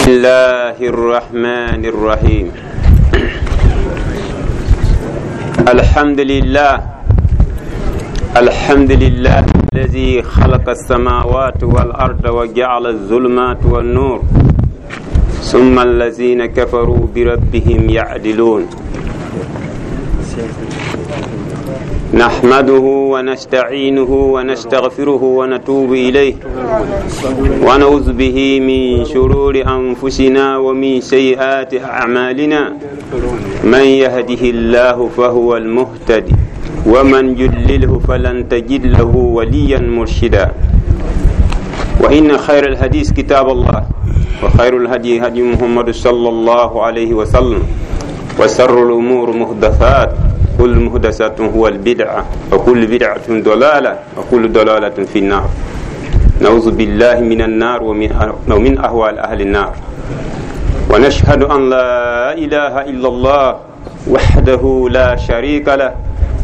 الله الرحمن الرحيم الحمد لله الحمد لله الذي خلق السماوات والأرض وجعل الظلمات والنور ثم الذين كفروا بربهم يعدلون نحمده ونستعينه ونستغفره ونتوب إليه ونعوذ به من شرور أنفسنا ومن سيئات أعمالنا من يهده الله فهو المهتدي ومن يضلله فلن تجد له وليا مرشدا وإن خير الحديث كتاب الله وخير الهدي هدي محمد صلى الله عليه وسلم وشر الأمور محدثات كل محدثة هو البدعة وكل بدعة ضلالة وكل ضلالة في النار نعوذ بالله من النار ومن أهوال أهل النار ونشهد أن لا إله إلا الله وحده لا شريك له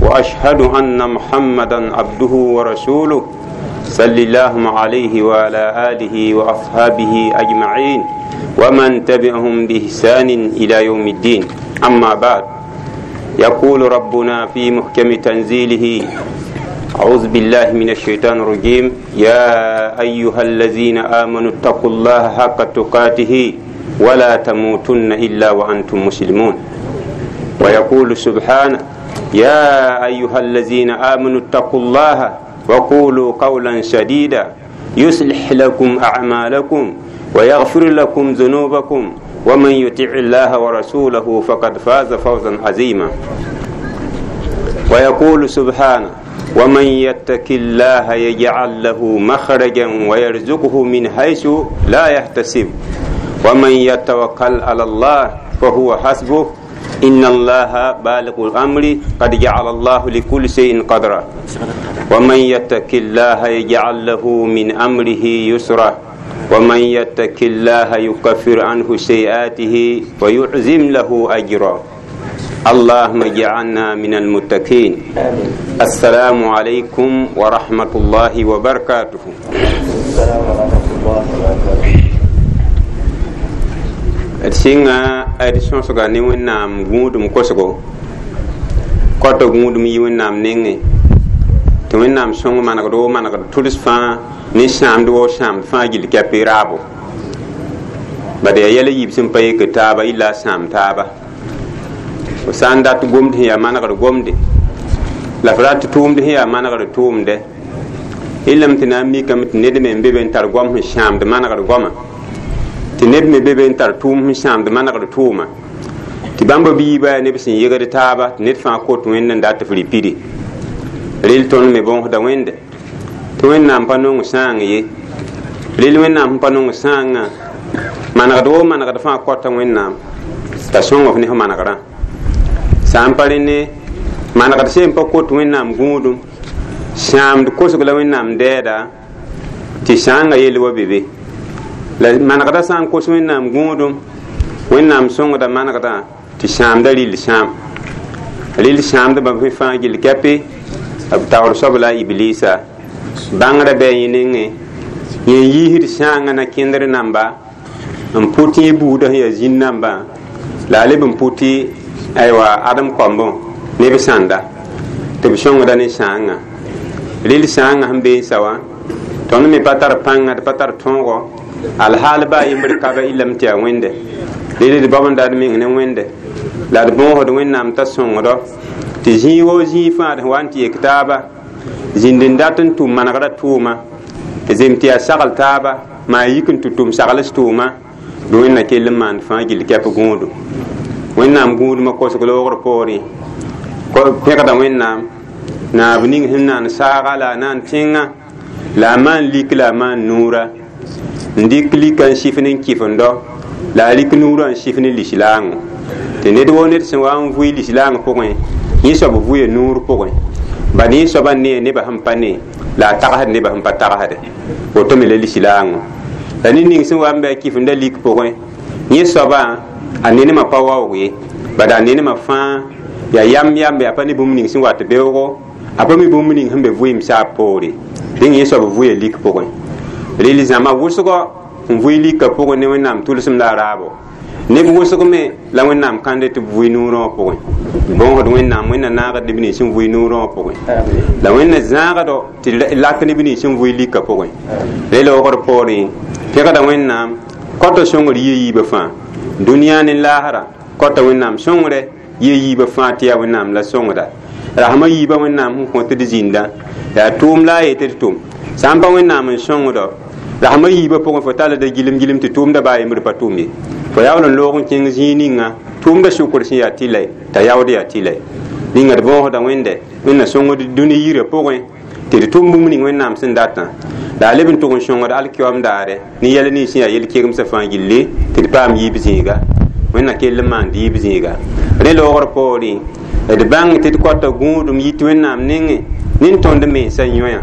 وأشهد أن محمدا عبده ورسوله صلى الله عليه وعلى آله وأصحابه أجمعين ومن تبعهم بإحسان إلى يوم الدين أما بعد يقول ربنا في محكم تنزيله أعوذ بالله من الشيطان الرجيم يا أيها الذين آمنوا اتقوا الله حق تقاته ولا تموتن إلا وأنتم مسلمون ويقول سبحانه يا أيها الذين آمنوا اتقوا الله وقولوا قولا سديدا يصلح لكم أعمالكم ويغفر لكم ذنوبكم ومن يطع الله ورسوله فقد فاز فوزا عظيما ويقول سبحانه ومن يتق الله يجعل له مخرجا ويرزقه من حيث لا يحتسب ومن يتوكل على الله فهو حسبه إن الله بالغ الأمر قد جعل الله لكل شيء قدرا ومن يتق الله يجعل له من أمره يسرا ومن يتق الله يكفر عنه سيئاته ويعزم له أجرا اللهم اجعلنا من المتقين السلام عليكم ورحمة الله وبركاته السلام ورحمة الله وبركاته d sɩnga d sõsga ne Wẽnnaam gũudum kosgo kɔtɔ gũudum yi Wẽnnaam nengẽ tɩ Wẽnnaam sõng manegd woo manegd tʋls fãa ne sãamd woo sãamd fãa gill kɛpɩ raabo bad yaa yɛl a yiib sẽn pa yik taaba illa a sãam taaba fo sã n dat gomd sẽn yaa manegd gomde la f rat tʋʋmd sẽn yaa manegd tʋʋmdɛ illame tɩ na n mikame tɩ ned me n be be n tar goam sẽn sãamd manegd goama tɩ ned me be be n tar tʋʋm sẽn sãamd manegd tʋʋma tɩ bãmb b yiibã yaa neb sẽn yegd taaba tɩ ned fãa kot Wẽnd n dat tɩ f rɩ pidi rel tõnd me bõosda Wẽnde tɩ Wẽnnaam pa nong sãang ye rel Wẽnnaam sẽn pa nong sãangã manegd woo manegd fãa kɔta Wẽnnaam t'a sõng f ne f manegrã sã n pa rẽne manegd seen pa kot Wẽnnaam gũudum sãamd kosg la Wẽnnaam dɛɛda tɩ sãangã yell wa be be la manegda sã n kos Wẽnnaam gũudum Wẽnnaam sõngda manegdã tɩ sãamda rɩl sãam rɩl sãamdbã fãa gill kɛpɩ b taoor soab la a iblisa bãngrã bɩ a yẽ nengẽ yẽ yiisd sãangã na kẽndr namba n pʋt yẽ buudã sẽn yaa zĩn nambã la a leb n pʋt aywa adem koambẽ neb sãnda tɩ b sõngda ne sãangã rɩl sãangã sẽn bee n sa wã tõnd me pa tar pãnga d pa tar tõogo alhaal baa yembr kaba illame tɩ yaa Wẽnde rel d bao n dat meng ne Wẽnde la d bõosd Wẽnnaam t'a sõngdo tɩ zĩig woo zĩig fãa d sẽn wa n tɩ yek taaba zĩnd n dat n tʋm manegrã tʋʋma zem tɩ yaa sagl taaba maa yik n tɩ tʋm sagls tʋʋma bɩ Wẽnna kell n maand fãa gill kɛp gũudu Wẽnnaam gũudmã kosg loogr poorẽ pẽgda Wẽnnaam naab ning sẽn naan saaga la a naan tẽngã la a maan lik la a maan nuura n dɩk lika n sɩf ne n kɩfendo la a rɩk nuurã n sɩf ne lislaango tɩ ned woo ned sẽn wa n vʋɩ lislaang pʋgẽ yẽ soab vʋɩa nuur pʋgẽ bad yẽ soabã nee nebã sẽn pa ne la a tagsd nebã sẽn pa tagsde woto me la lislaangõ la ned ning sẽn wa n bɩ a kɩfenda lik pʋgẽ yẽ soabã a nenemã pa waoog ye bad a nenemã fãa yaa yam yambe a pa ne bũmb ning sẽn wat beoogo a pa mi bũmb ning sẽn be vɩɩm saab poore dẽng yẽ soab vʋɩa lik pʋgẽ rel zãma wʋsgɔ n vʋɩ lika pʋgẽ ne Wẽnnaam tʋlsem la a raabo neb wʋsg me la Wẽnnaam kãnde tɩ b vʋɩ noorã wã pʋgẽ. Bõosd Wẽnnaam, Wẽnna naagd neb nins sẽn vʋɩ noorã wã pʋgẽ, la Wẽnna zãagdo tɩ lak neb nins sẽn vʋɩ lika pʋgẽ. Re loogr poorẽ pẽgda Wẽnnaam kɔta sõngr yɩ yiibã fãa, dũniyã ne laasra kɔta Wẽnnaam sõngre yɩ yiibã fãa tɩ yaa Wẽnnaam la sõngda. Rasmã yiibã Wẽnnaam sẽn kõ tɩ d zĩnda yaa tʋʋm la a yetɩ d tʋm. Sã n pa Wẽnnaam n sõngdo rasmã yiibã pʋgẽ, fo talla da gilem gilem tɩ tʋʋmda baa yembr pa tʋm ye. Fo yaool n loog n kẽng zĩig ninga tʋʋmda sʋkr sẽn yaa tɩlɛ t'a yaood yaa tɩlɛ. Ninga d võosda Wẽnde, Wẽnna sõngd dũni yirã pʋgẽ tɩ d tʋm bũmb ning Wẽnnaam sẽn datã, la a leb n tʋg n sõngd alkiyoam daare ne yɛl nins sẽn yaa yel-kegemsã fãa gilli tɩ d paam yiib zĩiga. Wẽnna kell n maand yiib zĩiga. Rẽ loogr poorẽ d bãng tɩ d kɔta gũudum yit Wẽnnaam nengẽ nin tõnd mensã yõya.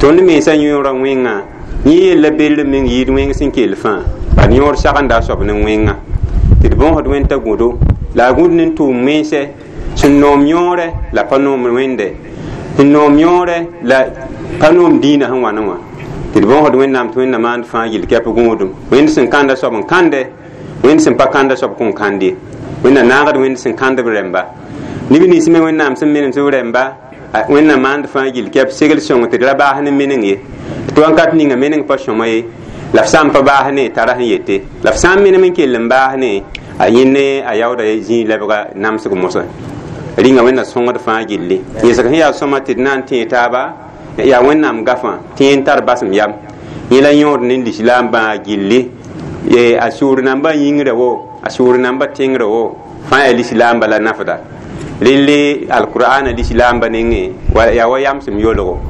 Tõnd mensã yõora wẽnga yẽ yella bell meng yɩɩd wẽng sẽn kell fãa, bad yõor sagenda a soab ne wẽnga. Tɩ d bõosd Wẽnd t'a gũdo la a gũd ne tʋʋm mense sẽn noom yõore la pa noom Wẽnde, sẽn noom yõore la pa noom dĩinã sẽn wãne wã. Tɩ d bõosd Wẽnnaam tɩ Wẽnna maand fãa yɩl kɛp gũudum. Wẽnd sẽn kãnda soab n kãnde, Wẽnd sẽn pa kãnda soab kõn kãnd ye. Wẽnna naagd Wẽnd sẽn kãnd b rẽmba. Neb nins me Wẽnnaam sẽn menem tɩ b rẽmba, Wẽnna maand fãa yɩl kɛp segl sõng tɩ d ra baas ne meneng ye. Tɩ wãnkat ninga meneng pa sõma ye, la f sã n pa baas ne tara sẽn yete, la f sã n menem n kell n baas ne a yẽ ne a yaooda zĩig lebga namsg mosã. Rĩnga Wẽnna sõngd fãa gilli. Yẽsg sẽn yaa sõma tɩ d na n tẽe taaba yaa Wẽnnaam gafã tɩ n tar basem yam. Yẽ la yõod ne lislaam bãa gilli, a sʋʋr nambã yĩngrã wo, a sʋʋr nambã tẽngrã wo, fãa yaa lislaamba la nafda. Relle alqur'ana lislaamba nengẽ yaa wa yamsem yolgo.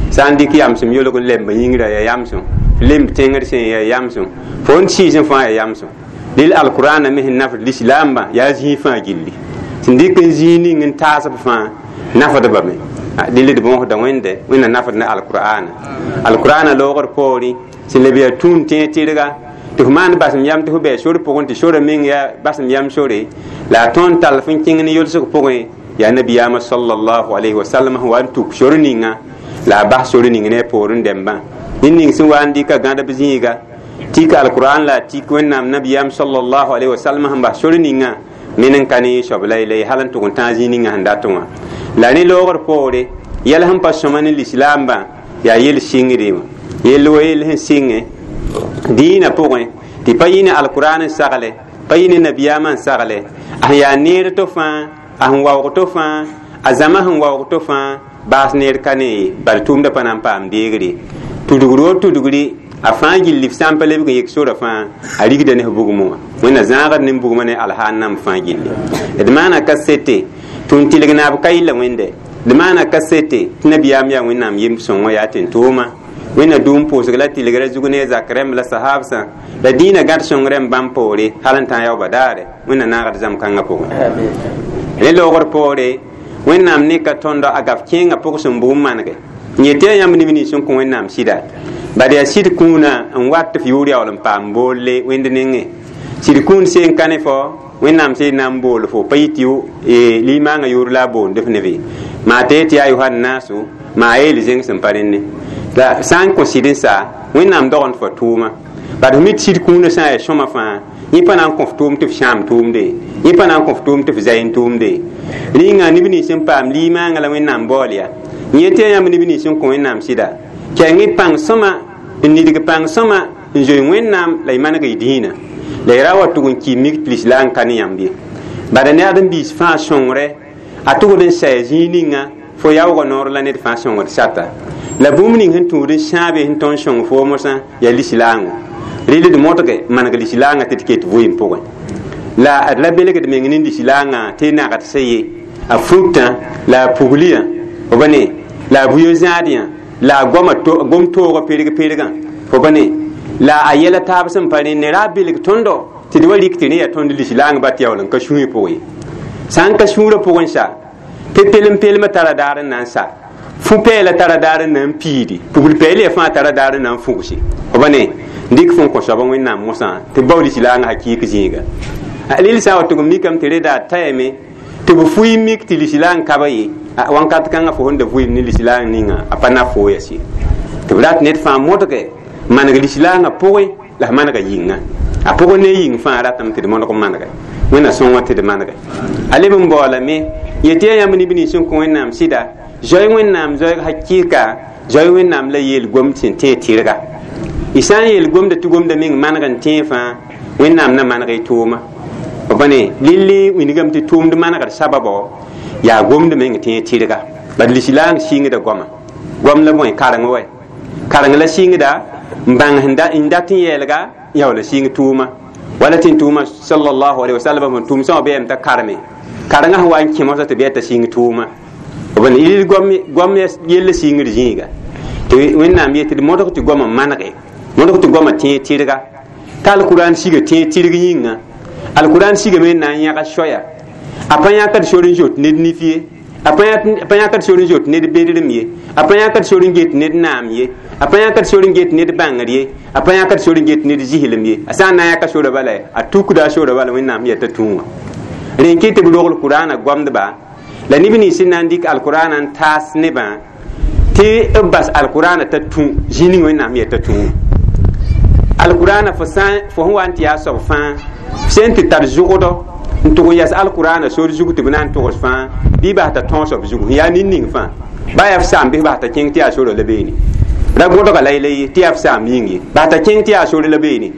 Sã n dɩk yamsem yolg n lemb yĩngrã yaa yamsem, lemb tẽngr sẽn yaa yamsem, fo n sɩɩsẽ fãa yaa yamsem. Rel alqur'ana me sẽn nafd lislaambã yaa zĩig fãa gilli. Sẽn dɩk n zĩig ning n taasb fãa nafdbame. Rel d bõosda Wẽnde, Wẽnna nafd ne alqur'ana. Alqur'ana loogr poorẽ sẽn leb yaa tũun tẽeg tɩrga tɩ f maan basem yam tɩ f bɩ sor pʋgẽ, tɩ sorã meng yaa basem yam sore, la a tõnd tall f n kẽng ne yolsg pʋgẽ yaa nabiyaamã sallallahu alayhi wa sallam sẽn wa n tuk sor ninga la a bas sor ning ne a poorẽ dẽmbã. Ned ning sẽn wa n dɩka gãdb zĩiga tik alqur'an la a tik Wẽnnaam nabiyaam sallallahu alayhi wa sallam sẽn bas sor ninga men n ka ne soab la la hal n tʋg n tãag zĩig ninga sẽn dat wã. La ne loogr poore yɛl sẽn pa sõma ne lislaambã yaa yel sɩngre wã, yell wa yell sẽn sɩngẽ dĩinã pʋgẽ tɩ pa yɩ ne alqur'an n sagle, pa yɩ ne nabiyaamã n sagle, a sẽn yaa neer to fãa, a sẽn waoog to fãa, a zãma sẽn waoog to fãa, baas neer ka ne ye, bal tʋʋmdã pa na n paam deegre. Tudgr o tudgri a fãa gilli f sã n pa lebg n yek sora fãa a rigda ne f bugmã wã. Wẽnna zãagd ne bugmã ne alhaannam fãa gilli. D maana kasete tɩ n tɩlg naab ka yɩlla Wẽnde, d maana kasete tɩ nabiyaam yaa Wẽnnaam yem sõngã yaa tẽn-tooma. Wẽnna dũum pʋʋsg la tɩlgrã zug ne a zak rẽmb la sahabsã la dĩinã gãd sõng rẽmb bãmb poore hal n tã yaooba daare. Wẽnna naagd zãmb kãngã pʋgẽ. Rẽ loogr poore Wẽnnaam neka tõndo a gaf kẽengã pʋg sẽn bʋʋm manege n yetɩ yaa yãmb neb nins sẽn kõ Wẽnnaam sɩda, bad yaa sɩd kũunã n wat tɩ f yʋʋr yaool n paam boolle Wẽnd nengẽ. Sɩd kũun seen ka ne fo Wẽnnaam sẽn na n bool fo pa yɩ tɩ limaangã yʋʋr la a boond f nebe maa tɩ tɩ yaa yohannaso maa yeel zẽng sẽn pa rẽnne. La sã n kõ sɩd n sa Wẽnnaam dogend fo tʋʋma, bad f mi tɩ sɩd kũunã sã n yaa sõma fãa yẽ pa na n kõ f tʋʋm tɩ f sãam tʋʋmde, yẽ pa na n kõ f tʋʋm tɩ f zay n tʋʋmde. Rĩnga neb nins sẽn paam limaangã la Wẽnnaam baool yaa yẽ tɩ yaa yãmb neb nins sẽn kõ Wẽnnaam sɩda, kɛng y pãng sõma n nidg pãng sõma n zoe Wẽnnaam la y maneg y dĩinã, la y ra wa tʋg n ki mik tɩ lislaam ka ne yãmb ye. Bala ne ãdem-biis fãa sõngre a tʋgd n saya zĩig ninga fo yaoogã noor la ned fãa sõngd sata. La bũmb ning sẽn tũud n sãabe sẽn tõnd sõng fo mosã yaa lislaangõ. Rɩl d modge maneg lislaangã tɩ d ket vʋɩɩm pʋgẽ. La d ra belgd meng ne lislaangã tɩ nagd sã ye a futã la a pugliyã fo ba ne, la a buyo zãadyã la a goma gom toogã perg pergã fo ba ne, la a yɛla taab sẽn pa rẽnne ra belg tõndo tɩ d wa rik tɩ rẽ yaa tõnd lislaang ba tɩ yaool n ka sũy pʋgẽ ye. Sã n ka sũurã pʋgẽ sa tɩ pelem-pelmã tara daar n na n sa, fu-pɛɛlã tara daar n na n piidi, pugl-pɛɛl yaa fãa tara daar n na n fugse fo ba ne, n dɩk fõn kõ soab Wẽnnaam mosã tɩ bao lislaangã hakiik zĩiga. Rel sã n wa tʋg n mikame tɩ reda a tayame tɩ b fʋɩ mik tɩ lislaang ka ba ye, wãnkat kãngã fo sẽn da vʋɩɩm ne lislaang ninga a pa na fo yas ye. Tɩ b rat ned fãa modge maneg lislaangã pʋgẽ La f manega yĩnga a pʋgẽ ne yĩng fãa ratame tɩ d modg n manege wẽnna sõngã tɩ d manege a leb n baoolame yetɩ yaa yãmb neb nins sẽn kõ wẽnnaam sɩda zoe wẽnnaam zoeeg hakɩɩka zoe wẽnnaam la yeel gomd sẽn tẽ tɩrga y sã n yeel gomda tɩ gomda meng maneg n tẽ fãa wẽnnaam na maneg y tʋʋma b ne lilli wingame tɩ tʋʋmd manegd sababo yaa gomd meng tẽ tɩrga bad lislaam sɩngda goama gom la bõe kareng wɛ kareng la sɩngda n bãng n dat n yɛɛlga ya wala sɩng tʋʋma wala tɩ n tʋʋma sallallahu alaihi wasallam sẽn tʋʋm sã bɩ t'a karme karengã sẽn wa n kẽ mosã tɩ bɩ t'a sɩng tʋʋma b ne yel gom yella sɩngd zĩiga tɩ wẽnnaam yetɩ d modg tɩ goamã manege modg tɩ goamã tẽeg tɩrga t'a alkuran siga tẽeg tɩrg yĩnga alkuran sigame n na n yãga soaya a pa yãkd sor n zoet ned nif ye a pa yãkd sor n zoet ned bedrem ye a pa yãkd sor n get ned naam ye a pa yãkd sor n get ned bãngr ye a pa yãkd sor n get ned zislem ye a sã n na n yãka sora bala a tukda a sora bala wẽnnaam yeta tũ wã rẽn kɩ tɩ b rogl kurana goamdba la neb nins sẽn na n dɩk alkurana n taas nebã tɩ b bas alkurana t'a tũ zĩ ning wẽnnaam yeta tũ alkurana fo sã fo sẽn wa n tɩ yaa soab fãa sẽn tɩ tar zʋgdɔ n tʋg n yɛs alkurana sor zug tɩ b na n togs fãa bɩ bas t'a tõosb zugu sẽn yaa nin-ning fãa ba yaa f saam bɩ bas t'a kẽng tɩ yaa sora la beene ra gõdga la yela ye tɩ yaa f saam yĩng ye bas t'a kẽng tɩ yaa sore la beene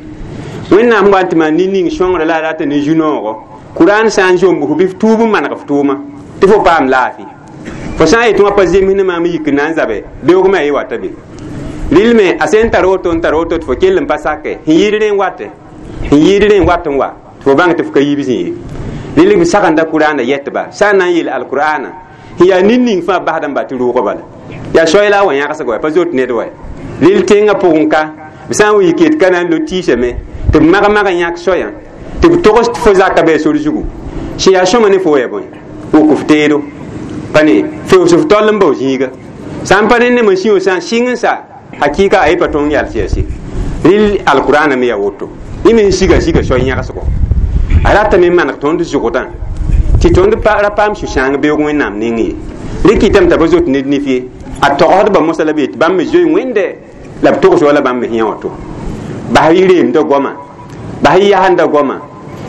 wẽnnaam wa n tɩ maan nin-ning sõngre la a rata ne zu-noogo kuran sã n zomb fo bɩ f tuub n maneg f tʋʋma tɩ fo paam laafɩ fo sã n yetɩ wã pa zems ne maam yik n na n zabe beoogmã ye wata be rɩlme a sẽn tar woto n tar woto tɩ fo kell n pa sake sẽn yɩɩd rẽ n wate sẽn yɩɩd rẽ n wat n wa tɩ fo bãng tɩ f ka yiib zĩ ye rɩl b sagenda kurana yɛtba sã n na n yeel alkur'ana sẽn yaa nin-ning fãa basd n ba tɩ rʋʋgã bala yaa soay la a wa yãgsg wa pa zoet ned wa rɩl tẽngã pʋgẽ ka b sã n wa yik yet ka na n lo tiisame tɩ b mag-mag n yãk soayã tɩ b togs tɩ fo zaka bɩ sor zugu sẽn yaa sõma ne fo ya bõe wok f teedo pa ne feoos f tol n bao zĩiga sã n pa rẽnd nem n sĩo sã n sɩng n sa hakɩɩka a ye pa tõng yals yɛse rɩl alkur'ana me yaa woto yẽ me sẽn siga siga soay yãgsgo a ratame n maneg tõnd zʋgdã tɩ tõnd ra paam sũ-sãang beoog wẽnnaam neng ye rẽ kɩtame t'a pa zoet ned nif ye a togsdba mosã la b yet bãmb me zoe wẽnde la b togs wala bãmb me sẽn yã woto bas y reemda goama bas y yasenda goama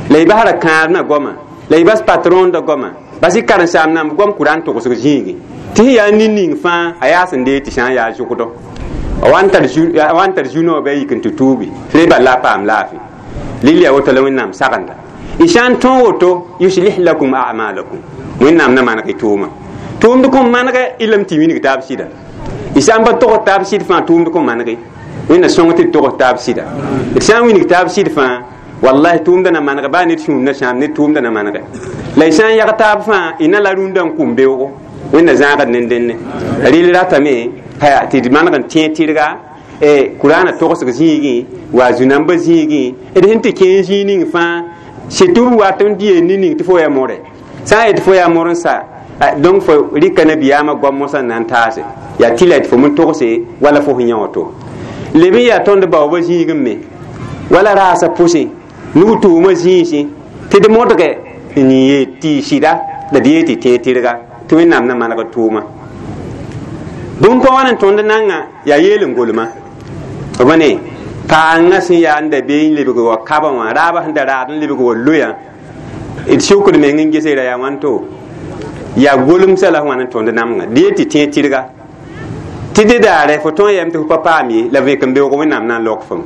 la y bas ra kãadmã goama la y bas patronda goama bas y karen-saam namb goam kurã n togsg zĩigi tɩ sẽn yaa nin-ning fãa a yaa sẽn dee tɩ sã n yaa zʋgdɔ a wa n tar zu-noog bɩ a yik n tɩ tuubi tɩ bal la a paam laafɩ lil yaa woto la wẽnnaam sagenda y sã n tõog woto yuslih lakum a'malakum wẽnnaam na maneg y tʋʋma tʋʋmd kõn manege y lame tɩ wilg taab sɩda y sã n pa togs taab sɩd fãa tʋʋmd kõn manege wẽnna sõng tɩ d togs taab sɩda d sã n wilg taab sɩd fãa wallahi tʋʋmda na manege baa ned sũur na sãam ned tʋʋmda na manege la y sã n yag taab fãa y na la rũndã n kũm beoogo wẽnna zãagd ned dẽnne rɩl ratame tɩ d maneg n tẽeg tɩrga kurana togsg zĩigẽ wa zu-nambã zĩigẽ d sẽn tɩ kẽe zĩig ning fãa surtout wat n dɩ ne ning tɩ fo yaa more sã n yet fo yaa mor n sa donc fo rɩka nabiyaamã goam mosã n na n taase yaa tɩ la tɩ fo me togse wala fo sẽn yã woto leb n yaa tõnd baoobã zĩigẽ me wala raasã pʋsẽ nug tʋʋmã zĩisẽ tɩ d modge n yee tɩ sɩda la d yee tɩ tẽeg tɩrga tɩ wẽnnaam na maneg tʋʋma bũmb pa wãn n tõnd nanga yaa yeel n golma b ne paangã sẽn yaa n da bee n lebg wa kabã wã raabã sẽn da raad n lebg wa loyã d sʋkd meng n gese ra yaa wãnto yaa golemsã la wãn n tõnd namgã d yee tɩ tẽeg tɩrga tɩ dẽ daare fo tõe n yɛm tɩ fo pa paam ye la vẽk n beoog wẽnnaam na n lok fom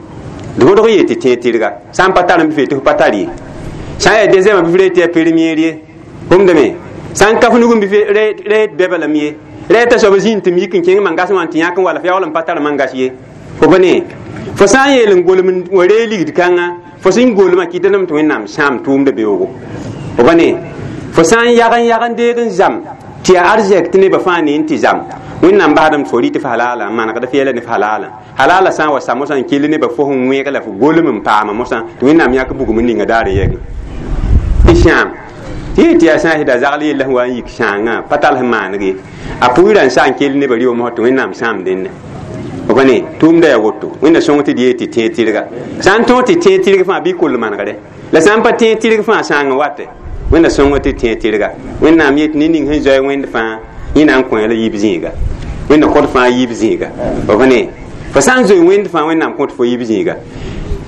d wodg yee tɩ tẽeg tɩrga sã n pa tar n bɩ fe tɩ fo pa tar ye sã n yaa deuxième bɩ f ree tɩ yaa première ye gomdame sã n ka f nug n bɩ re bɛba lame ye rɛ t'a soab zĩnd tɩ m yik n kẽng mangas wã tɩ yãk n wala f yaool n pa tar mangas ye fo pa ne fo sã n yeel n golem wa ree ligd kãnga fo sẽn golmã kɩta lame tɩ wẽnnaam sãam tʋʋmda beoogo fo pa ne fo sã n yag n yag n deeg n zam tɩ yaa arzɛk tɩ nebã fãa ne n tɩ zam wẽnnaam basdame tɩ fo rɩ tɩ f halala n manegd f yɛla ne f halala halala sã n wa sa mosã n kell nebã fo sẽn wẽeg la fo golem n paama mosã tɩ wẽnnaam yãk bugum n ninga daar n yɛgẽ tɩ sãam tɩ yee tɩ yaa sã n sɩda zagl yella sẽn wa n yik sãangã pa tall sẽn maaneg ye a pʋɩɩrã n sa n kell nebã rɩ mosã tɩ wẽnnaam sãam dẽnne f pa ne tʋʋmda yaa woto wẽnna sõng tɩ d yee tɩ tẽeg tɩrga sã n tõog tɩ tẽeg tɩrg fãa bɩ koll manegre la sã n pa tẽeg tɩrg fãa sãang n wate wẽnna sõng tɩ tẽeg tɩrga wẽnnaam yet ne ning sẽn zoe wẽnd fãa yẽ na n kõ la yiib zĩiga wẽnna kõt fãa yiib zĩiga f pa ne fo sã n zoe wẽnd fãa wẽnnaam kõt fo yiib zĩiga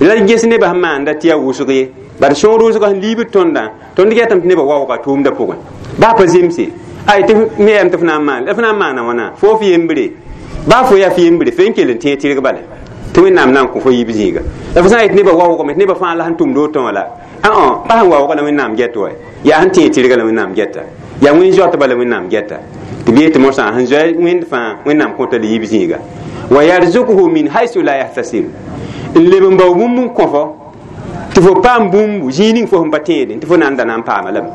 La ges nebã sẽn maanda tɩ yaa wʋsg ye bad sõor wʋsga sẽn liibd tõndã tõnd getame tɩ nebã waooga tʋʋmdã pʋgẽ baa pa zemse ay tɩ me yam tɩ f na n maan la f na n maana wãna fo f yembre baa fo yaa f yembre fe n kell n tẽeg tɩrg bala tɩ wẽnnaam na n kõ fo yiib zĩiga la fo sã n yet nebã waoogame tɩ nebã fãa la sẽn tʋmd woto wã la pa sẽn waooga la wẽnnaam get wa yaa sẽn tẽeg tɩrga la wẽnnaam geta yaa wẽn zoatba la wẽnnaam geta tɩ b yetɩ mosã sẽn zoa wẽnd fãa wẽnnaam kõta la yiib zĩiga wa yarzukuhu min haisu la yahtasib n leb n bao bũmb n kõ fo tɩ fo paam bũmbu zĩig ning fo sẽn pa tẽedẽ tɩ fo na n da na n paama lame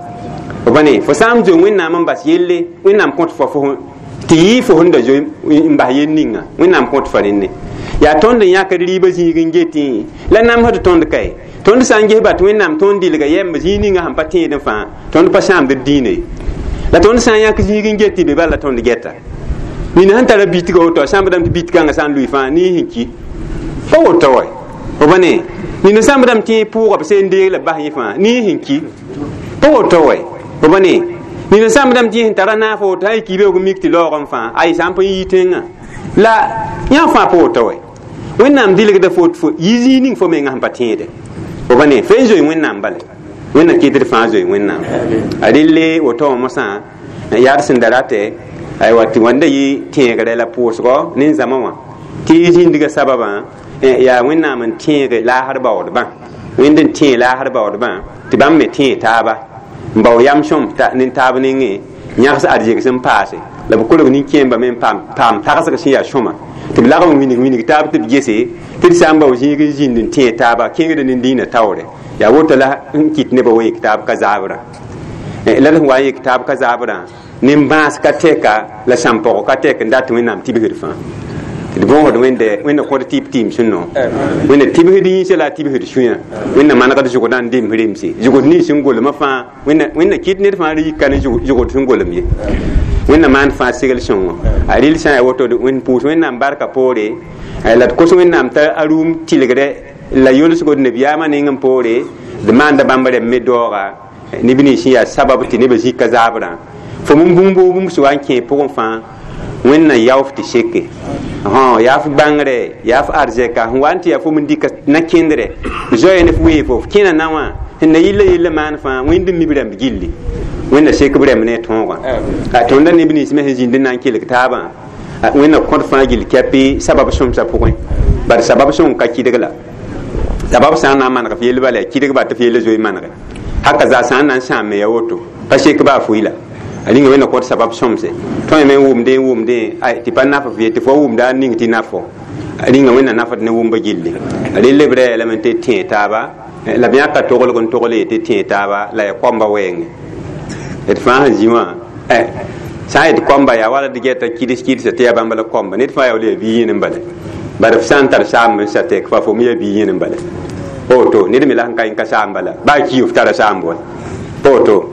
fo pa ne fo sã n zoe wẽnnaam n bas yelle wẽnnaam kõt fo fo tɩ yɩ fo sẽn da zoe n bas yel ninga wẽnnaam kõt fo rẽnne yaa tõnd n yãkd rɩɩbã zĩig n getẽ la namsd tõnd kae tõnd sã n ges ba tɩ wẽnnaam tõnd dɩlga yɛmb zĩig ninga sẽn pa tẽedẽ fãa tõnd pa sãamd d dĩinã ye la tõnd sã n yãk zĩig n get tɩ be bala la tõnd geta nina sẽn tara bitga woto a sãmbdame tɩ bit-kãngã sã n lʋɩ fãa ne sẽn ki pa woto wa fo pa ne nina sãmbdame tɩ pʋʋga b seen deeg la b bas yẽ fãa ne sẽn ki pa woto wa fo pa ne nina sãmbdame tɩ sẽn tara naaf woto sã n ki beoog mik tɩ laoogẽ fãa ay sã n pa yi tẽngã la yã fãa pa woto wa wẽnnaam dɩlgda fo fo yi zĩig ning fo mengã sẽn pa tẽede fo pa ne fe n zoe wẽnnaam bala wẽnna kɩt d fãa zoe wẽnnaam a relle woto wã mosã yaa d sẽn da ratɛ aywa tɩ wãnda yɩ tẽegre la pʋʋsgɔ nin-zãma wã tɩ zĩndgã sababã yaa wẽnnaam n tẽege laasr baoodbã wẽnd n tẽeg laasr baoodbã tɩ bãmb me tẽeg taaba n bao yam sõm nin-taab nengẽ yãgs arzeg sẽn paase la b kolg nin-kẽembã me n paam tagsg sẽn yaa sõma tɩ b lagm n winig winig taab tɩ b gese tɩ d sã n bao zĩig n zĩnd n tẽeg taaba kẽngd nin-dĩinã taoore yaa woto la n kɩt nebã wa yik taab ka zaabrã la d sẽn wa n yik taab ka zaabrã nin-bãas ka tɛka la sãn-pɔg ka tɛk n dat wẽnnaam tibsd fãa tɩ d bõosd wẽnde wẽnna kõd tɩ b tɩɩm sẽn no wẽnna tibsd yĩnsã la a tibsd sũyã wẽnna manegd zʋgdã n dems remse zʋgd nins sẽn golmã fãa wẽnna kɩt ned fãa yika ne zʋgd sẽn golem ye wẽnna maan fãa segl sõngo a rɩl sã n yaa woto wẽn pʋʋs wẽnnaam barka poore la d kos wẽnnaam t'a a rũum tɩlgdɛ la yolsgo d nabiyaamã neng n poore d maanda bãmb rɛm me daooga neb nins sẽn yaa sabab tɩ nebã zika zaabrã fo bũmb bũmb sẽn wa n kẽ pʋgẽ fãa wẽnna yaof tɩ seke yaa f bãngre yaa f arzɛka sẽn wa n tɩ yaa fo n dɩka na-kẽndrɛ zoe ne f wee fo f kẽna na wã sẽn na yilla yella maan fãa wẽnd n mi b rãmb gilli wẽnna sek b rãmb ne tõogã tõnda neb nins me sẽn zĩnd n na n kelg taabã wẽnna kõd fãa gill kɛpɩ sabab sõmsã pʋgẽ bad sabab sõng ka kɩdg la sabab sã n na n maneg f yell bala yaa kɩdg ba tɩ f yella zoe manege haka zaa sã n na n sãam me yaa woto pa sek baa fuila a rĩnga wẽnna kõt sabab sõmse tõe me n wʋmdẽ n wʋmdẽ tɩ pa naf f ye tɩ fo wʋmda a ning tɩ nafo a rĩnga wẽnna nafd ne wʋmba gilli a rel b rɛɛ lame tɩ tẽeg taaba la b yãka toglg n togl ye tɩ tẽeg taaba la ya koamba wɛɛngẽ d fãa sẽn zĩ wã sã n yet koamba yaa wala d gɛta kɩds kɩdsa tɩ yaa bãmba la koamba ned fãa yaa wala yaa bi yẽn n bala bad f sã n tar saamb n sa tɛk fa fo me yaa bi yẽn n bala pa woto ned me la sẽn ka yẽ ka saam bala baa ki f tara saamb wa pa woto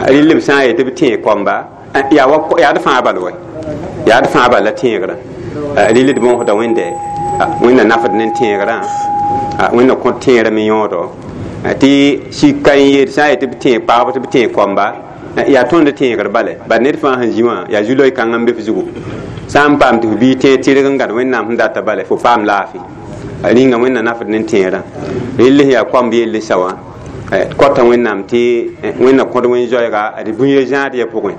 rɩl b sã n yet tɩ b tẽeg koamba yaa d fãa bal wa yaa d fãa bal la tẽegrã rɩl d bõosda wẽnde wẽnna nafd ne tẽegrã wẽnna kõt tẽegrã me yõodo tɩ sik ka n yeel sã n yet tɩ b tẽeg pagb tɩ b tẽeg koamba yaa tõnd tẽegr bale bad ned fãa sẽn zĩ wã yaa zu-loe kãng n be f zugu sã n paam tɩ f bii tẽeg tɩrg n gãd wẽnnaam sẽn data bale fo paam laafɩ rĩnga wẽnna nafd ne tẽerã rell sẽn yaa koamb yelle sa wã kota wẽnnaam tɩ wẽnna kõd wẽn-zoɛɛga d bũye zãad ya pʋgẽ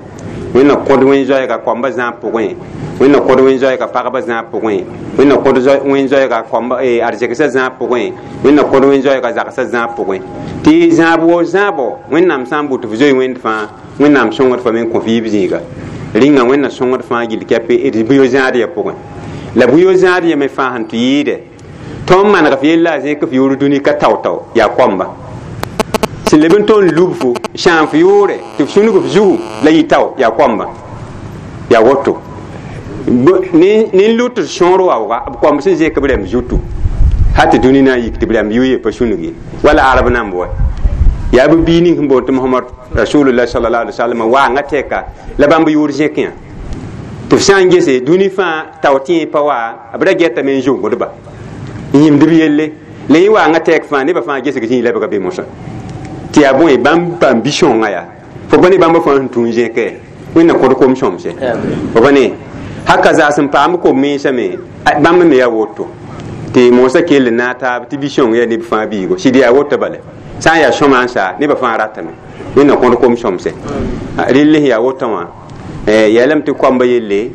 wẽnna kõd wẽn-zoɛɛga koamba zãab pʋgẽ wẽnna kõd wẽn-zoɛɛga pagba zãab pʋgẽ wẽnna kõd wẽn-zoɛɛga koamba arzegsã zãab pʋgẽ wẽnna kõd wẽn-zoɛɛga zagsã zãab pʋgẽ tɩ zãab woo zãabo wẽnnaam sã n bʋ tɩ f zoe wẽnd fãa wẽnnaam sõngd fa me n kõ f yiib zĩiga rĩnga wẽnna sõngd fãa gill kɛpɩ d bũyo zãad ya pʋgẽ la bũyo zãad ya me fãa sẽn tɩ yɩɩdɛ tõnd maneg f yella a zẽk f yʋʋr dũni ka tao-tao yaa koamba sẽn leb n tõnd lub fo sãam f yʋʋre tɩ f sũnug f zugu la yɩ tao yaa koamba yaa woto nin-lut d sõor waooga b koamb sẽn zẽk b rãmb zutu hal tɩ dũni na n yik tɩ b rãmb yʋ ye pa sũnug ye wala arab namb wa yaa b bii ning sẽn boond tɩ mohamad rasulullah sallallahu alaihi wasallam waanga tɛka la bãmb yʋʋr zẽkẽ tɩ f sã n gese dũni fãa tao tẽeg pa wa b ra getame n zongdba n yĩmd b yelle la yẽ waanga tɛk fãa nebã fãa gesg zĩig lebga be mosã tɩ yaa bõe bãmb paam bi-sõngã yaa fo pa ne bãmba fãa sẽn tũ n zẽke wẽnna kõd kom sõmse fo pa ne haka zaa sẽn paam kom mensã me bãmb me yaa woto Tɩ moosã kell n naag taab tɩ bi-sõng yaa neb fãa biigo sɩd yaa woto bala sã n yaa sõma n saa nebã fãa ratame wẽnna kõd kom sõmse rell sẽn yaa wotã wã yeelame tɩ koamba yelle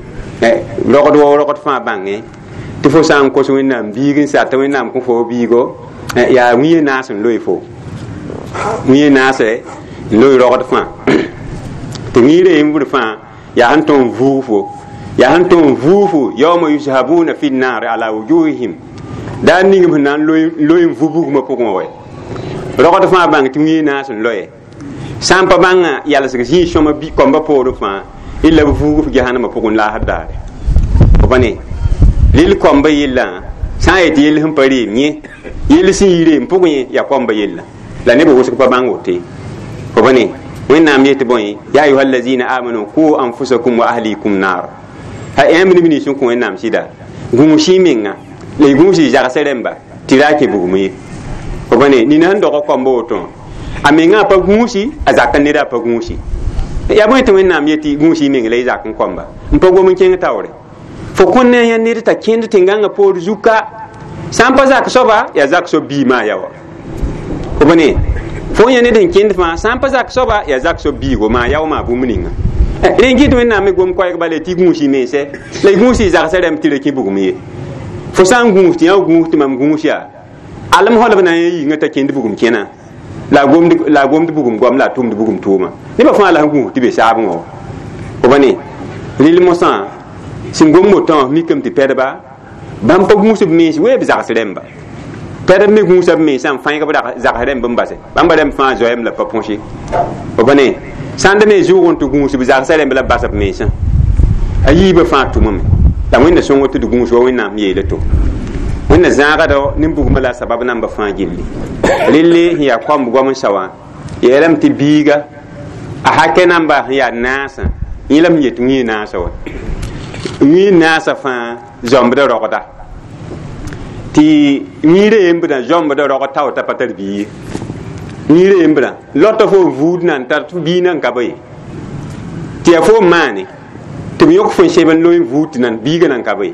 rogd wa rogd fãa bãnge tɩ fo sã n kos wẽnnaam biig n sa tɩ wẽnnaam kõ fo biigo yaa wĩyã naas n loe fo wĩyã naase n loe rogd fãa tɩ wĩirã yembr fãa yaa sẽn tõe n vuug fo yaa sẽn tõe n vuug fo yauma yushabuna fi nnaar ala wujuhihim daa ning b sẽn na n loe n vu bugmã pʋgẽ wɛ rogd fãa bãng tɩ wĩyã naas n loe sã n pa bãngã yalsg zĩig sõma koambã poorẽ fãa illa b vuug f gehanamã pʋgẽ laasd daare fo pa ne rɩl koambã yellã sã n yet yell sẽn pa reem yẽ yell sẽn yi reem pʋgẽ yẽ yaa koambã yella la nebã wʋsg pa bãng woto ye fo pa ne wẽnnaam yet bõe ya ayuha allazina amanu qu anfusakum wa ahlikum nar ha yãmb neb nins sẽn kõ wẽnnaam sɩda gũus y menga la y gũus y zagsã rẽmba tɩ ra kẽ bugum ye fo pa ne nina sẽn dog koamba woto a mengã a pa gũusi a zak n neda a pa gũusi yaa bõe tɩ wẽnnaam yetɩ gũus y meng la y zak n koamba n pa gom n kẽng taoore fo kõn ne a yã ned t'a kẽnd tẽn-gãngã poor zuka sã n pa zak soaba yaa zak soab bii maa ya wa fo pa ne fo yã ned sẽn kẽnd fãa sã n pa zak soaba yaa zak soab biigo maa yao maa bũmb ninga rẽ kɩ tɩ wẽnnaam me gom koɛɛg bala tɩ gũus y mense la y gũus y zagsã rẽmb tɩ ra kẽ bugum ye fo sã n gũus tɩ yã gũus tɩ mam gũus yaa alem holb na n yĩngã t'a kẽnd bugum kẽna la a gomd bugum goam la a tʋmd bugum tʋʋma nebã fãa la sẽn gũus tɩ be saabẽ wã fo pa ne rɩl mosã sẽn gom wotã wã mikame tɩ pɛdba bãmb pa gũus b mens wee b zags rẽmba pɛdb me gũusa b mensã n fãeg b zags rẽmb n base bãmba rẽmb fãa zoeem la pa põse fo pa ne sãnd me zʋʋg n tɩ gũus b zagsã rẽmb la b bas b mensã a yiibã fãa tʋmame la wẽnna sõngo tɩ d gũus wa wẽnnaam yeela to wẽnna zãagda nin-bugmã la a sabab namba fãa gilli relle sẽn yaa koamb goam n sa wã yeelame tɩ biiga a hakɛ namba sẽn yaa naasã yẽ la m yet wĩyã naasã wa wĩyã naasã fãa zãmbda rogda tɩ wĩirã yembdã zãmbda rogd tao t'a pa tar bii ye wĩirã yembrã lota fo n vuud nan tar tɩ bii nan ka ba ye tɩ yaa fo n maane tɩ b yõk fo n seb n loe n vuud tɩ nan biiga nan ka ba ye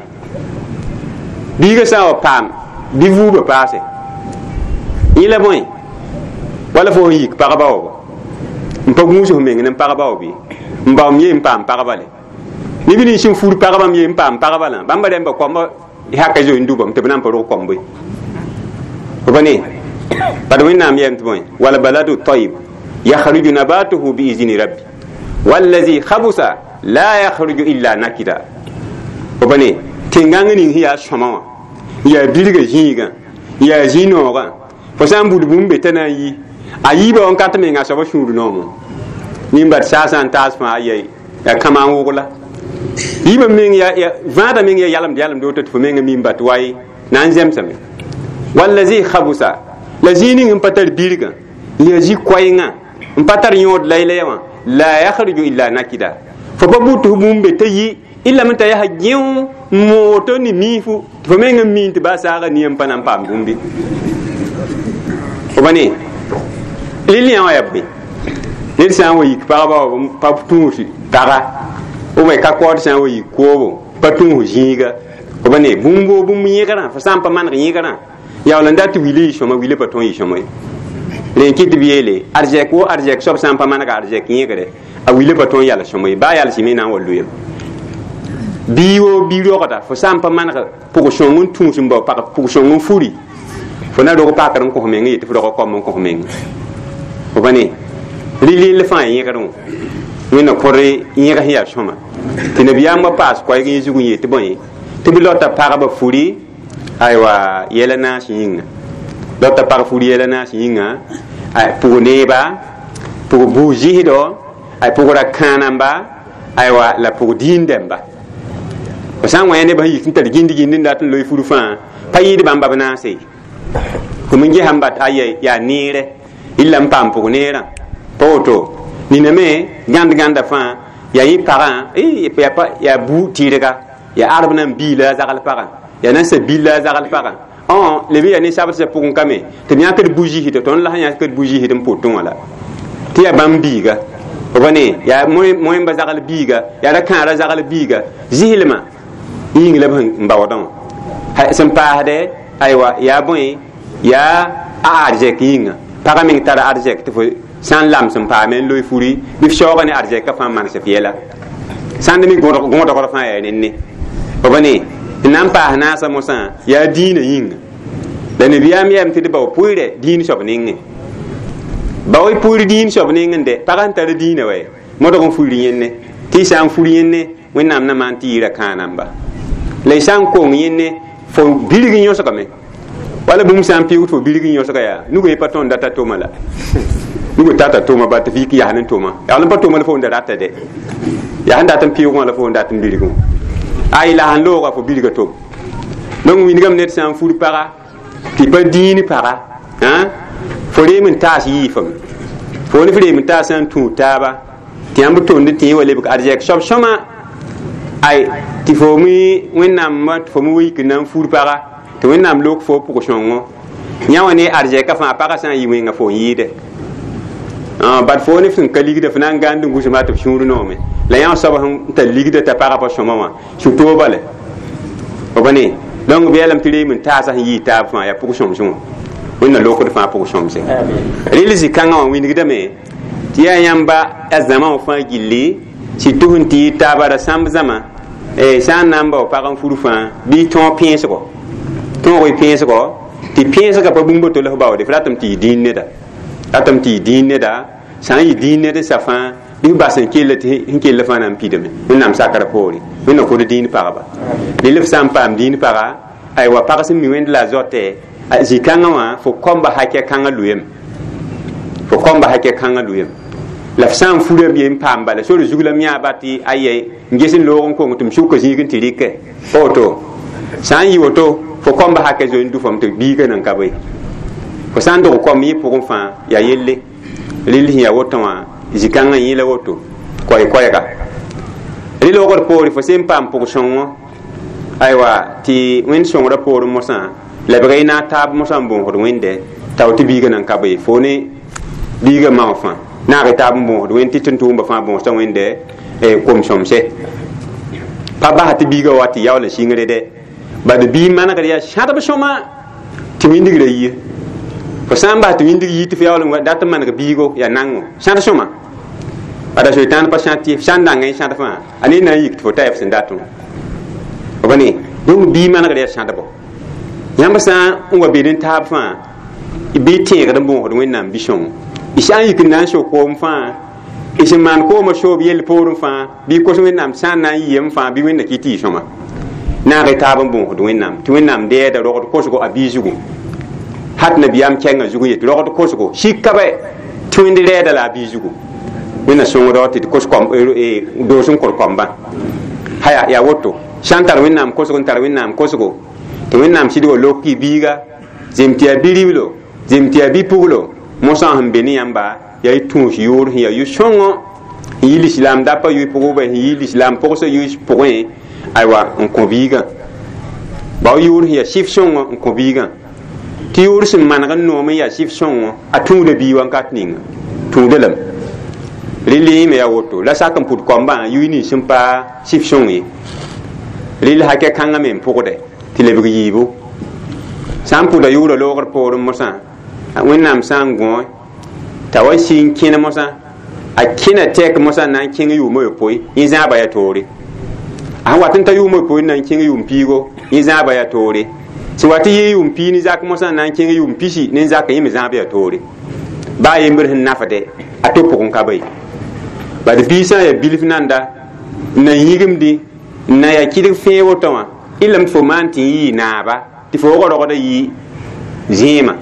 biiga sã n wa paam bɩ vuubã paase yẽ la bõe wala fo sẽn yik pagba wa n pa gũus f meng ne pagba wa bɩ n baoom ye n paam pagba le neb nins sẽn fur pagbãmb ye n paam pagba lã bãmba rẽmba koamba haka zoe n dubame tɩ b na n pa rog koambe fo pa ne bad wẽnnaam yeelame tɩ bõe wal baladu tayib yakhruju nabatuhu biizni rabbi wallazi khabusa la yakhruju illa nakida fo pa ne tẽn-gãng ning sẽn yaa sõma wã yaa bilga zĩigã yaa zĩ-noogã fo sã n bud bũmb be t'a na n yi a yiibã wãnkat menga a soaba sũur noomẽ nin-bad saasã n taas fãa yaa kãma n wogla yiibã meng vãadã meng yaa yalemd yalemd woto tɩ fo menga mim bat waye na n zemsame wallazi khabusa la zĩig ning n pa tar birgã yaa zĩ-koɛɛngã n pa tar yõod laylaya wã la yakhruju illa nakida fo pa bud tɩ f bũmb be t'a yi illa me t'a yaa gẽo n mooto ne miifu tɩ fo meng n miin tɩ baa saaga nia n pa na n paam bũmbe fo pa ne rɩl yã wã yaa bõe ned sã n wa yik pagba wa pa tũus paga ou bien ka kaood sã n wa yik koobo pa tũus zĩiga fo pa ne bũmb woo bũmb yẽgrã fo sã n pa maneg yẽgrã yaool n dat tɩ wila yɩ sõma wila pa tõe n yɩ sõma ye rẽ kɩ tɩ b yeele arzɛk wo arzɛk soab sã n pa manega arzɛk yẽgre a wila pa tõe n yals sõma ye baa yalsɩ me na n wa loeem bii woo bii rogda fo sã n pa maneg pʋg-sõng n tũus n bao pʋg-sõng n furi fo na rog pakr n kõs meng yetɩ fo rog koam n kõs meng fo pa ne rɩl yell fãa yẽgrẽ wã wẽnna kõd yẽg sẽn yaa sõma tɩ nabiyaambã paas koɛɛg yẽ zug n yet bõe tɩ b lota pagba furi aywa yɛla naas yĩnga lota pag furi yɛla naas yĩnga pʋg neeba pʋg buu-zɩsdɔ ay pʋg ra kãanamba aywa la pʋg diin-dẽmba fo sã n wa yã nebã sẽn yik n tar gĩnd-gĩnd n dat n loe fur fãa pa yɩɩd bãmba b naase ye tɩ m gesã n bat aya yaa neerɛ illa n paam pʋg neerã pa woto nina me gãnd-gãnda fãa yaa yẽ pagã yaa bu tɩrga yaa arb na n bii la a zagl pagã yaa nansa bil la a zagl pagã leb yaa ne-sabdsã pʋgẽ kame tɩ b yãkd bu-zɩsd tõnd la sẽn yãkd bu-zɩsd n pʋtẽ wã la tɩ yaa bãmb biiga fo pa ne yaa moẽmba zagl biiga yaa ra kãara zagl biiga zɩslmã yĩng la b sẽn baoodã wã sẽn paasdɛ Aywa yaa bõe yaa a arzɛk yĩnga pagã meng tara arzɛk tɩ fo sã n lams n paame n loe furi bɩ f shaooga ne arzɛkã fãa manes f yɛla sãnd me gõdgr fãa yaa nenne f ne tɩ na n paas naasã mosã yaa dĩinã yĩnga la nabiyaam yɛm tɩ d bao pʋɩɩrɛ dĩin soab nengẽ bao y pʋɩɩr dĩin soab nengẽ dɛ pag sẽn tar dĩinã wa modg n fuir yẽnne tɩ y sã n fur yẽnne wẽnnaam na maan tɩ yɩɩra kãa namba la y sã n kong yẽnne fo birg n yõsgame wala bũmb sã n pɩʋʋg tɩ fo birg n yõsga yaa nugã pa tõnd data tʋma la nugu tata tʋma ba tɩ f yik yas ne tʋma yaa n pa tʋma la fo n da rata dɛ yaa sẽn dat n pɩʋʋgã la fo n dat n birgẽ ay la sẽn looga fo birga tʋm donc wingame ned sã n fur paga tɩ pa dĩin paga fo reem n taas yiifame fo ne f reem n taas sã n tũud taaba tɩ yãmb tʋmd tɩ yẽ wa lebg arzɛk soab sõma ay tɩ fo mi wẽnnaam tɩ fo mi wa yik n na n fur paga tɩ wẽnnaam lok fo pʋg sõngo yã wã ne arzɛkã fãa pagã sã n yɩ wẽnga fo n yɩɩde bad fo ne f sẽn ka ligda f na n gãnd n gũsma tɩ f sũur noome la yã soab sẽn tar ligda t'a pagã pa sõma wã sũ-toog bale b ne donc bɩ yalame tɩ reem n taasã sẽn yɩɩ taab fãa yaa pʋg-sõmsẽ wã wẽnna lokd fãa pʋg-sõmse rel zĩ-kãngã wã wingdame tɩ yaa yãmba a zãma wã fãa gilli sɩ sẽn tɩ yɩ taaba ra sãmb zãma sã n na n bao pag n fur fãa bɩ tõog pẽesgo tõog y pẽesgo tɩ pẽesgã pa bũmb to la f baoode f ratame tɩ yɩ dĩin neda ratame tɩ yɩ dĩin neda sã n yɩ dĩin ned sa fãa bɩ f bas n kell tɩ sẽn kell fãa na n pidame wẽnnaam sakra poore wẽnna kod dĩin pagba rel f sã n paam dĩin paga aywa pag sẽn mi wẽnd la a zote zĩ-kãngã wã fo kõmba hakɛ kãngã loeem fo kõmba hakɛ kãngã loeem la f sã n furame ye n paam bala sore zug la m yãaba tɩ aye n ges n loog n kong tɩ m sʋka zĩig n tɩ rɩkɛ pa woto sã n yɩ woto fo kõmba hakɛ zoe n du fam tɩ biigã nan ka be fo sã n dog kom yẽ pʋgẽ fãa yaa yelle rel sẽn yaa woto wã zĩ-kãngã yẽ la woto koɛɛ-koɛɛga rel wogd poore fo sẽn paam pʋg-sõngo aywa tɩ wẽnd sõngrã poorẽ mosã lebg y na taab mosã n bõosd wẽnde tao tɩ biigã nan ka be fo ne biigã mao fãa naag y taab n bõosd wẽnd tɩ tʋm-tʋʋmba fãa bõosda wẽnde kom-sõmse pa bas tɩ biigã wa tɩ yaool n sɩngre dɛ bad bii manegd yaa sãdb sõma tɩ wĩndigrã yie fo sã n bas tɩ wĩndig yi tɩ fo yaool n dat n maneg biigo yaa nango sãd sõma bada soetãan pa sãd tɩ sã n dãnga y sãd fãa a ne na n yik tɩ fo ta f sẽn datẽ b ne donc bii manegd yaa sãdbo yãmb sã n wa bed n taab fãa bɩ tẽegd n bõosd wẽnnaam bi-sõngo y sã n yik n na n sok koom fãa y sẽn maan koomã soob yell poorẽ fãa bɩ kos wẽnnaam sã n na n yɩɩm fãa bɩ wẽnna kɩ tɩ yɩ sõma naag y taab n bõosd wẽnnaam tɩ wẽnnaam dɛɛda rogd kosgo a bii zugu hat nabiyaam kɛngã zugu yetɩ rogd kosgo sika bɛ tɩ wẽnd rɛɛda la a bii zugu wẽnna sõngdɔ tɩ d kos doos n kor kɔmbã haya yaa woto sã n tar wẽnnaam kosgo n tar wẽnnaam kosgo tɩ wẽnnaam sɩd wa lok y biiga zem tɩ yaa bi-riblo zem tɩ yaa bi-puglo mosã sẽn be ne yãmba yaa y tũus yʋʋr sẽn yaa yʋ-sõngo n yi lislaam dapa yʋɩ pʋgʋbã sẽn yi lislaam pʋgsã yʋɩ pʋgẽ aywa n kõ biigã bao yʋʋr sẽn yaa sɩf sõngo n kõ biigã tɩ yʋʋr sẽn maneg n noom n yaa sɩf sõngo a tũuda bii wankat ninga tũuda lame rel yẽme yaa woto la sak n pʋd kɔmbã yʋɩ nins sẽn pa sɩf sõng ye rel hakɛ kãngã me n pʋgdɛ tɩ lebg yiibu sã n pʋda yʋʋra loogr poorẽ mosã wẽnnaam sã n gõ t'a wa sɩ n kẽne mosã a kẽna tɛk mosã n na n kẽng yʋʋmã yopoe yẽ zãaba yaa toore a sẽn wat n ta yʋʋmã yopoe n na n kẽng yʋʋm piigo yẽ zãaba yaa toore sẽn wat n yɩ yʋʋm pii ne zak mosã n na n kẽng yʋʋm pisi ne zak yẽ me zãab yaa toore baa yembr sẽn nafde a to pʋgẽ ka be bad bii sã n yaa bilf nanda n na yĩgimdẽ n na yaa kɩdg fẽe woto wã y lame tɩ fo maan tɩ n yɩɩ naaba tɩ fo wog rogda yɩ zẽema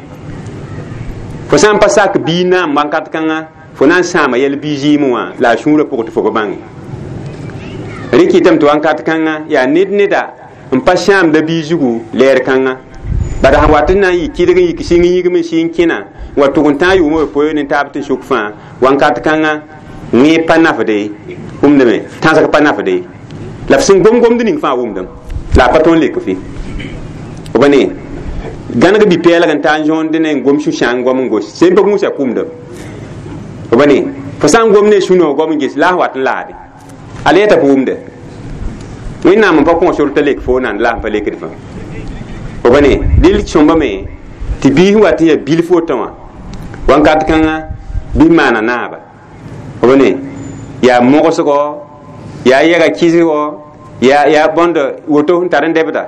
fo sã n pa sak bii naam wankat kãngã fo na n sãama yɛl bii zɩɩmẽ wã la a sũurã pʋgẽ tɩ fo pa bãnge rẽ kɩtame tɩ wankat kãngã yaa ned neda n pa sãamda bii zugu lɛɛr kãngã bad sẽn wat n na n yɩ kɩdg n yik sɩng yĩgm n sɩng kẽna n wa tʋg n tãag yʋʋmã yopoe ne taab tɩ sʋk fãa wankat kãngã wẽ pa nafde wʋmdame tãsg pa nafde la f sẽn gom-gomd ning fãa wʋmdame la a pa tõe n lek fɩ b ne gãneg bi-pɛɛlg n taa n zõonde ne n gom sũ-sãang goam n gos sẽn pa gũusa kʋmdame b ne fo sã n gom ne sũ-noog goam n ges la a wat n laade a leeta pa wʋmde wẽnnaam n pa kõ sor t'a lek fo nan la n pa lekd fã Obane dil sõmbame tɩ biis wat n yaa bilf woto wã wãnkat kãngã bɩ maana naaba obane yaa mogsgo yaa yɛga kɩsgo yaa bõnd woto n tar n dɛbda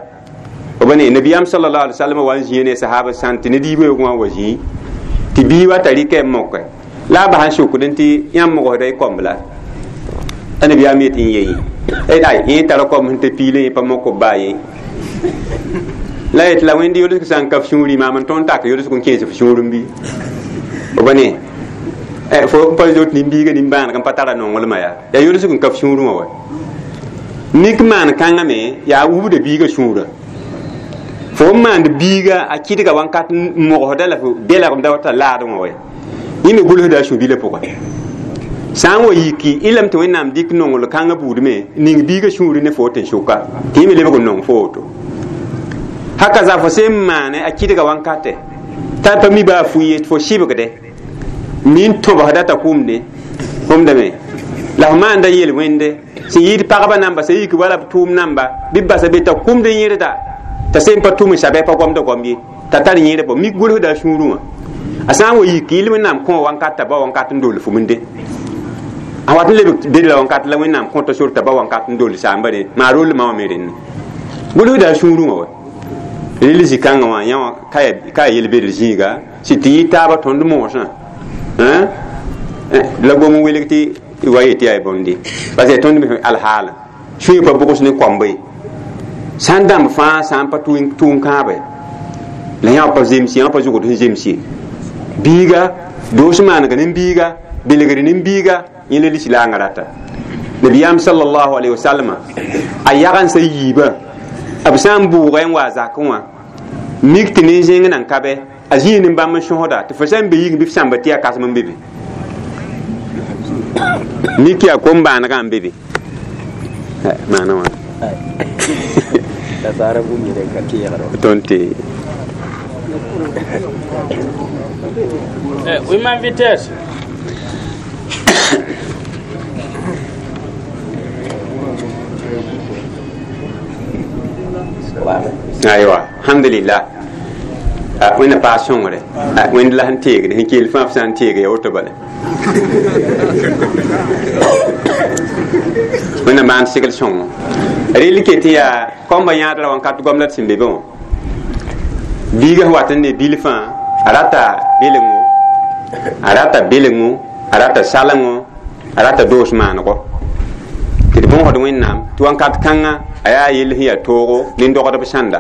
obane nabiyaam sallallahu alaihi wasallam wa n zĩig ne sahaba sãn tɩ ned yiibã wã wa zĩig tɩ bii wa t'a rɩkɛ n moke la a bas n sokdẽ tɩ yãmb mogsda y komb la a nabiyaam yet n yee ay yẽ tara kom sẽn t'a piilẽ yẽ pa mok b baa ye la yet la wẽnd yolsg sã n ka f sũurẽ maam n tõnd tak yolsg n kẽes f sũurẽ bɩ obane fo n pa zot nin-biiga nimbãaneg n pa tara nonglmã yaa yolsg n ka f sũurẽ wã wa mik maan kãngã me yaa wubda biiga sũurã fo n maand biiga a kɩdga wãnkat n mogsda la fo belgmda wa t'a laadẽ wã wa yẽ me gʋlsda a sũ-bilã pʋgẽ sã n wa yiki y lame tɩ wẽnnaam dɩk nongl kãngã buud me ning biiga sũurẽ ne fo tɩ n sʋka tɩ yẽ me lebg n nong fo woto haka za fo sẽn maane a kɩdga wãnkate t'a pa mi baa fu ye fo sɩbgde mi n tõbsda t'a kʋmde kʋmdame la fo maanda yel-wẽnde sẽn yɩɩd pagba namba sẽn yik wala b tʋʋm namba bɩ b basa be t'a kʋmd yẽrda t'a sẽn pa tʋm n sabe pa gomda gom ye t'a tar yẽrd bõ mik gʋlsda a sũurẽ wã a sã n wa yik yɩl wẽnnaam kõ wãnkat t'a ba wãnkat n dol fuminde a wat n lebg bedra wãnkat la wẽnnaam kõta sor t'a ba wãnkat n dol saamba re maa rollmã wã me rẽnd gʋlsda a sũurẽ wã wa rel zĩ-kãngã wã yã wã ka yaa yel-bedr zĩiga sɩ tɩ yɩ taaba tõnd moosã la gom n welg tɩ wa yetɩ yaa bõnde parce que tõnd me alhaala sũyã pa bʋgs ne koambe sã n dãmb fãa sã n pa tʋʋm kãabe la yã pa zems yã pa zʋgd sẽn zems ye biiga doos maaneg nin-biiga belgr nin-biiga yẽ la lislaangã rata nabiyaam sallallahu alaihi wasallam a yagensã yiibã b sã n bʋʋga n wa a zakẽ wã mik tɩ nin-zẽng nan ka bɛ a zĩig nin-bãmb n sõsda tɩ fo sã n be yik bɩ f sãmba tɩ yaa kãsem n be be mik yaa kom-bãanegã n be be maana wã tõnd tɩ Oui, ma vitesse. Aywa alhamdulillah wẽnna paas sõngre wẽnd la sẽn teegd sẽn kell fãa f sã n teege ya woto bala wẽnna maan segl sõngo rel ke tɩ yaa kõmba yãadra wãnkat goamda d sẽn be be wã biiga sẽn wat n ne bilfã a rata belengo a rata belengo a rata salengo a rata doos maanego tɩ d bõosd wẽnnaam tɩ wãnkat kãngã a yaa yell sẽn yaa toogo nin-dogdb sãnda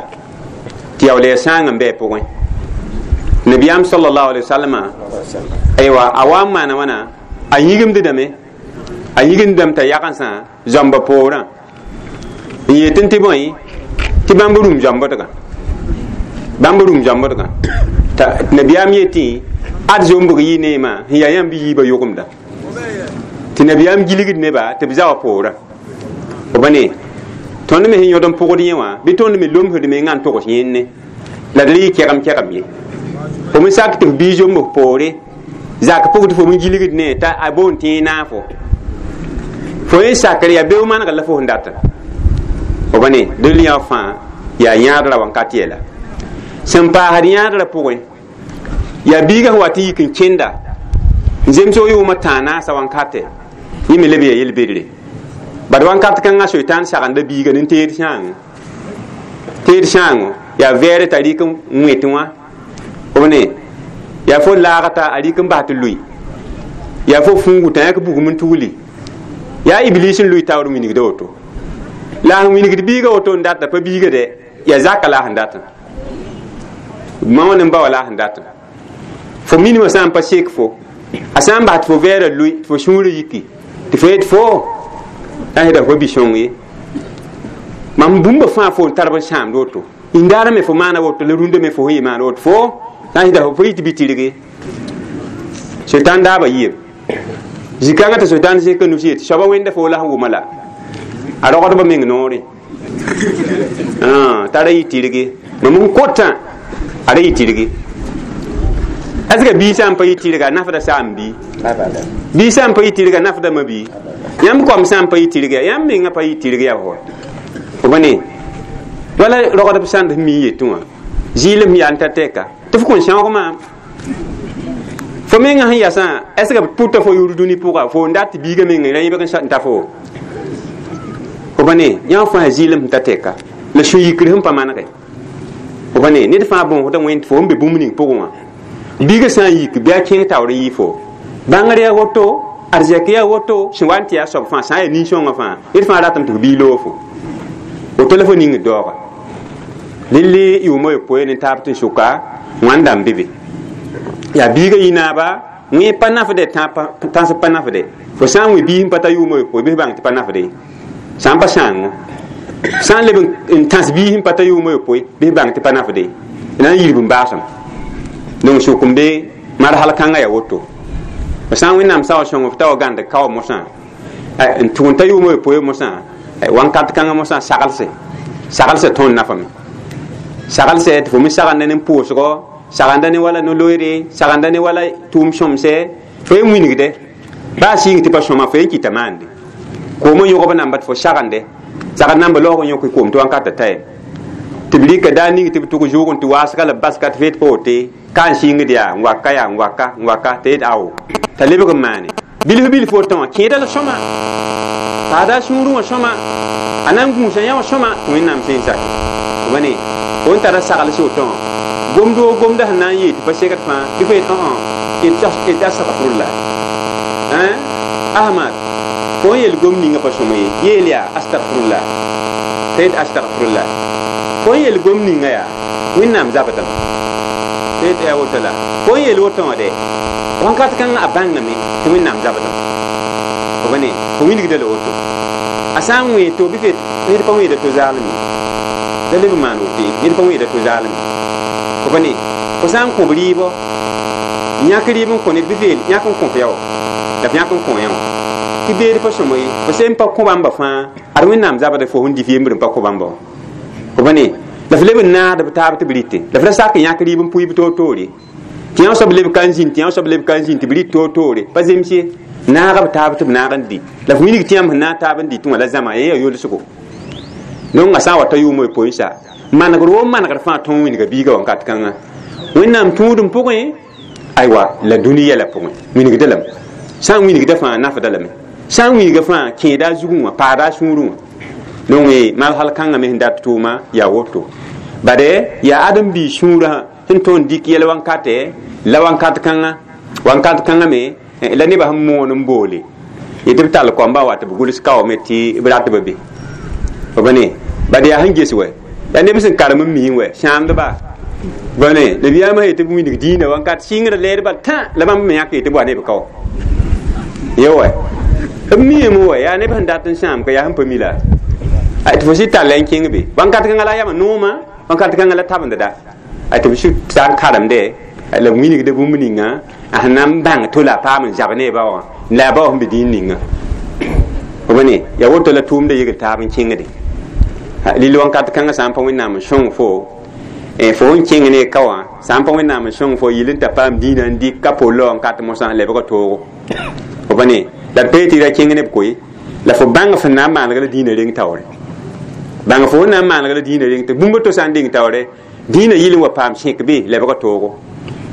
tɩ yaool yaa sãang n bɩ a pʋgẽ nabiyaam sallallahu alaihi wasallam aywa a wa n maana wãna a yĩgimdame a yĩgimdame t'a yagensã zãmba poorã n yetɩ tɩ bõe tɩ bãmb rũm zãmbdgã bãmb rũm zãmbdgã t'a nabiyaam yetɩ ad zombg yɩ neemã sẽn yaa yãmb yiibã yogemda tɩ nabiyaam gilgd neba tɩ b zawa poorã b ne tõnd me sẽn yõd n pʋgd yẽ wã bɩ tõnd me lomsd me n togs yẽnne la d rɩ kɛgem kɛgem ye fo me sak tɩ f bii zomb f poore zak pʋg tɩ fo me gilgd ne t'a a boond tɩ yẽ naafo fo yẽ sakre yaa beo maneg la fo sẽn data b ne dẽl yã fãa yaa yãadra wãnkat yɛla sẽn paasd yãadrã pʋgẽ yaa biiga sẽn wa tɩ yik n kẽnda n zemsg yʋʋmã tãa naasa wãnkate yẽ me leb yaa yel-bedre bad wãnkat kãngã soitan sagenda biiga nin teed sãango teed sãango yaa vɛɛre t'a rɩk n wẽt wã b ne yaa fo laagta a rɩk n bas tɩ lʋɩ yaa fo fũugu t'a yãk bugum n tugli yaa iblis n lʋɩ taoor wingda woto la sẽn wingd biiga woto n data pa biiga dɛ yaa zaka la sẽn datã ma wã ne ba wa la sẽn datã fo minimã sã n pa sek fo a sã n bas tɩ fo vɛɛrã lʋɩ tɩ fo sũurã yiki tɩ fo yet fo a fo bi-sõng ye mam bũmba fãa fo n tar b sãamd woto indaarã me fo maana woto la rũndã me fo sẽn yɩ maana woto fo sã n sɩda fo yɩ tɩ bɩ tɩrge soitan daaba yɩɩb zĩ-kãngã tɩ soitan zẽka nus yetɩ soaba wẽnda fo la sẽn wʋma la a rogdbã meng noore t'a ra yɩ tɩrge mam n kotã a ra yɩ tɩrge est ce que bii sã n pa yɩ tɩrga a nafda saam bii bii sã n pa yɩ tɩrga a nafda ma bii yãmb koam sã n pa yɩ tɩrga yãmb mengã pa yɩ tɩrg yaa fo b ne wala rogdb sãnd sẽn mi yetẽ wã Zɩɩlem yaa n ta tɛka tɩ f kõn sãoog maam fo menga sẽn yasã est ce que pʋta fo yʋʋr dũni pʋga fo n dat tɩ biiga mengẽ ra yẽbg n ta fo fo pa ne yã fãa zɩɩlem sẽn ta tɛka la sũ-yikr sẽn pa manege fo pa ne ned fãa bõosda wẽnd fo n be bũmb ning pʋgẽ wã biiga sã n yik bɩ a kẽng taoor n yɩ fo bãngr yaa woto arzɛk yaa woto sẽn wa n tɩ yaa soab fãa sã n yaa nin-sõngã fãa ned fãa ratame tɩ f bii loog fo woto la fo ningd daooga lilli yʋʋmã yopoe ne taab tɩ sʋka wãnda n be be yaa biiga yɩ naaba wẽ pa nafde tãns pa nafde fo sã n wẽ biis n pa ta yʋʋmã yopoe bɩ f bãng tɩ pa nafde sã n pa sãango sã n leb n tãs biis n pa ta yʋʋmã yopoe bɩ f bãng tɩ pa nafde na n yirb n baasem donc sʋk n be marhal kãngã yaa woto f sã n wẽnnaam sao sõng f ta wa gãnd kao mosã n tʋg n ta yʋʋmã yopoe mosã wãnkat kãngã mosã saglse saglse tõnd nafame saglse tɩ fo me sagenda ne pʋʋsgɔ sagenda ne wala no-loeere sagenda ne wala tʋʋm sõmsɛ fo yen wingde baa sɩng tɩ pa sõma fo yen kɩta maande koomã yõgb namba tɩ fo sagende sagd namba laoog n yõk koom tɩ wãnkata taɛ tɩ b rɩka daa ning tɩ b tʋg zʋʋg n tɩ waasga la b baska tɩ feet pa wote ka n sɩngd yaa n waka yaa n waka n waka tɩ yet ao t'a lebg n maane bilf bilf woto wã kẽeda la sõma paada a sũurẽ wã sõma a na n gũusa yã wã sõma tɩ wẽnnaam sẽn sake fo pa ne fo n tara sagls woto wã gomd woo gomda sẽn na n yee tɩ pa segd fãa bɩ fo yet õ astagfirullah ahmad fo n yel gom ninga pa sõma ye yeel yaa astagfirullah t'a yet astagfirullah fo n yel gom ninga yaa wẽnnaam zabdame t'a yet yaa woto la fo n yel woto wã de wãnkat kãngã a bãngame tɩ wẽnnaam zabdame fo pa ne fo wilgda la woto a sã n wẽ to bɩ f ned pa wẽeda to zaalem ye la leb n maan woto ye ned pa wẽeda to zaalem ye fo pa ne fo sã n kõb rɩɩbɔ yãk rɩɩb n kõ ned bɩ f yeel yãk n kõ f yaoɔ la f yãk n kõ yã wã tɩ beed pa sõma ye fo sẽn pa kõ bãmba fãa ad wẽnnaam zabd fo sẽn dɩ f yembr n pa kõ bãmba wã fo pa ne la f leb n naad b taab tɩ b rɩte la f ra sak yãk rɩɩb n pʋɩ b toor-toore tɩ yã soab leb ka n zĩnd tɩ yã soab leb ka n zĩnd tɩ b rɩt toor-toore pa zems ye naaga b taab tɩ b naag n dɩ la f wilg tɩ yãmb sẽn naag taab n dɩtẽ wã la zãma yẽ yaa yolsgo donc a sã n wa ta yʋʋmã yopoe n sa manegr woo manegr fãa tõog wĩnga biiga wãnkat kãngã wẽnnaam tũudum pʋgẽ aywa la dũni yɛla pʋgẽ wingda lame sã n wingda fãa nafda lame sã n winga fãa kẽeda a zugẽ wã paada a sũurẽ wã donc malsal kãngã me sẽn dat tʋʋma yaa woto bade yaa ãdem-biig sũurã sẽn tõnd dɩk yɛl wãnkate la wãnkat kãngã me la nebã sẽn moon n boole yetɩ b tall koamba wa tɩ b gʋls kaoome tɩ b rat b be fo pa ne bad yaa sẽn ges wɛ yaa neb sẽn karem n misẽ wɛ sãamdba ba ne nabiyaamã yetɩ b wilg dĩinã wãnkat sɩngrã leedbã tã la bãmb me yãk yetɩ b wa ne b kao ye wɛ b miime wɛ yaa neb sẽn dat n sãam ka yaa sẽn pa mi la tɩ fo sɩ tall n kẽng be wãnkat kãngã la yama noomã wãnkat kãngã la tabendda tɩ b sɩ ta n karemde la b wilgda bũmb ninga a sẽn na n bãng to la a paam n zab ne ba wã la a ba wã sẽn be dĩin ninga fo pa ne yaa woto la tʋʋmda yegl taab n kẽngde lil wãnkat kãngã sã n pa wẽnnaam n sõng fo fo n kẽng ne ka wã sã n pa wẽnnaam n sõng fo yɩl n ta paam dĩinã n dɩk ka polla wãnkat mosã lebga toogo fo pa ne la d pa yetɩ ra kẽng ne b koe la fo bãng fẽn na n maaneg la dĩinã reng taoore bãng fo na n maaneg la dĩinã reng tɩ bũmb to sã n deng taoore dĩinã yɩl n wa paam sẽk be lebga toogo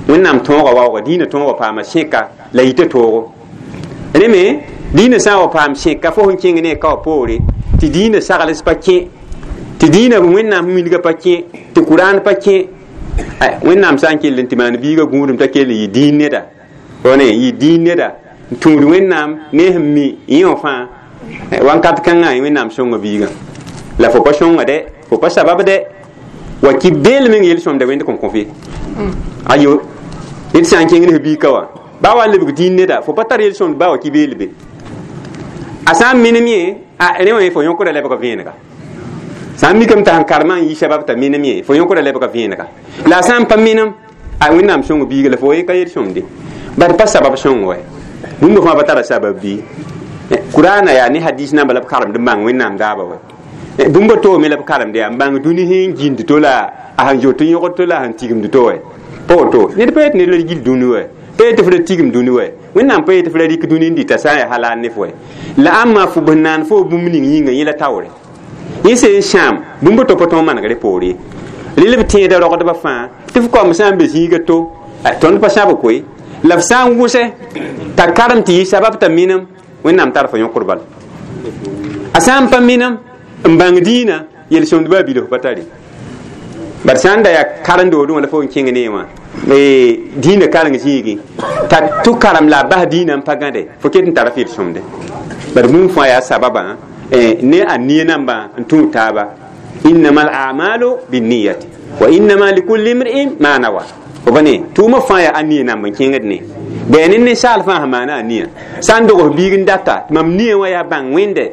wẽnnaam tõoga waooga dĩinã tõog wa paama sẽka la yita toogo rẽ me dĩinã sã n wa paam sẽka fo sẽn kẽng ne ka wã poore tɩ dĩinã sagls pa kẽ tɩ dĩinã wẽnnaam wilga pa kẽ tɩ kuraan pa kẽ wẽnnaam sã n kell n tɩ maan biiga gũudum t'a kell n yɩ dĩin neda ne yɩ dĩin neda n tũud wẽnnaam ne sẽn mi yẽ wã fãa wãnkat kãngã wẽnnaam sõnga biigã la fo pa sõnga dɛ fo pa sabab dɛ wa kɩ beel meng yel-sõmda wẽnd kõn kõf ye ayo ned sã n kẽng ne f biig ka wã baa wa n lebg dĩin neda fo pa tar yel-sõmd baa wa kɩ beel be a sã n menem yẽ a rẽ wã fo yõkda lebga vẽenega sã n mikame t'a sẽn karemã n yɩ sabab t'a menem yẽ fo yõkda lebga vẽenega la a sã n pa menem a wẽnnaam sõng biiga la fo ye ka yel-sõmde bad pa sabab sõng wɛ bũmb fãa pa tara sabab bɩ kurana yaa ne hadis namba la b karemd n bãng wẽnnaam daaba wɛ bũmb toome la b karemd yaa n bãng dũni sẽn gĩnd to la a sẽn zoet n yõgd to la a sẽn tigimd to wɛ pa woto ned pa yet ned la gil dũni wɛ pa yetɩ f ra tigim dũni wɛ wẽnnaam pa yetɩ f ra rɩk dũni n dɩta sã n yaa halal ne f wɛ la ãmba fo b naan fo bũmb ning yĩnga yẽ la taoore yẽ sẽn sãam bũmb to pa tõog manegre poore Rel b tẽeda rogdbã fãa tɩ f kaoom sã n be zĩiga to tõnd pa sãb koe la f sã n wʋsɛ t'a karem tɩ yɩ sabab t'a minem Wẽnnaam tar fo yõkd bal a sã n pa minem n bãng dĩinã yel-sõmdbã a bilf pa tare bad sã n da yaa karen-doodẽ wã la fo n kẽng ne wã dĩinã kareng zĩigẽ t'a tʋ karem la a bas dĩinã n pa gãde fo ket n tara f yel-sõmde bad bũmb fãa yaa sababã ne a nia nambã n tũud taaba innama al-a'malu binniyati wa innama likulli imri'in ma nawa fo pa ne tʋʋmã fãa yaa a nia namb n kẽngd ne bɩ ne ninsaal fãa sẽn maana a nia sã n dogs biig n data tɩ mam nia wã yaa bãng wẽnde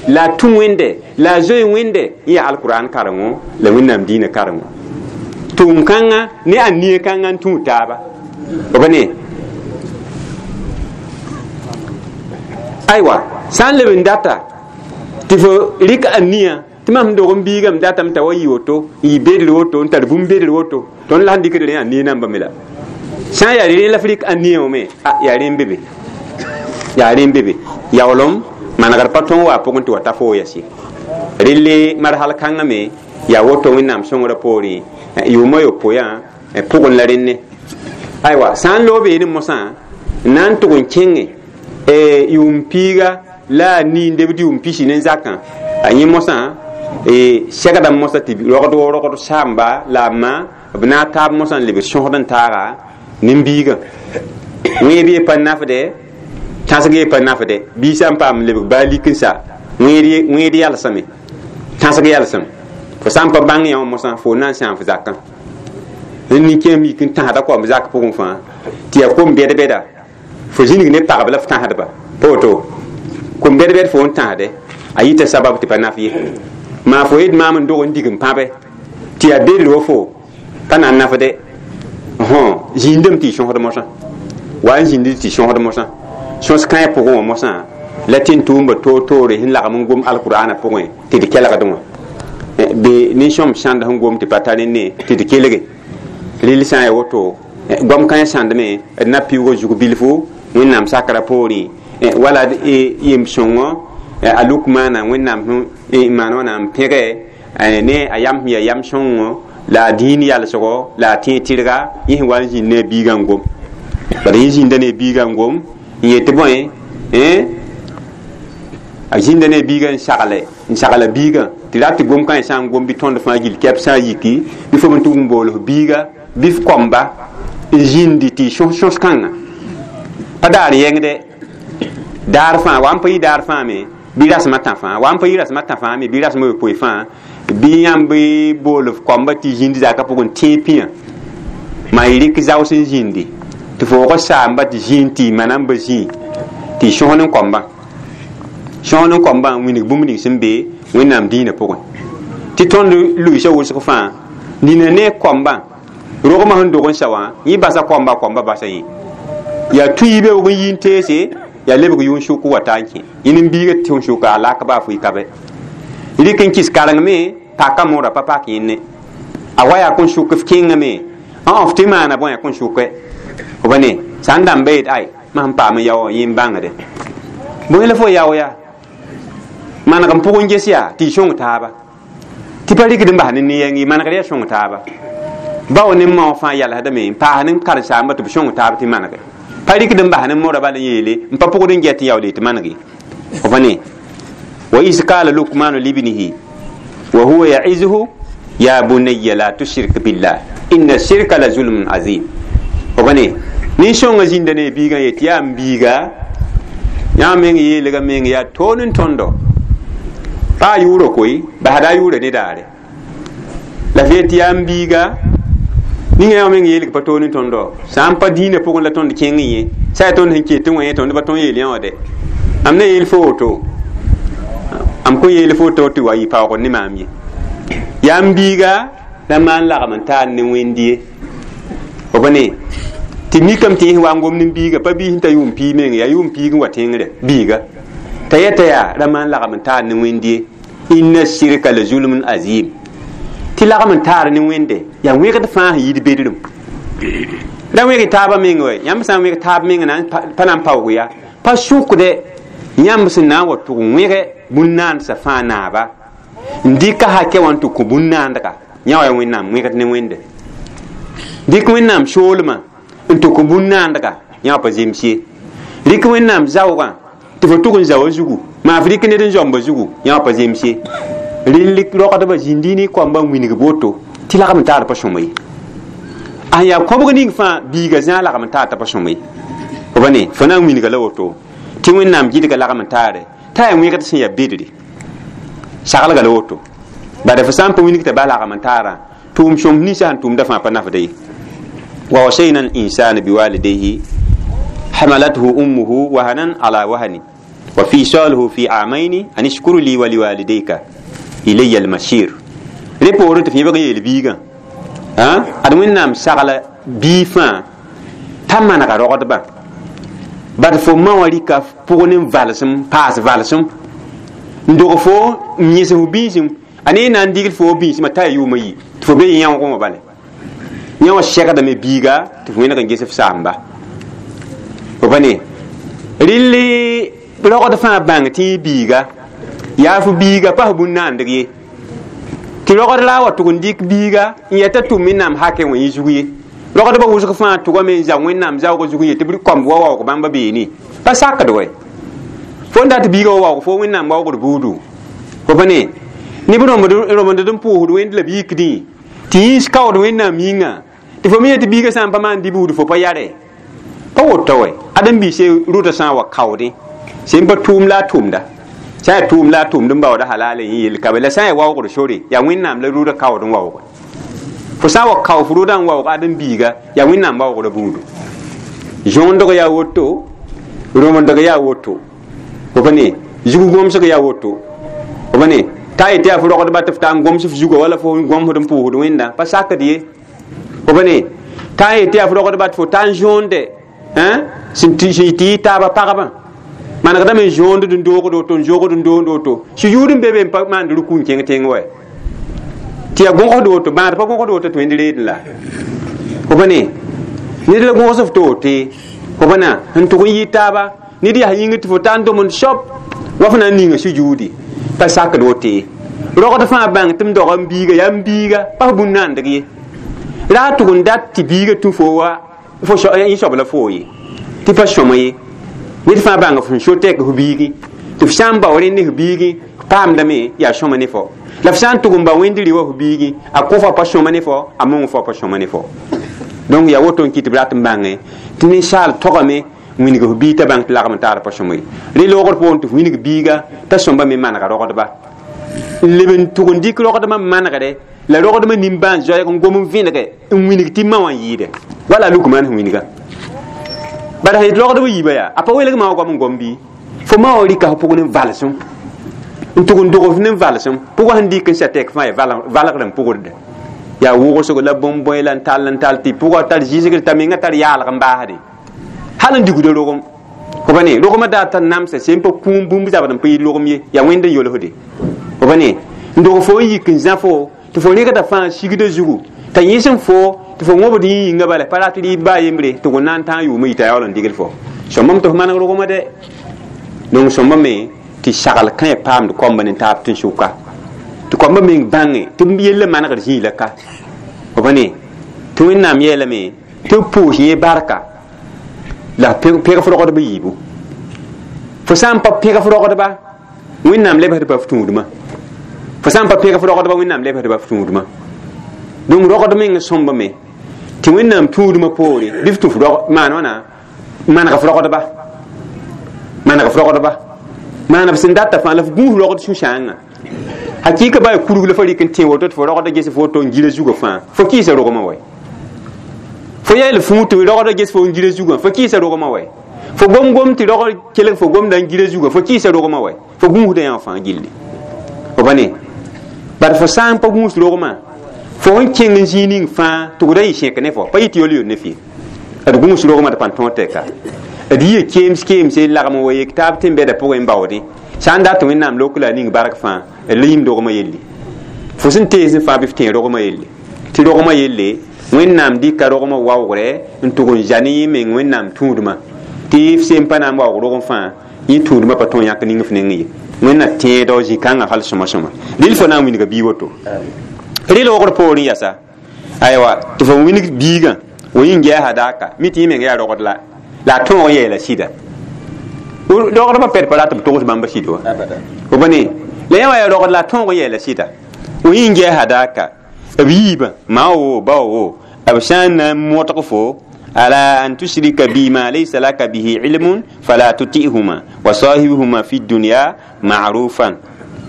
la a tũ wẽnde la a zoe wẽnde n yaa alkur'an karengo la Wẽnnaam dĩinã karengo tʋʋm kãngã ne a nia kãngã n tũud taaba fo pa ne aywa sã n leb n data tɩ fo rɩk a nia tɩ mam dog n biigame datame t'a wa yɩ woto n yɩ bedr woto n tar bũmb bedr woto tõnd la sẽn dɩkd rẽ a nia nambame la sã n yaa rẽ la f rɩk a nia wã me yaa rẽ n be be yaa rẽ n be be yaoolem manegr pa tõog wa pʋgẽ tɩ wa ta fo yɛs ye relle marhal kãngã me yaa woto Wẽnnaam sõngrã poorẽ yʋʋmã yopoe pʋgẽ la rẽnne aywa sã n loog beene mosã n na n tʋg n kẽnge yʋʋm piiga la a niindebd yʋʋm pisi ne zakã a yẽ mosã segda mosã tɩ rogd wo rogd saamba la a ma b na n taab mosã n lebg sõsd n taaga nin-biigã wẽeb ye pa nafde tãsg ye pa nafde bii sã n paam lebg baa lik n sa wẽed yalsame tãsg yalsem fo sã n pa bãng yã wã mosã fo na n sãam f zakã nin-kẽem yik n tãsda koam zak pʋgẽ fãa tɩ yaa kom bɛd-bɛda fo zĩnig ne pagb la f tãsdba pa woto kom bɛd-bɛd fo n tãsde a yita sabab tɩ pa naf ye maa fo yet maam n dog n dig n pãbe tɩ yaa bedr wa fo pa na n nafde zĩindame tɩ y sõsd mosã wa n zĩnd tɩ sõsd mosã sõs kãe pʋgẽ wã mosã la tɩ n tʋʋmba toor-toore sẽn lagm n gom alkur'aana pʋgẽ tɩ d kelgd wã be nin-sõm sãnd sẽn gom tɩ pa tar ne tɩ d kelge rɩl sã n yaa woto goam kãe sãndme d na piʋʋga zug bilfu Wẽnnaam sakra poorẽ wala yem-sõngõ a Lukmaana Wẽnnaam sẽn maan wã na n pẽge ne a yam sẽn yaa yam sõngo la a dĩin yalsgo la a tẽeg tɩrga yẽ sẽn wa n zĩnd ne a biigã n gom bala yẽ zĩnda ne a biigã n gom n yet tɩ bõe a zĩnda ne a biigã n sagle n sagla biigã tɩ rat tɩ gom kãe sã n gom bɩ tõnd fãa gill kɛp sã n yiki bɩ fo n tʋg n bool f biiga bɩ f kõmba n zĩndi tɩ y sõs sõs kãngã pa daar yẽngde daar fãa wa n pa yɩ daar fãa me bɩ rasmã tã fãa wa n pa yɩ rasmã tã fãa me bɩ rasmã yopoe fãa bɩ yãmb bool f koamba tɩ zĩnd zakã pʋgẽ tẽeg pĩyã maa y rɩk zaos n zĩndi tɩ foog saamba tɩ zĩig tɩ y mana n ba zĩig tɩ y sõs n koambã sõs n koambã n wilg bũmb ning sẽn be Wẽnnaam dĩinã pʋgẽ tɩ tõnd luiisã wʋsg fãa nina ne koambã rogmã sẽn dog n sa wã yẽ basa koamba koamba basa yẽ yaa tʋɩ beoog n yi n teese yaa lebg yʋʋn sʋk wa taa n kẽ yẽn n biiga tɩ sʋka a lak baa fʋɩ ka bɛ rɩk n kɩs karengme paka moora pa pak yẽnne a wa yaa kõn sʋk f kẽngame f tɩ maana bõe a kõn sʋke f pa ne sã n dãmba yet ay mam paam n yao yẽ n bãngde bõe la fo yao yaa maneg n pʋg n ges yaa tɩ y sõng taaba tɩ pa rɩkd n bas ne ne-yɛng ye manegr yaa sõng taaba bao ne mao fãa yalsdame n paas ne karen-saamba tɩ b sõng taab tɩ manege pa rɩkd n bas ne mora bala n yeele n pa pʋgd n get n yaool tɩ manege f pa ne wa is qala Lukmanu libnihi wa huwa ya'izuhu ya bunayya la tushrik billah inna shirka la zulmun azim f pa ne nin-sõngã zĩnda ne biigã yetɩ yaa n biiga yã meng yeelga meng yaa toon n tõndo pa a yʋʋrã koe basda a yʋʋra ne daare la f yetɩ yaa n biiga ninga yã meng yeelg pa toon n tõndo sã n pa dĩinã pʋgẽ la tõnd kẽng yẽ sã yaa tõnd sẽn ket n wã yẽ tõnd pa tõn yeel yã wã dɛ am na yeel fo woto am kõn yeel fo woto tɩ wa yɩ paoogd ne maam ye yaa n biiga la maan lagm n taar ne wẽnd ye f pa ne tɩ mikame tɩ yẽ wa n gom ne biiga pa biis n ta yʋʋm piig meng yaa yʋʋm piig n wa tẽngre biiga t'a yeta yaa ra maan lagm n taar ne wẽnd ye inna shirka la zulmun azim tɩ lagm n taar ne wẽnde yaa wẽgd fãa sẽn yid bedrem ra wẽg taabã meng wɛ yãmb sã n wẽg taab meng na pa na n paoog ya pa sʋkde yãmb sẽn na n wa tʋg wẽge bũn-naandsã fãa naaba n dɩka hakɛ wã n tɩ kõ bũn-naandga Yã wa yaa wẽnnaam wẽgd ne wẽnde dɩk wẽnnaam soolmã n tʋk bũn-naandga yã wã pa zems ye rɩk wẽnnaam zaoogã tɩ fo tʋg n zaoa zugu maa f rɩk ned n zoamba zugu yã wã pa zems ye rɩl rogdbã zĩndi ne koambã n wilg woto tɩ lagm n taar pa sõma ye a yaa kõbg ning fãa biiga zãa lagm n taar t'a pa sõma ye fo pa ne fo na n wilga la woto tɩ wẽnnaam gɩdga lagm n taare t'a yaa wẽgd sẽn yaa bedre saglga la woto bala fo sã n pa wilg t'a ba lagm n taarã tʋʋm sõm ninsã sẽn tʋʋmda fãa pa nafda ye wa wasayna al insana biwalidayhi hamalathu ummuhu wahanan ala wahanin wa fisaluhu fi amaini an ishkur li wa liwalidayka ilayya al-masir re poorẽ tɩ f yẽbg n yeel biigã ad wẽnnaam sagla bii fãa t'a manega rogdbã bad fo ma wã rɩka pʋg ne valsem paas valsem n dog fo n yẽs f biisem a ne na n digl fo biismã t'a yaa yʋʋmã yi tɩ fo be yãoogẽ wã bale yã wã segdame biiga tɩ f wẽneg n ges f saamba fo pa ne rɩl rogd fãa bãng tɩ biiga yaa fo biiga pa f bũn-naandg ye tɩ rogd la a wa tʋg n dɩk biiga n yeta tʋm wẽnnaam hakẽ wã yẽ zug ye rogdbã wʋsg fãa tʋgame n zao wẽnnaam zaoogã zug n yetɩ b kõmb wa waoog bãmba beene pa sakd wɛ fo n dat biiga wa waoog fo wẽnnaam waoogd buudu fo pa ne neb rõmd n pʋʋsd wẽnd la b yikdẽ tɩ yĩns kaood wẽnnaam yĩnga tɩ fo me yetɩ biiga sã n pa maan dɩ buud fo pa yare pa woto wɛ ãdem-biis rʋta sã n wa kaoodẽ sẽn pa tʋʋm la a tʋʋmda sã n yaa tʋʋm la a tʋʋmd n baooda halal n yeel ka be la sã n yaa waoogd sore yaa wẽnnaam la rʋʋda kaood n waooge fo sã n wa kao f rʋʋda n waoog ãdem-biiga yaa wẽnnaam waoogda buudu zõondg yaa woto rõmdg yaa woto fo pa ne zug gomsg yaa woto fo pa ne t'a yetɩ yaa fo rogdba tɩ f taa n goms f zuga wala fo gomsd n pʋʋsd wẽnda pa sakd ye fo pa ne t'a yetɩ yaa fo rogdba tɩ fo taa n zõonde sẽn tɩ yɩ taaba pagba manegdame n zõond n doogd woto n zoogd n doond woto sũ-yʋʋd n be be n pa maand rʋkũ n kẽng tẽng wɛ tɩ yaa gõgsd woto bãad pa gõgsd woto tɩ wẽnd reedẽ la fo pa ne ned la gõgs f to wote fo pa na n tʋg n yɩ taaba ned yaa yĩngr tɩ fo taa n dom n soab wa fo na n ninga sũ-yʋʋde pa sakd wote rogd fãa bãng tɩ m doga n biiga yaa n biiga pa f bũn-naandg ye ra a tʋg n dat tɩ biiga tũ fo wa fo yẽ soab la foo ye tɩ pa sõma ye ned fãa bãng f sẽn so tɛk f biigi tɩ f sã n bao rẽnd ne f biigi paamdame yaa sõma ne fo la f sã n tʋg n ba wẽnd rɩ wa f biigi a kõ fa pa sõma ne fo a mong fo pa sõma ne fo donc yaa woto n kɩ tɩ b rat n bãnge tɩ ninsaal togame wilg f biig t'a bãng tɩ lagm n taar pa sõma ye rẽ loogr poorẽ tɩ f wilg biiga t'a sõmba me manega rogdba n leb n tʋg n dɩk rogdmã manegre la rogdmã nimbãan zoɛɛg n gom n vẽnege n wilg tɩ ma wã n yɩɩde wala a luk maan sẽn wilga bara sẽn yet rogdb yiibã yaa a pa welg ma wã goam n gom bɩ fo ma wã rɩka f pʋg ne valsem n tʋg n dog f ne valsem pʋgã sẽn dɩk n sa tɛk fãa yaa valgr n pʋgd yaa wʋgsg la bõn-bõe la n tall n tall tɩ pʋgã tar zɩsgr t'a menga tar yaalg n baasde hal n digda rogem fo pa ne rogmã daa tar namsa sẽn pa kũum bũmb zabd n pa yɩ rogem ye yaa wẽnd n yolsde fo pa ne n dog fo n yik n zã fo tɩ fo rẽgda fãa sigda zugu t'a yẽs n fo tɩ fo wõbd yĩ yĩnga bala pa rat rɩɩb baa yembre tɩ g na n tãag yʋʋmã yita yaool n digl fo sõmbame tɩ f maneg rogmã dɛ donc sõmbame tɩ sagl kã paamd koamba ne taab tẽn-sʋka tɩ koambã meng bãnge tɩ b yella manegd zĩig la ka fo pa ne tɩ wẽnnaam yeelame tɩ b pʋʋs yẽ barka la pẽg f rogdb yiibu fo sã n pa pẽg f rogdba wẽnnaam lebsdba f tũudmã fo sã n pa pẽg f rogdba wẽnnaam lebsdba f tũudmã donc rogd meng sõmbame tɩ wẽnnaam tũudmã poore bɩ f tũ f maan wãna maneg f rogdba maneg f rogdba maana b sẽn data fãa la f gũus rogd sũ-sãangã hakɩɩka baa kurg la fa rɩk n tẽ woto tɩ fo rogda ges fo woto n gira zugã fãa fo kɩɩsa rogmã wɛ fo yeel fũu tɩ rogda ges fo n gira zugã fo kɩɩsa rogmã wɛ fo gom-gom tɩ rogd kelg fo gomda n gira zugã fo kɩɩsa rogmã wɛ fo gũusda yã fãa gilli fo pa ne bad fo sã n pa gũus rogmã fo sẽn kẽng n zĩig ning fãa tʋgda yɩ sẽk ne fo pa yɩ tɩ yol-yol ne fɩ d gũus rogmã d pãn tõog tɛka d yɩ keems keemse lagm wa yek taab tɩ n bɛda pʋgẽ n baoodẽ sã n dat tɩ wẽnnaam lok la a ning bark fãa d la yĩm rogmã yelle fo sẽn teesẽ fãa bɩ f tẽ rogmã yelle tɩ rogmã yelle wẽnnaam dɩka rogmã waoogrɛ n tʋg n za ne yẽ meng wẽnnaam tũudmã tɩ f sẽn pa na n waoog rogem fãa yẽ tũudmã pa tõe yãk ning f neng ye wẽnna tẽedg zĩ-kãngã hal sõma sõma rɩl fo na n wilga bii woto Rɩ loogr poorẽ yasa aywa tɩ fo wilg biigã wo yĩng gɛɛsa daaka mi tɩ yẽ meng yaa rogd la a tõog yeela sɩda rogdbã pɛd pa rat b togs bãmba sɩd wa fo pa ne la yã wã yaa rogd la a tõog yeela sɩda wo yĩng gɛɛsa daaka b yiibã ma wo ba wo b sã n na n modg fo ala an tushrika bi ma laysa laka bihi ilmun fala tutihuma wa sahibhuma fi dunya ma'rufan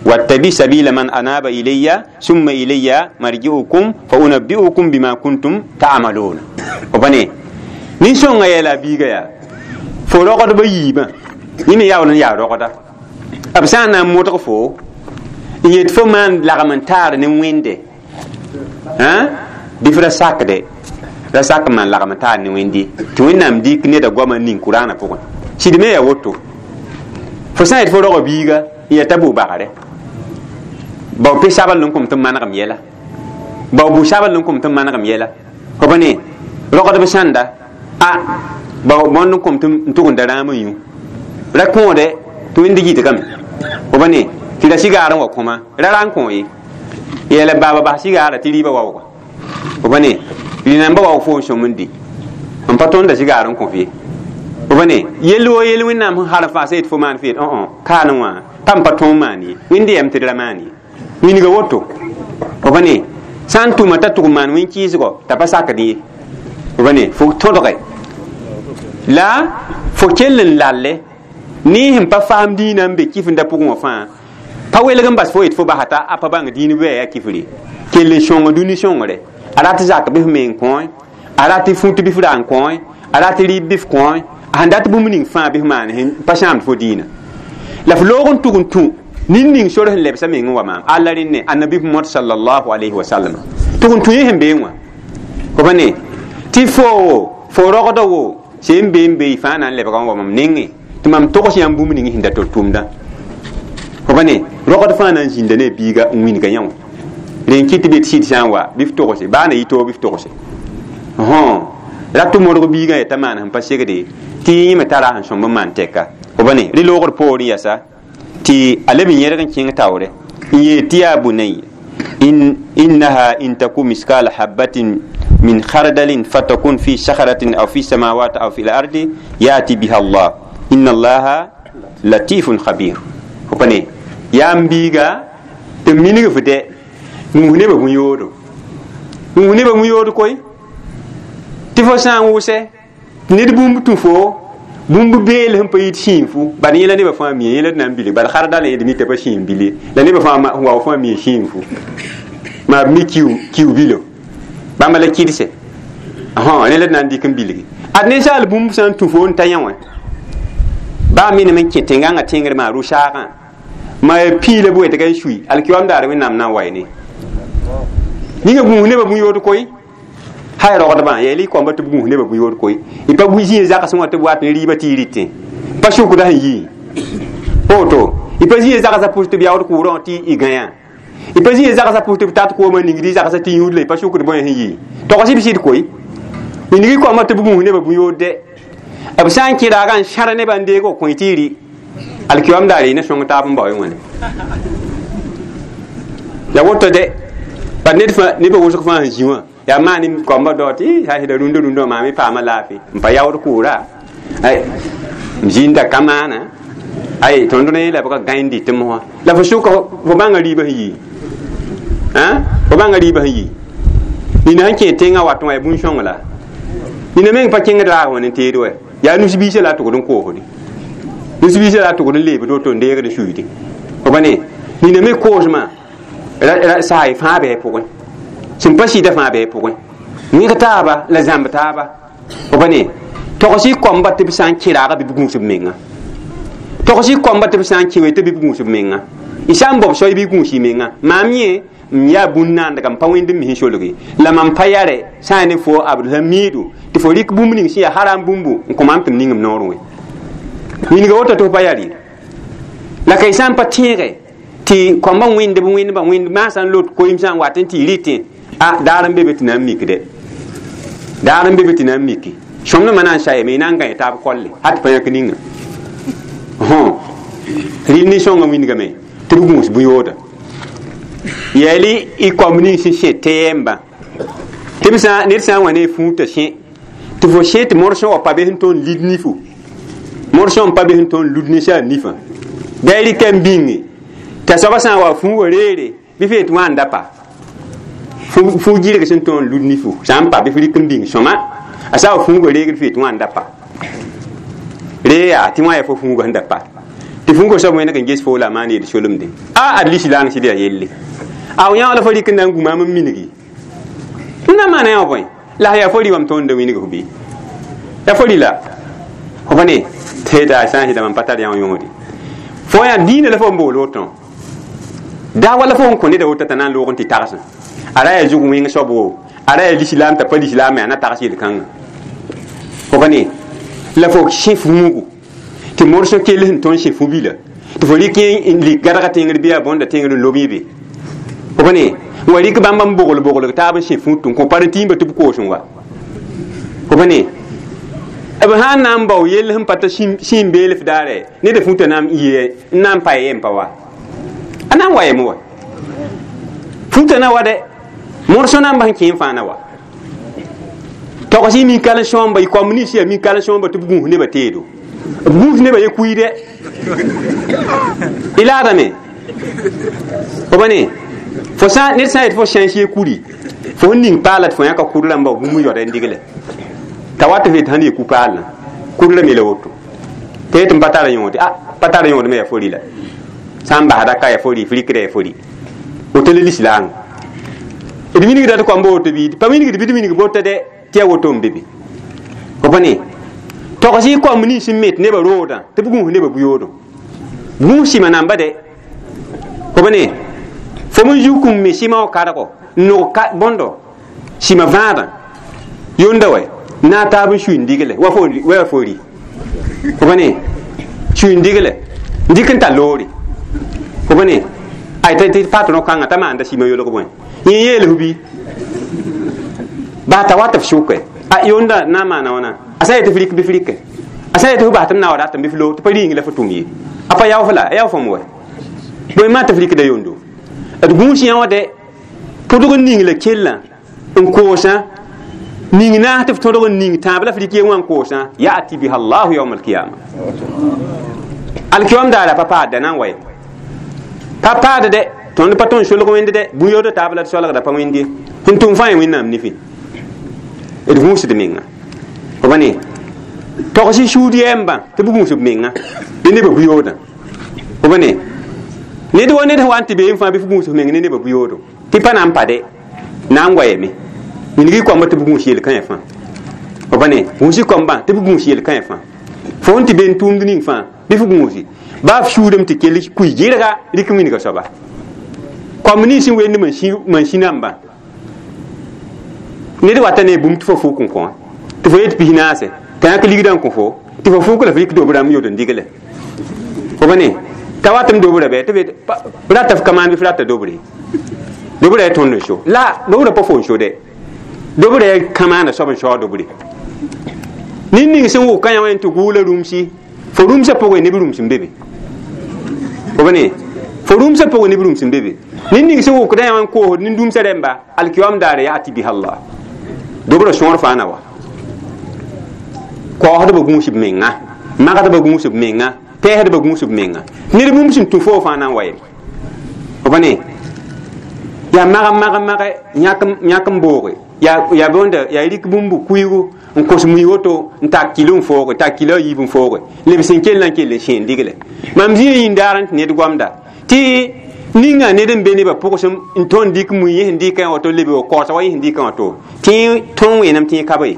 wattabi sabila man anaba ilayya summa ilayya marji'ukum fa unabbi'ukum bima kuntum ta'maluna fo pa ne nin-sõngã yeela a biiga yaa fo rogdbã yiibã yẽ me yaool n yaa rogda b sã n na n modg fo n yet fo maan lagm n taar ne wẽnde bɩ f ra sakde ra sak n maan lagm n taar ne wẽnde tɩ wẽnnaam dɩk neda goamã ning kuraanã pʋgẽ sɩd me yaa woto fo sã n yet fo roga biiga n yaa t'a bʋ bagre bao pe sabl n kom tɩ manegem yɛla bao bʋ sabl n kom tɩ manegem yɛla fo pa ne rogdb sãnda a bao bõnd n kom tɩ n tʋgenda rãam n yũ ra kõode tɩ wẽnd yitgame fo pa ne tɩ ra sigaar n wa kõma ra ra n kõ ye yeela baaba bas sigaara tɩ rɩɩbã waooga fo pa ne rɩ-namba waoog fo n sõm n di n pa tõnda sigaar n kõ f ye fo pa ne yell wo yell wẽnnaam sẽn harem fãa sã yet fo maan f yet kaane wã pa n pa tõog maan ye wẽnd yɛm tɩ d ra maan ye wilga woto fo pa ne sã n tʋma t'a tʋg maan wẽn-kɩɩsgɔ t'a pa sakd ye fo pa ne fo tõdge la fo kell n lalle ne sẽn pa faam dĩinã n be kifenda pʋgẽ wã fãa pa welg n bas fo yet fo basa t'a a pa bãng dĩin wɛɛ yaa kifre kell n sõng dũni sõngre a rat zak bɩ f me n kõe a rat fut bɩ f ra n kõe a rat rɩɩb bɩ f kõe a sẽn dat bũmb ning fãa bɩ f maan sẽn pa sãamd fo dĩinã la f loog n tʋg n tũ nin ning sor sẽn lebsa meng n wa maam alla rẽnne annabi Muhammad sallallahu alayhi wa sallam tʋg n tũ yẽ sẽn beẽ wã fo pa ne tɩ fo rogda wo sẽn be n be y fãa na n lebga n wa mam nengẽ tɩ mam togs yãmb bũmb ning sẽn da tol tʋʋmdã fo pa ne rogd fãa na n zĩnda ne a biiga n wilga yã wã rẽn kɩt tɩ be tɩ sɩd sã n wa bɩ f togse baa na yɩ toog bɩ f togse ra tʋ modg biigã yaa t'a maan sẽn pa segde tɩ yẽ me tara sẽn sõmb n maan tɛka fo pa ne rɩ loogr poorẽ yasa tɩ a leb n yẽrg n kẽng taoore n yeel tɩ yaa bunayya innaha in taku miskala habatin min khardalin fatakun fi sakhratin aw fi samawati aw fi al-ardi yati biha Allah inna Allaha latifun khabir fo pa ne yaa n biiga tɩ minig f dɛ gũus nebã bũ-yoodo gũus nebã bũ-yood koe tɩ fo sã n wʋsɛ ned bũmb tũ fo bũmb beel sẽn pa yit sĩinfu bad yẽla nebã fãa mie yẽla d na n bilg bad khardal yẽd mi t'a pa sĩim bile la nebã fãa wao fãa mie sĩinfu maa b mi kiu bilo bãmba la kɩdse rẽ la d na n dɩk n bilgi ad ninsaal bũmb sã n tũ fo n ta yã wã baa menem n kẽ tẽngãngã tẽngr maa rʋ-saagã ma pii la bʋ tɩ ka n sui alkiwam daar wẽnnaam na n wa ne ninga gũus nebã bũ-yood koe hay rogdbã yeel y koamba tɩ b gũus nebã bũ-yood koe y pa zĩig zagsẽ wã tɩ b wat ne rɩɩbã tɩ y rɩtẽ pa sʋkda sẽn yii woto y pa zĩig zagsã pʋs tɩ b yaood kʋʋrã wã tɩ y gãyã y pa zĩig zagsã pʋs tɩ b tat koomã ningd y zagsã tɩ yũud la y pa sʋkd bõe sẽn yii togs b sɩd koe ning y koamba tɩ b gũus nebã bũ-yood dɛ b sã n kẽ raagã n sãr nebã n deeg b kõe tɩ y rɩ alkiwam daar y ne sõng taab n bao y wãne ya woto dɛ pa ned fãa nebã wʋsg fãa sẽn zĩ wã yaa maan koamba dao tɩ sã sɩda rũndã rũndã wã maam y paama laafɩ n pa yaood kʋʋra m zĩnda ka maana ay tõnd ne la b ka gãe n dɩt mosã la fo sʋka fo bãnga rɩɩbã sẽn yii fo bãnga rɩɩbã sẽn yii nina sẽn kẽ tẽngã wat wã yaa bũn-sõng la nina meng pa kẽngd raag wã ne teed wɛ yaa nus-biisã la a tʋgd n koosde nus-biisã la a tʋgd n leebd woto n deegd n suyde fo pa ne nina me koosmã saay fãa bɩ pʋgẽ sẽn pa sɩda fãa bɩ pʋgẽ wẽg taaba la zãmb taaba fo pa ne togs y koamba tɩ b sã n kẽ raaga bɩ b gũus b menga togs y koamba tɩ b sã n kẽ we tɩ bɩ b gũus b menga y sã n bob soay bɩ gũus y menga maam yẽ n yaa bũn-naandga n pa wẽnd n mis n solge la mam pa yare sã n ne fo Abdulhamidu tɩ fo rɩk bũmb ning sẽn yaa haram bũmbu n kõ maam tɩ m ning m noorẽ wẽ wilga woto tɩ f pa yaa la ka y sã n pa tẽege tɩ koambã wẽnd b wẽndbã wẽnd maasã n lot koeem sã n wat n tɩ y rɩtẽ a daar n be be tɩ na n mikde daar n be be tɩ na n miki sõmdmã na n sayame y na n gãe taab kolle hat tɩ pa yãk ninga rɩl nin-sõngã wingame tɩ b gũus bũ-yooda Yɛli y koam nins sẽn sẽ tɛɛmbã tɩ b sã ned sã n wa ne fũu t'a sẽ tɩ fo sẽ tɩ morsẽ wa pa be sẽn tõnd lid nifu morsẽ n pa be sẽn tõnd lud ninsaal nifã bɩ a rɩka n bĩnge t'a soaba sã n wa fũugã reere bɩ f yet wã n da pa fũu gɩrg sẽn tõnd lud nifu sã n pa bɩ f rɩk n bĩng sõma a sã wa fũugã reegd f yet wã n da pa ree yaa tɩ wã yaa fo fũugã sẽn da pa tɩ fũugã soab wẽneg n ges fo la a maan yel solemde a ad lislaang sɩd yaa yelle a yã la fo rɩk n na n gũ maam n mingi n na maana yã bõe la yaa fo rɩ wam tõnd winig f bɩ ya fo rɩ la fo pa ne tɩ sã n sɩda mam pa tar yã yõode fo yaa diinã la fo n bool woto daa wala fo n kõ neda woto t'a na n loog n tɩ tagsẽ a ra yaa zug wẽng soab wo a ra yaa lislaam t'a pa lislaam me a na tags yel-kãngã fo pa ne la fo sẽ fuugu tɩ morsõ kell sẽn tõnd sẽ fu-bila tɩ fo rɩk n lik gãdga tẽngr bɩ yaa bõnda tẽngr n lob yẽ be fo pa ne n wa rɩk bãmb n bogl boglg taab n sẽ fũut n kõ parentĩimba tɩ b koos n wa fo pa ne b sã n na n bao yell sẽn pa t'a sĩim beelf daare ned fũta na n yɩ n na n pa yem pa wa a na n wa yem wa fũta na wa dɛ morsõ na n bas n kẽ n fãa na wa togs y minkal sõamba y koam nins yaa minkal sõamba tɩ b gũus nebã teedo b gũus nebã ye kuiidɛ y laadame fo pa ne fo sã ned sã n yet fo sãns ye kuri fo sẽn ning paala tɩ fo yãka kur rãmba bũmb yaoda n digle t'a wat f yet sãn ye ku-paalã kur la me la woto tɩ yet n pa tar yõode a pa tar yõod me yaa fo rɩ la sã n basda ka yaa fo rɩ f rɩkda yaa fo rɩ woto la lislaang d minigda tɩ koamba woto bɩ pa minigd bɩ d minig bota dɛ tɩ yaa woto n be be fo pa ne togs y koamb nins n met nebã roodã tɩ b gũus nebã bu-yoodo gũus sɩma namba dɛ fo pa ne fo n zuk n me sɩma wã kargo n nog bõndo sɩma vãadã yonda wɛ na a taab n sui n digle wa fo rɩ fo pa ne sui n digle n dɩk n tar loore fo pa ne ay tɩ patron kãngã t'a maanda sɩma yolg bõe yẽ yeel f bɩ baa t'a wat f sʋke a yonda na n maana wãna a sã n yetɩ f rɩk bɩ f rɩke a sã n yetɩ f bas tɩ m na wa ratame bɩ f loog tɩ pa rĩing la fo tʋm ye a pa yao f la a yao fõm wɛ bõe maan tɩ f rɩkda yondo d gũus yã wã dɛ pʋdg n ning la kellã n koosã ning naas tɩ f tõdg n ning tãab la f rɩk ye wã n koosã yati biha allahu yawm alkiyama alkiyam daara pa paadda na n wa ye pa paad dɛ tõnd pa tõnd solg wẽnd dɛ bũn-yood taab la d solgda pa wẽnd ye sẽn tʋm fãa wẽnnaam nifẽ d gũusd menga fo pa ne togs y sũud yɛɛmbã tɩ b gũus b menga ne nebã bu-yoodã fo pa ne ned wa ned sẽn wa n tɩ beem fãa bɩ f gũus f meng ne nebã bu-yoodo tɩ pa na n pa dɛ na n goayame minig y koamba tɩ b gũus yel-kãyã fãa fo pa ne gũus y koambã tɩ b gũus yel-kãyã fãa fo sẽn tɩ be n tʋʋmd ning fãa bɩ f gũusi baa f sũudame tɩ kell kui gɩrga rɩk wĩnga soaba koamb nins sẽn wend mansĩ-nambã ned wata ne bũmb tɩ fo fʋk n kõ tɩ fo yet pis naase t'a yãk ligdã n kõ fo tɩ fo fʋk la f rɩk dob rãmb yod n digle fo pa ne t'a watame dobrã bɩ tɩ f rata f ka maan bɩ f rata dobre dobrã yaa tõnd n so la dobrã pa fo n so dɛ dobrã yaa kã maana soab n saoog dobre ned ning sẽn wʋka yã wã tɩ gʋʋla rũmsi fo rũmsã pʋgẽ neb rũms n be be fo pa ne fo rũmsã pʋgẽ neb rũms n be be ned ning sẽn wʋkda yã wã n koosd nin-dũmsã rẽmba alkiyam daare yati biha allah dobrã sõor fãa na wa kaoosdbã gũus b menga magdbã gũus b menga pɛɛsdbã gũus b menga ned bũmb sẽn tũ foo fãa na n wa yem fo pa ne yaa mag mag mage yãk n booge yaa bõnda yaa rɩk bũmb kuiigu n kos mui woto n tak kilo n fooge tak kilo a yiib n fooge leb sẽn kell n kell n sẽen digle mam zĩ yĩn daar n tɩ ned goamda tɩ ninga ned n be nebã pʋgsem n tõnd dɩk mui yẽ sẽn dɩkã woto lebe wa kaoosa wa yẽ sẽn dɩkã woto tɩ tõn wẽnam tɩ ka be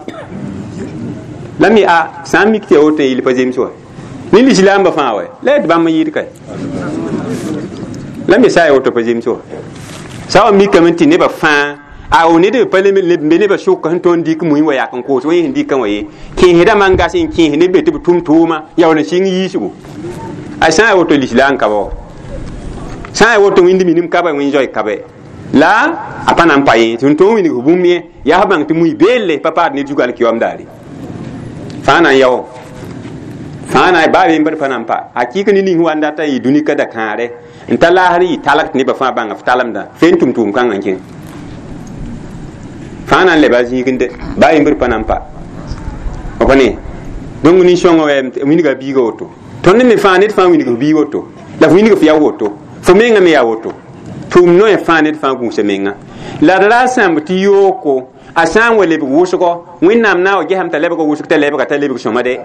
la me a sã n mik tɩ ya woto n yɩl pa zems wa ne lislaambã fãa wa la yaa tɩ bãmb n yɩɩd kae la me sã ya woto pa zems wa sã wa mikame tɩ nebã fãa a o ned pa be nebã sʋk sẽn tõnd dɩk mui wa yak n koos wa yẽ sẽn dɩkã wã ye kẽesdã man gas n kẽes neb be tɩ b tʋm tʋʋma yaool n sɩng yiisgo a sã n ya woto lislaam ka ba wa sã n ya woto wĩnd minim ka ba wẽn zoe ka bɛ la a pa na n pa yẽ tɩ n tõog winig f bũmb yẽ yaa f bãng tɩ mui beelle pa paad ned zug alkiyam daare fãa na n yao Fãa na baa yembr pa na n pa a kɩɩk ne ning wa n dat n yɩ dũni ka da-kãare n ta laasr yɩ talg tɩ nebã fãa bãnga f talemdã fe n tʋm tʋʋm kãngã n kẽng fãa na n leba a zĩigende baa yembr pa na n pa f ne donc nin-sõngã wilga biiga woto tõnd me fãa ned fãa wilg f biig woto la f wilg f ya woto fo mengã me yaa woto tʋʋm noe fãa ned fãa gũusa menga la d ra sãmb tɩ yooko a sã n wa lebg wʋsgo wẽnnaam na n wa gesame t'a lebga wʋsg t'a lebga t'a lebg sõma de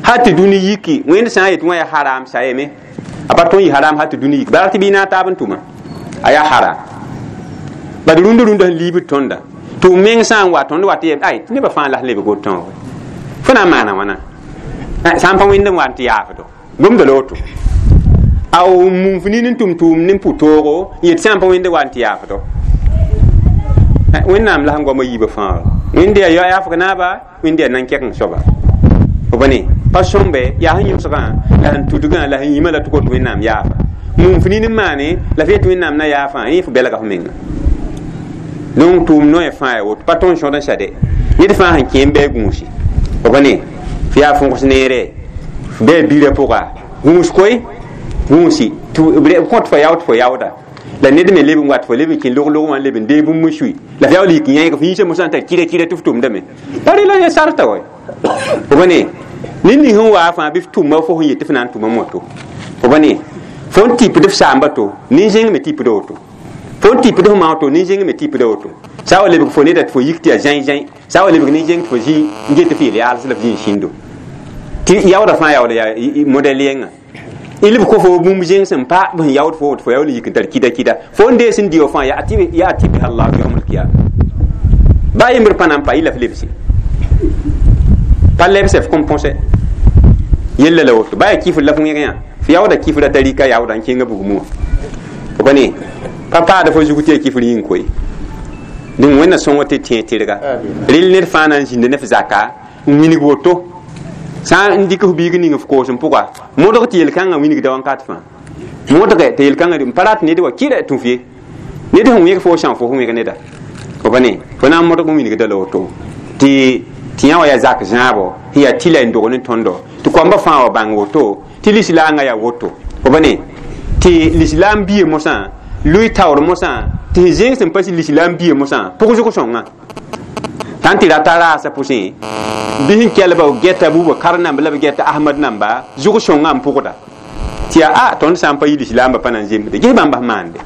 hal tɩ dũni yiki wẽnd sã n yet wã yaa haram sa yeme a pa tõe n yɩ haram hal tɩ dũni yiki bara tɩ bɩ na taab n tʋma a yaa haram bad rũndã rũndã sẽn liibd tõnda tɩ meng sã n wa tõnd wa tɩ yem ay tɩ nebã fãa la lebg woto fo na n maana wãna sã n pa wẽnd n wa n tɩ yaafdo gomda la woto a mum f nin n tʋm tʋʋm ne pʋ-toogo n yet sã n pa wẽnd wa n tɩ yaafdo wẽnnaam la sẽn goama yiibã fãa wẽnd yaa yaafg naaba wẽnd yaa nan-kɛkeng soaba f pa ne pa sõmbe yaa sẽn yõsgã la sẽn tudgã la sẽn yĩmã la tɩ kot wẽnnaam yaafa mum f nin n maane la f yet wẽnnaam na yaafã yẽ f belga f menga donc tʋʋm noe fãa yaa woto pa tõnd sõd n sade ned fãa sẽn kẽ n bɩ gũusi f pa ne f yaa fõgs neere f bɩ birã pʋga gũus koe gũusi tɩ kõt fo yaood fo yaooda la ned me leb n wat fo leb n kẽ log-log wã leb n dee bũmb n sui la f yaool yik yãeeg f yĩnsã mosã n tar kɩra kɩra tɩ f tʋmdame pa rela ya sarta wa f pa ne ned ning sẽn waa fãa bɩ f tʋma fo sẽn yet tɩ f na n tʋma moto f pa ne fo n tipd f saamba to nin-zẽng me tipda woto fo n tipd f mao to nin-zẽng me tipda woto sã wa lebg fo neda tɩ fo yik tɩ yaa zãi zãi sã wa lebg nin-zẽng tɩ fo zĩ n get tɩ f yel yaals la f zĩ n sĩndo tɩ yaooda fãa yaool yaa modɛl yɛnga ilb ko fo bũmb zẽng sẽn pa b sẽn yaood fo woto fo yaool yik n tar kida kida fo n dees n dɩ fãa yaa tɩ biha allah yawm alkiyama baa yembr pa na n pa yɩ la f lebse pa lebse f kõn põse yella la woto baa yaa kifr la f wẽg yã f yaooda kifra tarika yaooda n kẽnga bugmã wã f pa ne pa paada fo zug tɩ yaa kifr yĩng koe dẽng wẽnna sõngo tɩ tẽ tɩrga rel ned fãa na n zĩnda ne f zaka n wilg woto sã n dɩk f biig ning f koosem pʋga modg tɩ yel-kãngã wilgda wãnkat fãa modge tɩ yel-kãngã n pa rat ned wa kɩra tũ f ye ned sẽn wẽg fo sã fo sẽn wẽg neda fo pa ne fo na n modg n wilgda la woto tɩ yã wa yaa zak zãabo sẽn yaa tɩla n dog ne tõndo tɩ koamba fãa wa bãng woto tɩ lislaangã yaa woto fo pa ne tɩ lislaam bia mosã lʋɩ taoor mosã tɩ sẽn zẽng sẽn pa lislaam bia mosã pʋgsg sõngã tãn tɩ rata raasã pʋsẽ bɩ sẽn kelba gɛta buubã kar namba la b gɛta ahmad namba zʋg sõngã n pʋgda tɩ yaa a tõnd sã n pa yɩ lislaambã pa na n zemsde ges bãmba sẽn maande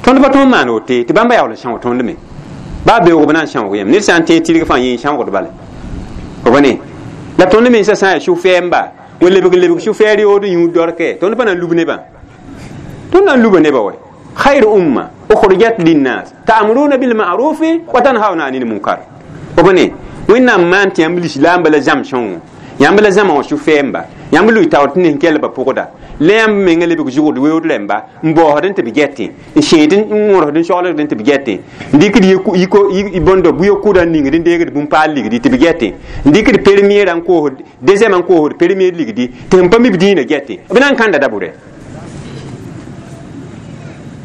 tõnd pa tõnd maan wote tɩ bãmba yaool n sãoog tõnd me baa beoog b na n sãoog yãmb ned sã n tẽeg tɩrg fãa yẽ n sãoogd bala f pa ne la tõnd mensã sã n yaa sũ-fɛɛmba wa lebg lebg sũ-fɛɛr yood n yũud dorkɛ tõnd pa na n lub nebã tõnd na n luba nebã wa khayr umma ukhrijat linnas ta'muruna bil ma'ruf wa tanhauna 'anil munkar f pa ne wẽnnaam maan tɩ yãmb lislaamba la zãm sõngo yãmb la zãma wã sũ-fɛɛmba yãmb lʋɩ taoor tɩ nin-kelba pʋgda la yãmb menga lebg zʋgd weood rẽmba n baoosd n tɩ b gɛtẽ n sẽed n wõrsd n soglgd n tɩ b gɛtẽ n dɩkd bõndo bʋ-yokʋda n ningd n deegd bũmb-paal ligdi tɩ b gɛtẽ n dɩkd première n koosd deuxième n koosd première ligdi tɩ sẽn pa mi b dĩinã gɛtẽ b na n kãnda dabʋrɛ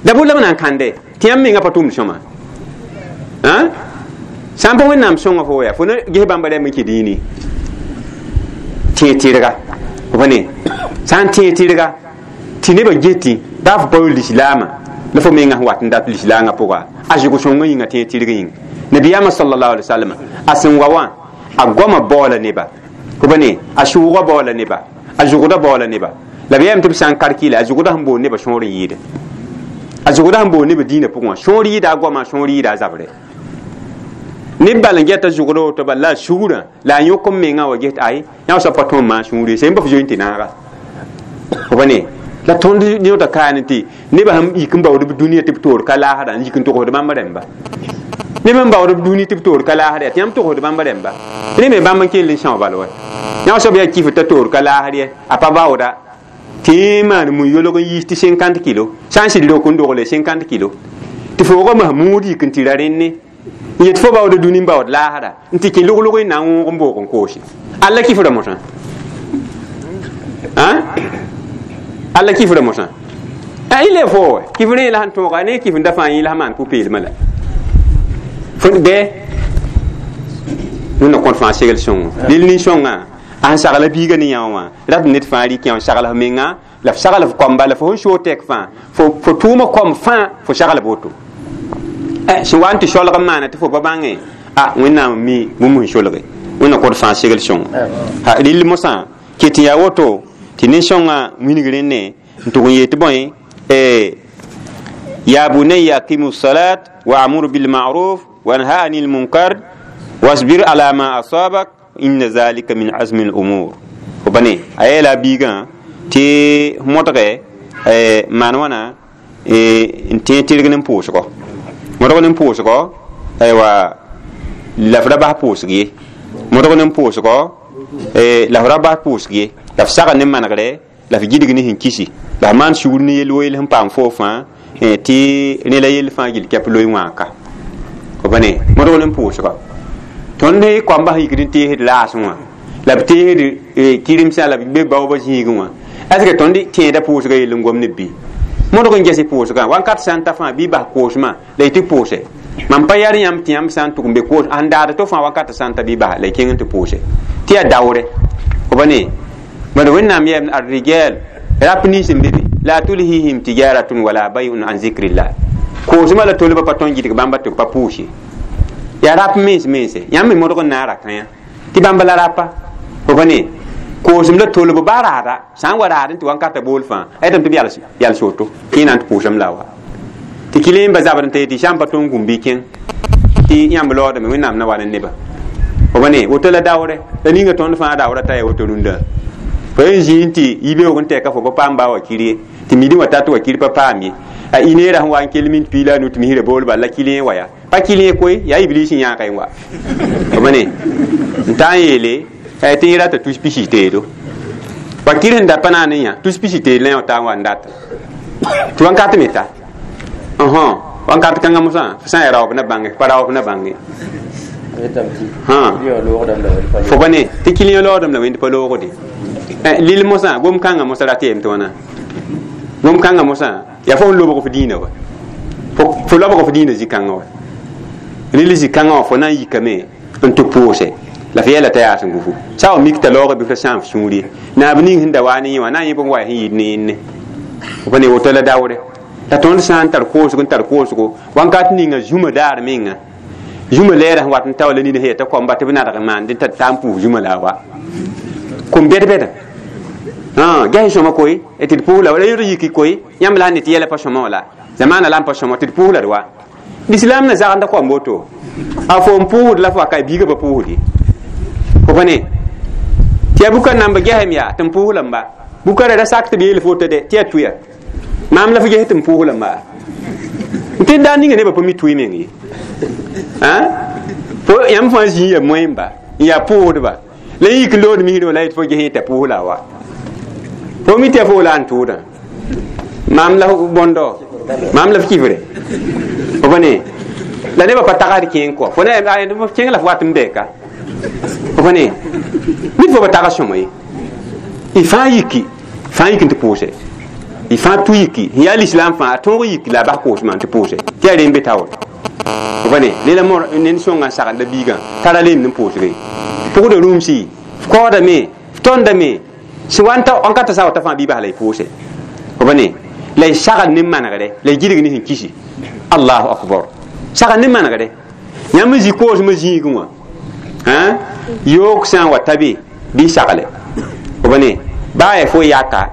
dabʋr la b na n kãnde tɩ yãmb menga pa tʋmd sõma sã n pa wẽnnaam sõnga fo yaa fo na ges bãmba rɛm n kɩ dĩini tẽeg tɩrga f pa ne sã n tẽeg tɩrga tɩ nebã getẽ baa fo pa lislaamã la fo menga sẽn wat n dat lislaangã pʋga a zʋg sõngã yĩnga tẽeg tɩrg yĩng nabiyaamã sallallahu alaihi wasallam a sẽn wa wã a goamã baoola neba fo pa ne a sʋʋgã baoola neba a zʋgdã baoola neba la b yɛm tɩ b sã n karkɩla a zʋgdã sẽn boond nebã sõor n yɩɩde a zʋgdã sẽn boond nebã dĩinã pʋgẽ wã sõor yɩɩda a goamã sõor yɩɩda a zabre neb bal n gɛta zʋgd woto bal la a sugrã la a yõk n mengã wa ges tɩ ay yã soab pa tõe n maan sũur ye sẽn pa f zoe n tɩ naaga f pa ne la tõnd yõta kaane tɩ nebã sẽn yik n baood b dũniyã tɩ b toor ka laasda n yik n togsd bãmb rẽmba neb n baood b dũni tɩ b toor ka laasd yaa tɩ yãmb togsd bãmb rẽmba ne me bãmb n kell n são bal wa yã soab yaa kifd t'a toor ka laasd ye a pa baooda tɩ maan mun-yolg n yiis tɩ 50 kilo sã n sɩd rok n dogle 50 kilo tɩ foogã mas muud yik n tɩ ra rẽnne n yet fo baood dũni n baood laasda n tɩ kẽ log-log n na n wõog n boog n koose alla kifra mosã alla kifra mosã y le fo wa kifr yẽ la sẽn tõoga ne kifr da fãa yẽ la sẽn maan pʋ-peelmã la fo bɩ wẽnna kõt fãa segl sõngo lel nin-sõngã A sẽn sagla biigã ne yã wã rat ned fãa rɩk yã sagl f menga la f sagl f koamba la fo sẽn soog tɛk fãa fo tʋʋma kom fãa fo sagl woto sẽn wa n tɩ solg n maana tɩ fo pa bãnge a Wẽnnaam mi bũmb sẽn solge Wẽnnaam kõt fãa segl sõngo rɩl mosã ket n yaa woto tɩ nin-sõngã wilg rẽnne n tʋg n yeel tɩ bõe ya bunayya aqimu salat wa amur bil ma'ruf wa nha anil munkar wasbir ala ma asabak inna zalika min azmi al umur fo pa ne a yeela biigã tɩ modge maan wãna n tẽ tɩrg ne pʋʋsgɔ modg ne pʋʋsgɔ aywa la f ra bas pʋʋsg ye modg ne pʋʋsgɔ la f ra bas pʋʋsg ye la f sagl ne manegre la f gilg ne sẽn kisi la f maan sugr ne yel wo yel sẽn paam foo fãa tɩ rẽ la yell fãa gill kɛp loe wãaka fo pa ne modg ne pʋʋsgɔ tõnd koamba sẽn yikd n teesd laasẽ wã la b teesd kɩremsã la b be baoobã zĩigẽ wã est ce que tõnd tẽeda pʋʋsgã yell n gom ne bɩ modg n ges pʋʋsgã wakat sã n ta fãa bɩ bas koosmã la y tɩ pʋʋse mam pa yar yãmb tɩ yãmb sã n tʋg n be koos sẽn daad to fãa wakat sã n ta bɩ bas la y kẽng n tɩ pʋʋse tɩ yaa daoore fo pa ne bad Wẽnnaam yɛm ar-rijal rap nins n be be la tulhihim tijaratun wala bay'un an zikrillah koosmã la tolba pa tõnd gɩdg bãmba tɩ b pa pʋʋs ye yaa rap mens mense yãmb me modg n na n ra kã tɩ bãmb la rapa fo pa ne koosem la tolb baa raada sã n wa raad n tɩ wankata bool fãa a yetame tɩ b yals woto kẽ na n tɩ pʋʋsem la wa tɩ kɩ ba zabr n ta yetɩ sã n pa tõnd gũm bɩ kẽng tɩ yãmb laoodame Wẽnnaam na wa ne neba fo pa ne woto la daoore la ninga tõnd fãa daoora t'a yaa woto rũndã fo yen zĩig tɩ yibeoog n tɛka fo pa paam baa wa kir ye tɩ midi wã tat wa kir pa paam ye a ineera sẽn wa n kell mint piila a nu tɩ misrã bool bal la kɩlẽ wa yaa pa kɩlẽ koe yaa iblis n yãaka wa fo pa ne n taa n yeele tɩ yẽ rata tus pisi teedo wa kir sẽn da pa naan n yã tus pisi teed la yã taa n wa n data tɩ wankat me ta wankat kãngã mosã fo sã n yaa raoob na bãnge pa raoob na bãnge fo pa ne tɩ kɩlẽ loodem la wẽnd pa loogde lil mosã gom kãngã mosã rat yeem tɩ wãna gom kãngã mosã yaa fo sẽn lobg f dĩinã wa fo lobg f dĩinã zĩ-kãngã wa rɩl zĩ-kãngã wã fo na n yikame n tɩ pʋʋse la f yɛla t'a yaa sẽn gufu sã wa mik t'a laoog bɩ f ra sãam f sũur ye naab ning sẽn da waa ne yẽ wã na n yẽ bõn wa sẽn yɩɩd ne yẽnne fo pa ne woto la daoore la tõnd sã n tar koosgo n tar koosgo wankat ninga zũma daar menga zũma lɛɛra sẽn wat n taola nina sẽn yaa t'a koamba tɩ b nadg n maand t'a taa n pʋʋs zũma la a wa kom bɛd-bɛda ges sõma koe tɩ d pʋʋs la la yõd yiki koe yãmb la n ne tɩ yɛla pa sõma wã la zamaana la n pa sõma tɩ d pʋʋs la d wa lislaam na zagenda koam woto a fo n pʋʋsd la fo wa ka biigã pa pʋʋsd ye fo pa ne tɩ yaa bukã namba gesem yaa tɩ n pʋʋs lamba bukã ra sak tɩ b yeel fo to de tɩ yaa tuya maam la fo ges tɩ n pʋʋs lamba n tɩ daar ninga nebã pa mi tʋɩ meng ye fo yãmb fãa zĩig yaa moẽmba n yaa pʋʋsdba la yik lood misrẽ wã la yetɩ fo ges t'a pʋʋs la a wa fo mi tɩ fo la n tʋʋdã maam la bõndo maam la f kifre fo pa ne la nebã pa tagsd kẽeng kɔ fo na kẽng la f wat n bɛɛka fo pa ne nit fo pa tags sõma ye y fãa yiki n tɩ pʋʋse y fãa tʋ yiki n yaa lislaam fãa a tõog yiki la a bas koosmã n tɩ pʋʋse tɩ yaa rẽ n be taoore fo pa ne ne la ned sõngã n sagenda biigã tara leemd n pʋʋsge pʋgda rũmsi f kaoodame f tõndame sẽn wa n ta wankata sã wa ta fãa bɩ bas la y pʋʋse fo pa ne la y sagl ne manegre la y gilg ne sẽn kisi allahu akbar sagl ne manegre yãmb n zĩ koosmã zĩigẽ wã yoog sã n wa ta be bɩ sagle fo pa ne baa yaa fo yaka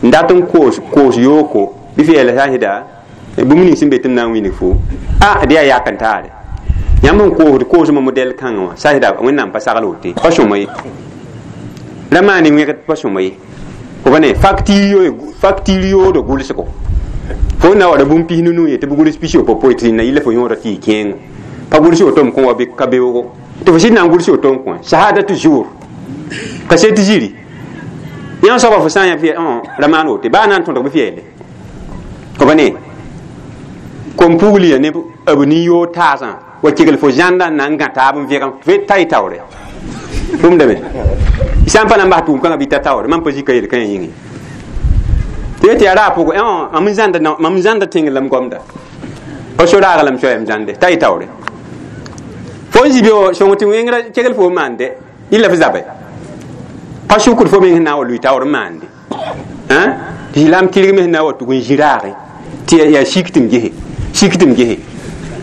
n dat n koos yooko bɩ f yeela sã n sɩda bũmb ning sẽn be tɩ m na n wilg fo a dɩ yaa yak n taare yãmb n koosd koosmã modɛl kãngã wã sã sɩda Wẽnnaam pa sagl wote pa sõma ye ra maan wẽgd pa sõma ye fo pa ne facture yoodo gʋlsgo fo na wa ra bũmb pis nu ye tɩ b gʋls pis yopopoe tɩ na yɩla fo yõoda tɩ yɩ kẽengo pa gʋls woto m kõ wa ka beoogo tɩ fo sɩd na n gʋls woto n kõ shahadatu jour ka set ziri yã soaba fo sã n yã ra maan wote baa na n tõdg bɩ f yeele fo pa ne kom pugl ya ne b nin-yoog taasã wa kegl fo zãnda n na n gã taab n vẽgem f ta y taoore tʋmdame sã n pa na n bas tʋʋm kãngã bɩ ta taoore mam pa zika yel-kãyã yĩnge tɩ tɩ yaa raag pʋgẽ mam n zãnda tẽng la m gomda pa so raag la m soayam zãnde ta y taoore fo n zĩ be sõng tɩ wẽngrã kegl fo n maande yɩl la f zabe Pa sukr fo meng na wa lui taoor n maande tɩ silaam tɩrg me sẽn na n wa tʋg n zĩ raage tɩ yaa sik tɩ m gese sik tɩ m gese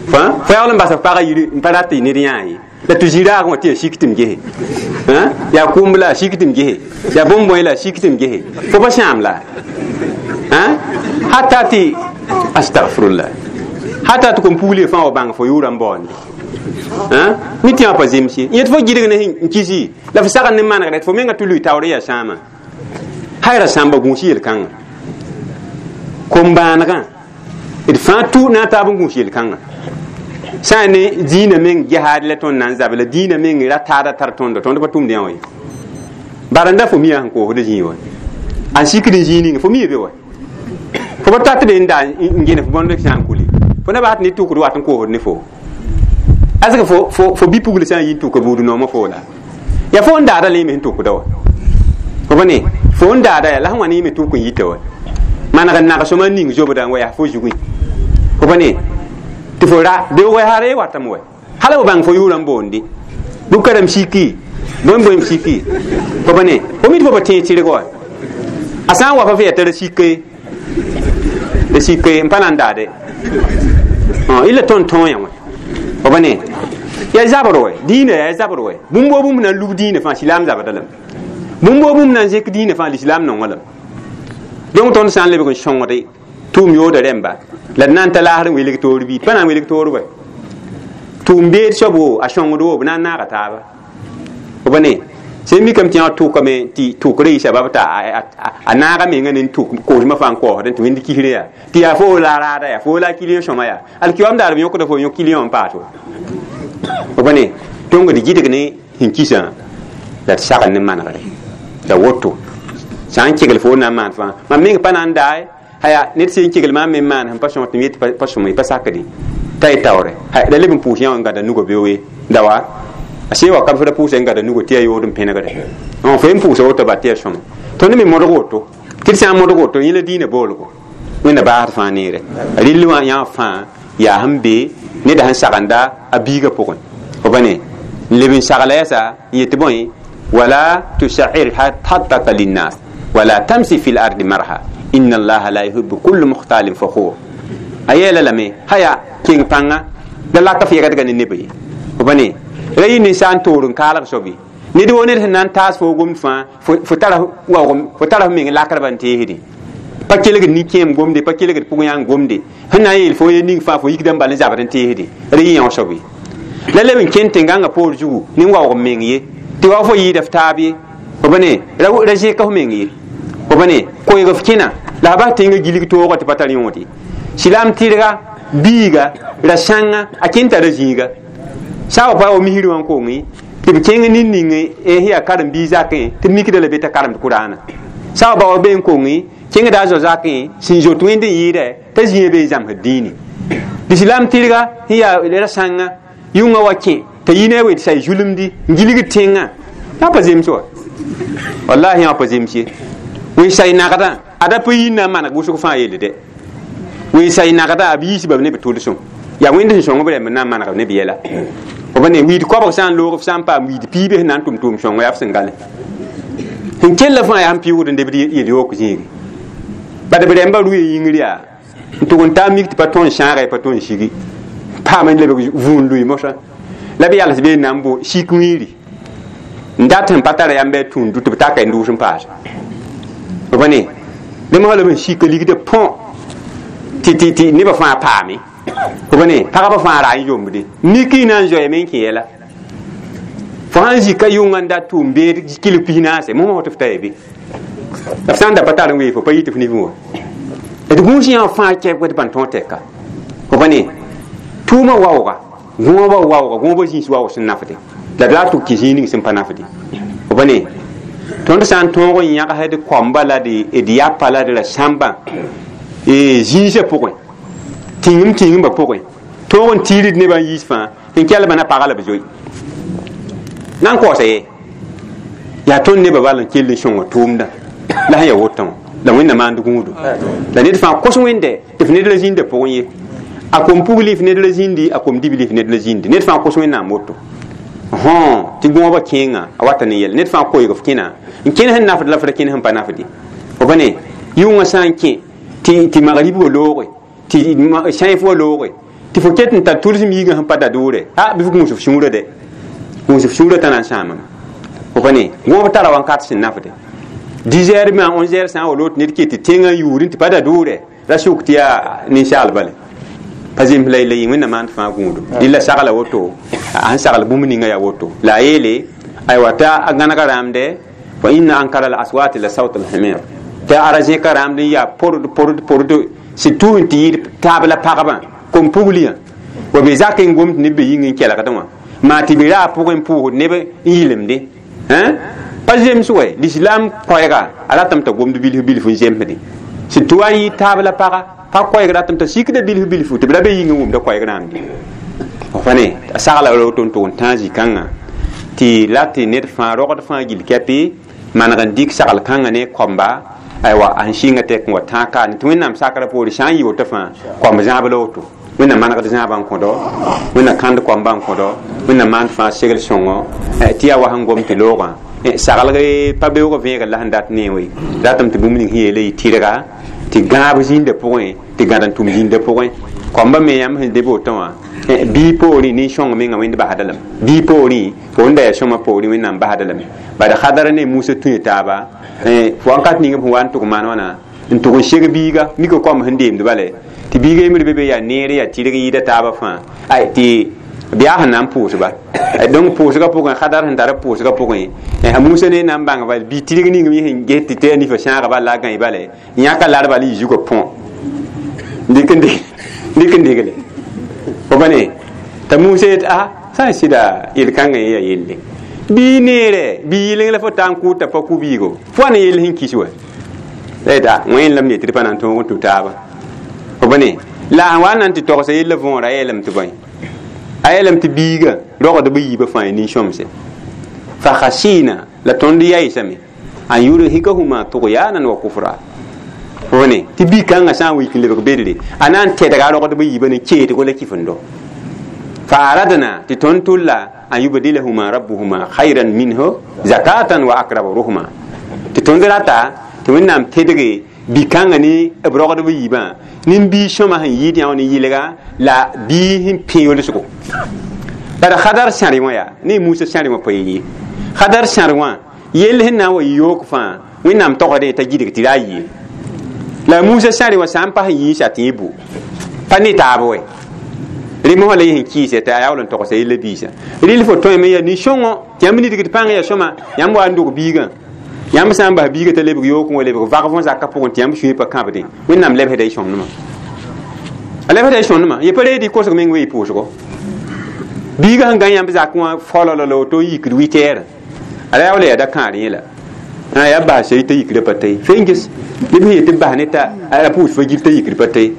fo yaool n bas f pagã yiri n pa rat tɩ ned yãa ye la tɩ zĩ raagẽ wã tɩ yaa sik tɩ m gese yaa kʋʋmb la a sik tɩ m gese yaa bõn-bõe la a sik tɩ m gese fo pa sãam la hata tɩ astagfirullah hata tɩ kom-pugl fãa wa bãng fo yʋʋra n baoonde mi tɩ wã pa zems ye yẽ tɩ fo gɩdg ne n kisi la f sagn ne manegre tɩ fo menga tɩ lʋɩ taoor yaa sãama hayra sãmba gũus yel-kãngã kom-bãanegã d fãa tʋ na n taab n gũus yel-kãngã sã n ne dĩinã meng gesaad la tõnd na n zabe la dĩinã meng ra taada tar tõndo tõnd pa tʋmd yã wa ye bara n da fo mia sẽn koosd zĩig wa a sikd n zĩig ninga fo mia be wa fo pa tat n da n gene fo bõnd sã n kuli fo na bas tɩ ne tʋkd wat n koosd ne fo asg fo bi-pugl sã n yi n tʋka buud noomã fo la ya fo n daada la yẽ me sẽn tʋkda wa fo pa ne fo n daada ya la sẽn wa ne yẽ me tʋk n yita wa maneg n nagsõma n ning zobdã n wa yaa fo zugẽ fo pa ne tɩ fo ra beoog yaa re watame wa hala fo bãng fo yʋʋra n boonde bʋ-karem siki bõe-bõem siki fo pa ne fo mi tɩ fo pa tẽeg tɩrg wa a sã n wa fa fo yaa t'a ra sike ra sike n pa na n daade illa tõnd tõog yã wã fo pa ne yaa zabr wɛ dĩinã yaa zabr wɛ bũmb woo bũmb na n lub dĩinã fãa silaam zabda lame bũmb woo bũmb na n zẽk dĩinã fãa lislaam nonga lame donc tõnd sã n lebg n sõngde tʋʋm yooda rẽmba la d na n ta laasr n welg toor bɩ pa na n welg toor wɛ tʋʋm beed soab wo a sõngd wo b na n naaga taaba fo pa ne sẽn mikame tɩ yã tʋkame tɩ tʋkrã yɩ sabab t'a a naaga menga ne tʋk koosmã fãa n kaoosdẽ tɩ wẽnd kisrã yaa tɩ yaa fo la raada yaa fo la kiliõ sõma yaa alkiyoam daar b yõkda fo yõ kiliõ n paas wa fo pa ne tõng d gɩdg ne sẽn kisã la d sagl ne manegre la woto sã n kegl fo na n maan fãa mam meng pa na n dae haya ned sẽn kegl maam me maan sẽn pa sõng tɩ m yet pa sõma pa sakde t'a y taoore la leb n pʋʋs yã wã n gãda nugã beooe dawa a sẽn wa ka f ra pʋʋsa n gãda nugã tɩ yaa yood n pẽnegre fo n pʋʋsa woto ba tɩ yaa sõma tõnd me modg woto tɩ d sã n modg woto yẽ la dĩinã boolgo wẽnna baasd fãa neere rɩll wã yã fãa yaa sẽn be neda sẽn sagenda a biigã pʋgẽ fo pa ne n leb n sagla yɛsa n yet bõe wala tusair hattaka linnas wala tamsi fi l ardi marha inna allaha la yuhibbu kullu mukhtalin fakhur a yeela lame haya keng pãnga la laka f yɛgdga ne neba ye fo pa ne ra yɩ ninsaal n toor n kaalg soab ye ned woo ned sẽn na n taas fo gomd fãa fo tara f meng lakdba n teesdẽ pa kelgd nin-kẽem gomde pa kelgd pʋgẽ yã n gomde sẽn na n yeel fo ye ning fãa fo yikda n bal n zabd n teesdẽ ra yɩ yão soab ye la leb n kẽnd tẽn-gãngã poor zugu ne waoog meng ye tɩ wa fo yɩɩda f taab ye fo pa ne ra zẽka f meng ye fo pa ne koeeg f kẽna la f bas tẽngã gilg toogã tɩ pa tar yõod ye silaam tɩrga biiga ra sãnga a kẽn tara zĩiga sã wa pa wa misir wã n kongẽ tɩ b kẽng nin-ning sẽn yaa karen-biig zakẽ tɩ b mikda la be t'a karemd kʋraana sã wa ba wa be n kongẽ kẽngda a zo zakẽ sẽn zoet wẽnd n yɩɩdɛ t'a zĩiga be n zãmsd dĩini lislaam tɩrga sẽn yaa ra sãnga yʋngã wa kẽ t'a yi ne a wet say zulemdi n gilgd tẽngã yã pa zems wa wallahi yã pa zems ye wẽn say nagdã ada pa yĩn na n maneg wʋsg fãa yelle dɛ wẽn say nagdã b yiisba ne b tʋlsem yaa wẽnd sẽn sõng b rẽmb n na n maneg ne b yɛla fo pa ne wiid koabg sã n loog f sã n paam wiid piibe sẽn na n tʋm tʋʋm sõngo yaa f sẽn gale sẽn kella fãa yaa sẽn pɩʋʋd n debd yel-yook zĩigi bad b rẽmbã rʋya yĩngr yaa n tʋg n taa mik tɩ pa tõe n sãaga pa tõe n sigi paam n lebg vũun lʋɩ mosã la b yals bee na n bo sik wĩiri n dat sẽn pa tara yãmb a tũud tɩ b taka n dʋʋs n paase fo pa ne dẽ mosã la b n sika ligdã põ tɩ nebã fãa paame fo pa ne pagba fãa ra n yombde miki na n zoeeme n kẽ yɛla fo sãn zika yʋngã n dat tʋʋm beed kɩlg pis naase mosã tɩ f ta ya be la f sã n da pa tar n wee fo pa yɩ tɩ f nifẽ wa d gũus yã fãa kɛb tɩ bãn tõog tɛka fo pa ne tʋʋmã waooga gõobã waooga gõobã zĩis waoog sẽn nafde la d la tʋg kɩ zĩig ning sẽn pa nafde fo pa ne tõnd sã n tõog n yãgsd koamba la d yapa la d ra sãmbã zĩisã pʋgẽ tĩngem tĩngembã pʋgẽ tõog n tiirid nebã n yiis fãa tɩ n kelbã na paga la b zoe na n kaoosa ye yaa tõnd nebã bal n kell n sõnga tʋʋmdã la sẽn yaa wotã wã la wẽnna maand gũudo la ned fãa kos wẽnde tɩ f ned la zĩndã pʋgẽ ye a kom pugli f ned la zĩndi a kom dibli f ned la zĩndi ned fãa kos wẽnnaam woto Hõ tɩ gõobã kẽengã a wata ne yɛl ned fãa koeeg f kẽna n kẽn sẽn nafd la f ra kẽn sẽn pa nafde fo pa ne yʋngã sã n kẽ tɩ magrib wa looge tɩ sãif wa looge tɩ fo ket n tar tʋlsem yiigã sẽn pa da doore a bɩ f gũus f sũurã dɛ gũus f sũurã t'a na n sãamame fo pa ne gõob tara wãnkat sẽn nafde 10 heures ma 11 heures sã n wa loog tɩ ned ket tɩ tẽngã yuudẽ tɩ pa da doore ra sʋk tɩ yaa ninsaal bale pa zems la yella yɩ wẽnnaam maand fãa gũudum dɩlla sagla woto a sẽn sagl bũmb ninga yaa woto la a yeele aywa t'a gãnega rãamde fa inna ankara al aswati la sawt al himir tɩ ara zẽka rãamd n yaa pord pord pord surtout n tɩ yɩɩd taab la pagba kom pugliyã wa be zak n gomd neb be yĩng n kelgdẽ wã maa tɩ be raa pʋgẽ n pʋʋsd neb n yɩlemde pa zems wɛ l'islam koɛɛga a ratame t'a gomd bilf bilf n zemsdẽ surtout a yɩ taab la paga pa koɛɛg ratame t'a sikda bilf bilf tɩ b ra be yĩng n wʋmda koɛɛg rãamde fa ne a sagla woto n tʋg n tãag zĩ-kãngã tɩ la tɩ ned fãa rogd fãa gill kɛpɩ maneg n dɩk sagl kãngã ne koamba aywa a sẽn sɩnga tɛk n wa tãag kaane tɩ wẽnnaam sakrã poore sã n yɩ woto fãa koamb zãab la woto wẽnnaam manegd zãabã n kõdo wẽnnaam kãnd koamba n kõdo wẽnnaam maand fãa segl sõngo tɩ yaa wa sẽn gom tɩ loogã saglg pa beoog vẽegr la sẽn dat ne we ratame tɩ bũmb ning sẽn yeele yɩ tɩrga tɩ gãab zĩndã pʋgẽ tɩ gãd n tʋm zĩndã pʋgẽ koamba me yãmb sẽn deb woto wã bii poorẽ nin-sõng mengã wẽnd basda lame bii poorẽ fo n da yaa sõma poorẽ wẽnnaam basda lame bad Hadar ne Musa tũe taaba fo wãnkat ning f wa n tʋg maan wãna n tʋg n seg biiga mika koam sẽn deemd bale tɩ biiga yembr be be yaa neere yaa tɩrg yɩɩda taabã fãa ay tɩ b yaa sẽn na n pʋʋsba donc pʋʋsgã pʋgẽ Hadar sẽn tar b pʋʋsgã pʋgẽ a Musa ne na n bãng bal bii tɩrg ning me sẽn ges tɩ tɩ a nifa sãaga bal la a gãe bale yãka lar bal yɩ zugã põ dɩk n degle fo pa ne t'a Musa yet a sã n sɩda yel-kãngã yaa yelle bii neere bii yɩleng la fo taa n kʋʋd t'a pa kʋ biigo fo wa ne yell sẽn kis wa la yeta wẽn lam ne tɩ d pa na n tõog n tũ taaba fo pa ne la sẽn wa n na n tɩ togsa yella võora a yeelame tɩ bõe a yeelame tɩ biiga rogdb yiibã fãa nin-sõmse fa khasina la tõnd yaɩsame an yurhikahuma tughyanan wa kufra fo ne tɩ bi-kãngã sã n wik n lebg bedre a na n tɛdga a rogdb yiibã ne keedgo la kifendo fa aradna tɩ tõnd tʋlla an yubdilahuma rabbuhuma khayran minhu zakatan wa akraba ruhma tɩ tõnd rata tɩ wẽnnaam tedge bi-kãngã ne b rogdb yiibã nin-bii sõma sẽn yɩɩd yã wã ne yɩlga la bii sẽn pẽ yolsgo bara Hadar sãre wã yaa ne Musa sãre wã pa ye Hadar sãr wã yell sẽn na n wa yɩ yook fãa wẽnnaam togsdẽ t'a gidg tɩ ra a yɩɩ la Musa sãre wã sã n pas n yĩisa tɩ yẽ bu pa ne taab wɛ rẽ mosã la yẽ sẽn kɩɩsɛ t'a yaa wall n togsa yella biisã rɩl fo tõeme yaa nin-sõngo tɩ yãmb nidgd pãng yaa sõma yãmb wa n dog biigã yãmb sã n bas biigã t'a lebg yook n wa lebg vagf n zakã pʋgẽ tɩ yãmb sũyã pa kãbdẽ wẽnnaam lebsda y sõmdmã a lebsda y sõmdmã ye pa reed y kosg meng we y pʋʋsgo biigã sẽn gã yãmb zak wã fololo la woto yikd witɛɛrã a ra yaa wala yaa da kãar yẽla yaa bas t'a yikdã pa ta ye fenges neb sẽn yet tɩ bas ne t'a a pʋʋs fa gil t'a yikd pa ta ye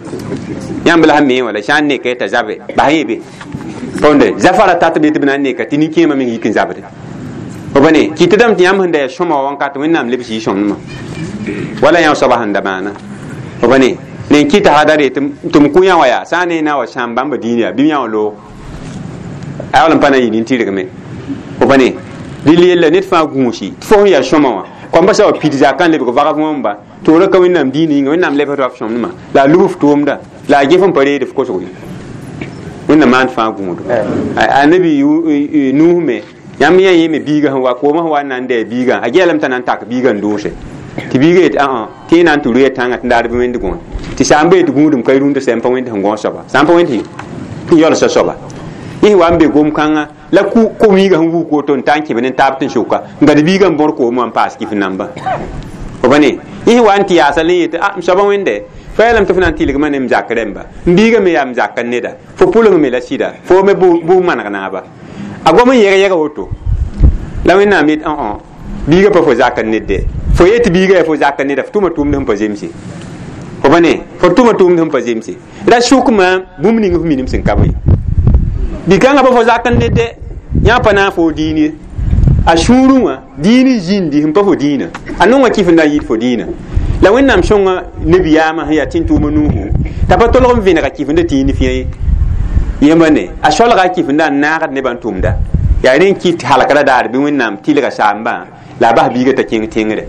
yãmb la sẽn me wã la sã n neka t'a zabe bas yẽ be tõnde zafara tat be tɩ b na n neka tɩ nin-kẽemã meng yik n zabde fo pa ne kɩtdame tɩ yãmb sẽn da yaa sõma wa wãnkat wẽnnaam lebs yɩ sõmdmã wala yã soaba sẽn da maana fo pa ne nen kɩta Hadare tɩ m kũ yã wã yaa sã n ne na wa sãam bãmba dĩin yaa bɩ yã wã loog a wall n pa na n yɩ nin-tɩrgme fo pa ne rɩl yella ned fãa gũusi tɩ fo sẽn yaa sõma wã koamba sã wa pid zakã n lebg vagf wãmba toora ka wẽnnaam dĩin yĩnga wẽnnaam lebsd wa f sõmdmã la a lub f tʋʋmda la a gef n pa reed f kosgo ye wẽnnaam maand fãa gũudo annabi Nuh me yãmb yã yẽ me biigã sẽn wa koomã sẽn wa n na n dɛɛ biigã a geelame t'a na n tak biigã n doose tɩ biigã yet ã tɩ na n tɩ rʋya tãngã tɩ daar bɩ wẽnd gõe tɩ sã n bee tɩ gũudum ka rũndã sã n pa wẽnd sẽn gõ soaba sã n pa wẽnd sẽn yɔlsa soaba yẽ wa n be gom-kãngã la ko-wiigã sẽn wuk woto n ta n kẽb ne taab tɩ n sʋka n gad biigã n bõr koomã wã n paas kif namba fo pa ne yẽ wa n tɩ yaasa la yetɩ a m soaba wẽnde fo yeelame tɩ fo na n tɩlgmã ne m zak rẽmba m biigã me yaa m zak n neda fo pʋleng me la sɩda fo me bʋ maneg naaba a gom n yɛg yɛga woto la wẽnnaam yet õ biigã pa fo zak n ned de fo yet biigã yaa fo zak n neda fo tʋma tʋʋmd sẽn pa zemse fo pa ne fo tʋma tʋʋmd sẽn pa zemse ra sʋkmã bũmb ning f minim sẽn ka bõe bi-kãngã pa fo zak n ned de yã pa na n fo dĩin ye a sũurẽ wã dĩin n zĩndi sẽn pa fo dĩinã a nongã kɩf n na n yɩɩd fo dĩinã la wẽnnaam sõnga nebiyaamã sẽn yaa tẽn-tʋʋma Nuuhu t'a pa tolg n vẽnega kɩfenda tɩ yĩn fĩa ye yẽmba ne a solga a kɩfenda n naagd nebã n tʋmda Yaa rẽ n kɩt halkra daar bɩ Wẽnnaam tɩlga saambã la a bas biigã t'a kẽng tẽngre.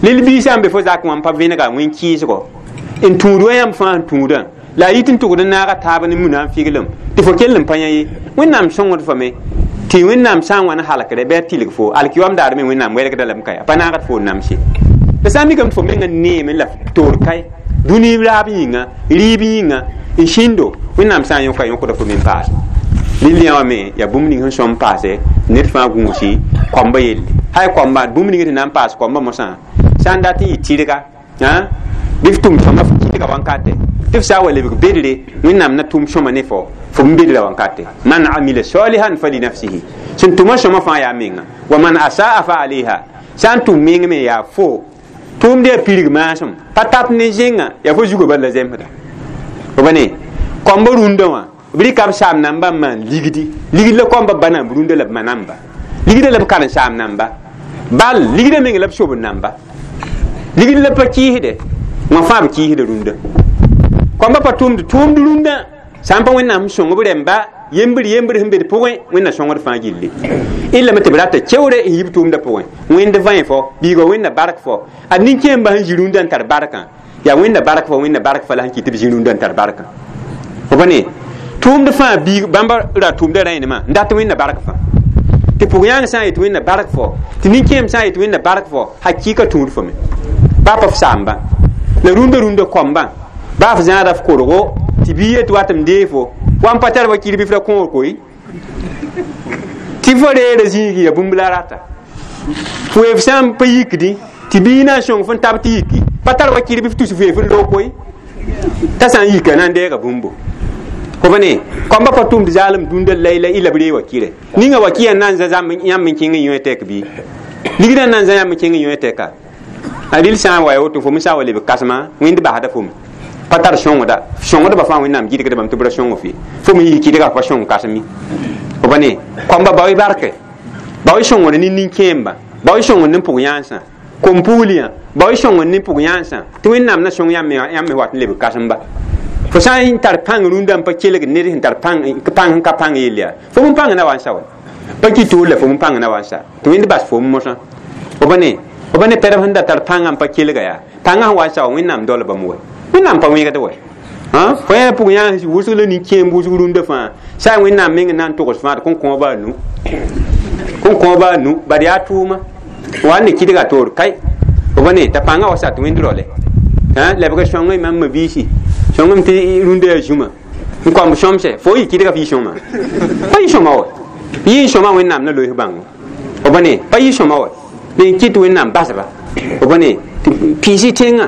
Lel biig sã n be fo zak wã n pa vẽnega wẽn-kɩɩsgo n tũud wa yãmb fãa n tũudã la a yit n tʋgd n naaga taab ne muna n figlem tɩ fo kell n pa yã ye. Wẽnnaam sõngd fo me tɩ Wẽnnaam sã n wa n halkre bɩ a tɩlg fo alkiyoam daar me Wẽnnaam wɛlgda lame ka a pa naagd fo n namse. La sã n mikame tɩ fo menga neeme la toor kae dũni raab yĩnga rɩɩb yĩnga n sĩndo Wẽnnaam sã n yõka yõkda fo me n paase. Rɩl yã wã me yaa bũmb ning sẽn sõm paase ned fãa gũusi koamba yelle. Hay koamba bũmb ning tɩ na n paas koamba mosã sã n dat n yɩ tɩrga bɩ f tʋm sõma f kɩdga wankate tɩ f sã n wa lebg bedre Wẽnnaam na tʋm sõma ne fo fo n bedra wankate. Man amila salihan fali nafsihi sẽn tʋma sõma fãa yaa menga wa man asaa fa alayha sã n tʋm meng me yaa fo tʋʋmd yaa pirg maasem pa tat ne zẽnga yaa fo zugã bal la zemsda. Fo ba ne koamba rũndã wã b rɩka b saam nambã n maan ligdi ligd la koamba ba namb rũndã la b ma namba ligdã la b karen-saam namba bal ligdã meng la b sob namba ligd la pa kɩɩsde wã fãa b kɩɩsda rũndã. Koamba pa tʋmd tʋʋmd rũndã sã n pa Wẽnnaam sõng b rẽmba yembr yembr sẽn be d pʋgẽ Wẽnna sõngd fãa gilli illa me tɩ b rata keoore n yi b tʋʋmdã pʋgẽ Wẽnd vãe fo biiga Wẽnna bark fo ad nin-kẽembã sẽn zĩ rũndã n tar barkã yaa Wẽnna bark fo Wẽnna bark fa la sẽn kɩt tɩ b zĩ rũndã n tar barkã. Fo pa ne tʋʋmd fãa biig bãmba ra tʋʋmda rẽenemã n dat Wẽnna bark fãa tɩ pʋg-yãang sã n yet Wẽnna bark fo tɩ nin-kẽem sã n yet Wẽnna bark fo hakɩɩka tũud fo me baa pa f saamba la rũndã rũndã koambã baa f zãada f korgo tɩ bii yet wat m dee fo wa n pa tar wa kir bɩ f ra kõor koe tɩ fo reera zĩigi ya bũmb la rata f weef sã n pa yikdẽ tɩ bii na n sõng fõn tab tɩ yiki pa tar wa kir bɩ f tus f weef n loog koe t'a sã n yika na n deega bũmbo. Fo pa ne koamba pa tʋmd zaalem dũndã layla y la b ree wa kɩrɛ ninga wa kɩ na n za yãmb n kẽng n yõ tɛk bɩ ligdã na n za yãmb n kẽng n yõ tɛka a rɩl sã n wa ya woto fo me sã n wa lebg kãsema Wẽnd basda fo me pa tar sõngda sõngdbã fãa Wẽnnaam gɩdgda bãmb tɩ b ra sõng fe fo me yɩ kɩdga pa sõng kãsem ye. Fo pa ne koamba bao-y barke bao-y sõngd ne nin-kẽembã bao-y sõngd ne pʋg-yãensã kom-pugliyã bao-y sõngd ne pʋg-yãensã tɩ Wẽnnaam na sõng yãmb me wat n lebg kãsemba. Fo sã n tar pãng rũndã n pa kelg ned sẽn tar pãng sẽn ka pãng yell yaa fo m pãng na wa n sa wa pa kɩ toor la fo m pãng na wa n sa tɩ Wẽnd bas fo m mosã. Fo pa ne pɛrb sẽn da tar pãngã n pa kelga yaa pãngã sẽn wa n sa wa Wẽnnaam dolbame wa Wẽnnaam pa wẽgd wa fo yaa pʋg-yãans wʋsg la nin-kẽemb wʋsg rũndã fãa sã n Wẽnnaam meng na n togs fãa tɩ kõn-kõoba a nu bad yaa tʋʋma wa n ne kɩdga toor kai fo pa ne t'a pãngã wa sa tɩ Wẽnd raole lebg sõngẽ mam ma biisi sõngem tɩ rũndã yaa zũma n kõmb sõmse fo yɩ kɩdga f yɩ sõma pa yɩ sõma wa yɩ n sõma Wẽnnaam na loes bãngo. Fo pa ne pa yɩ sõma wa n kɩt Wẽnnaam basba. Fo pa ne tɩ piisi tẽngã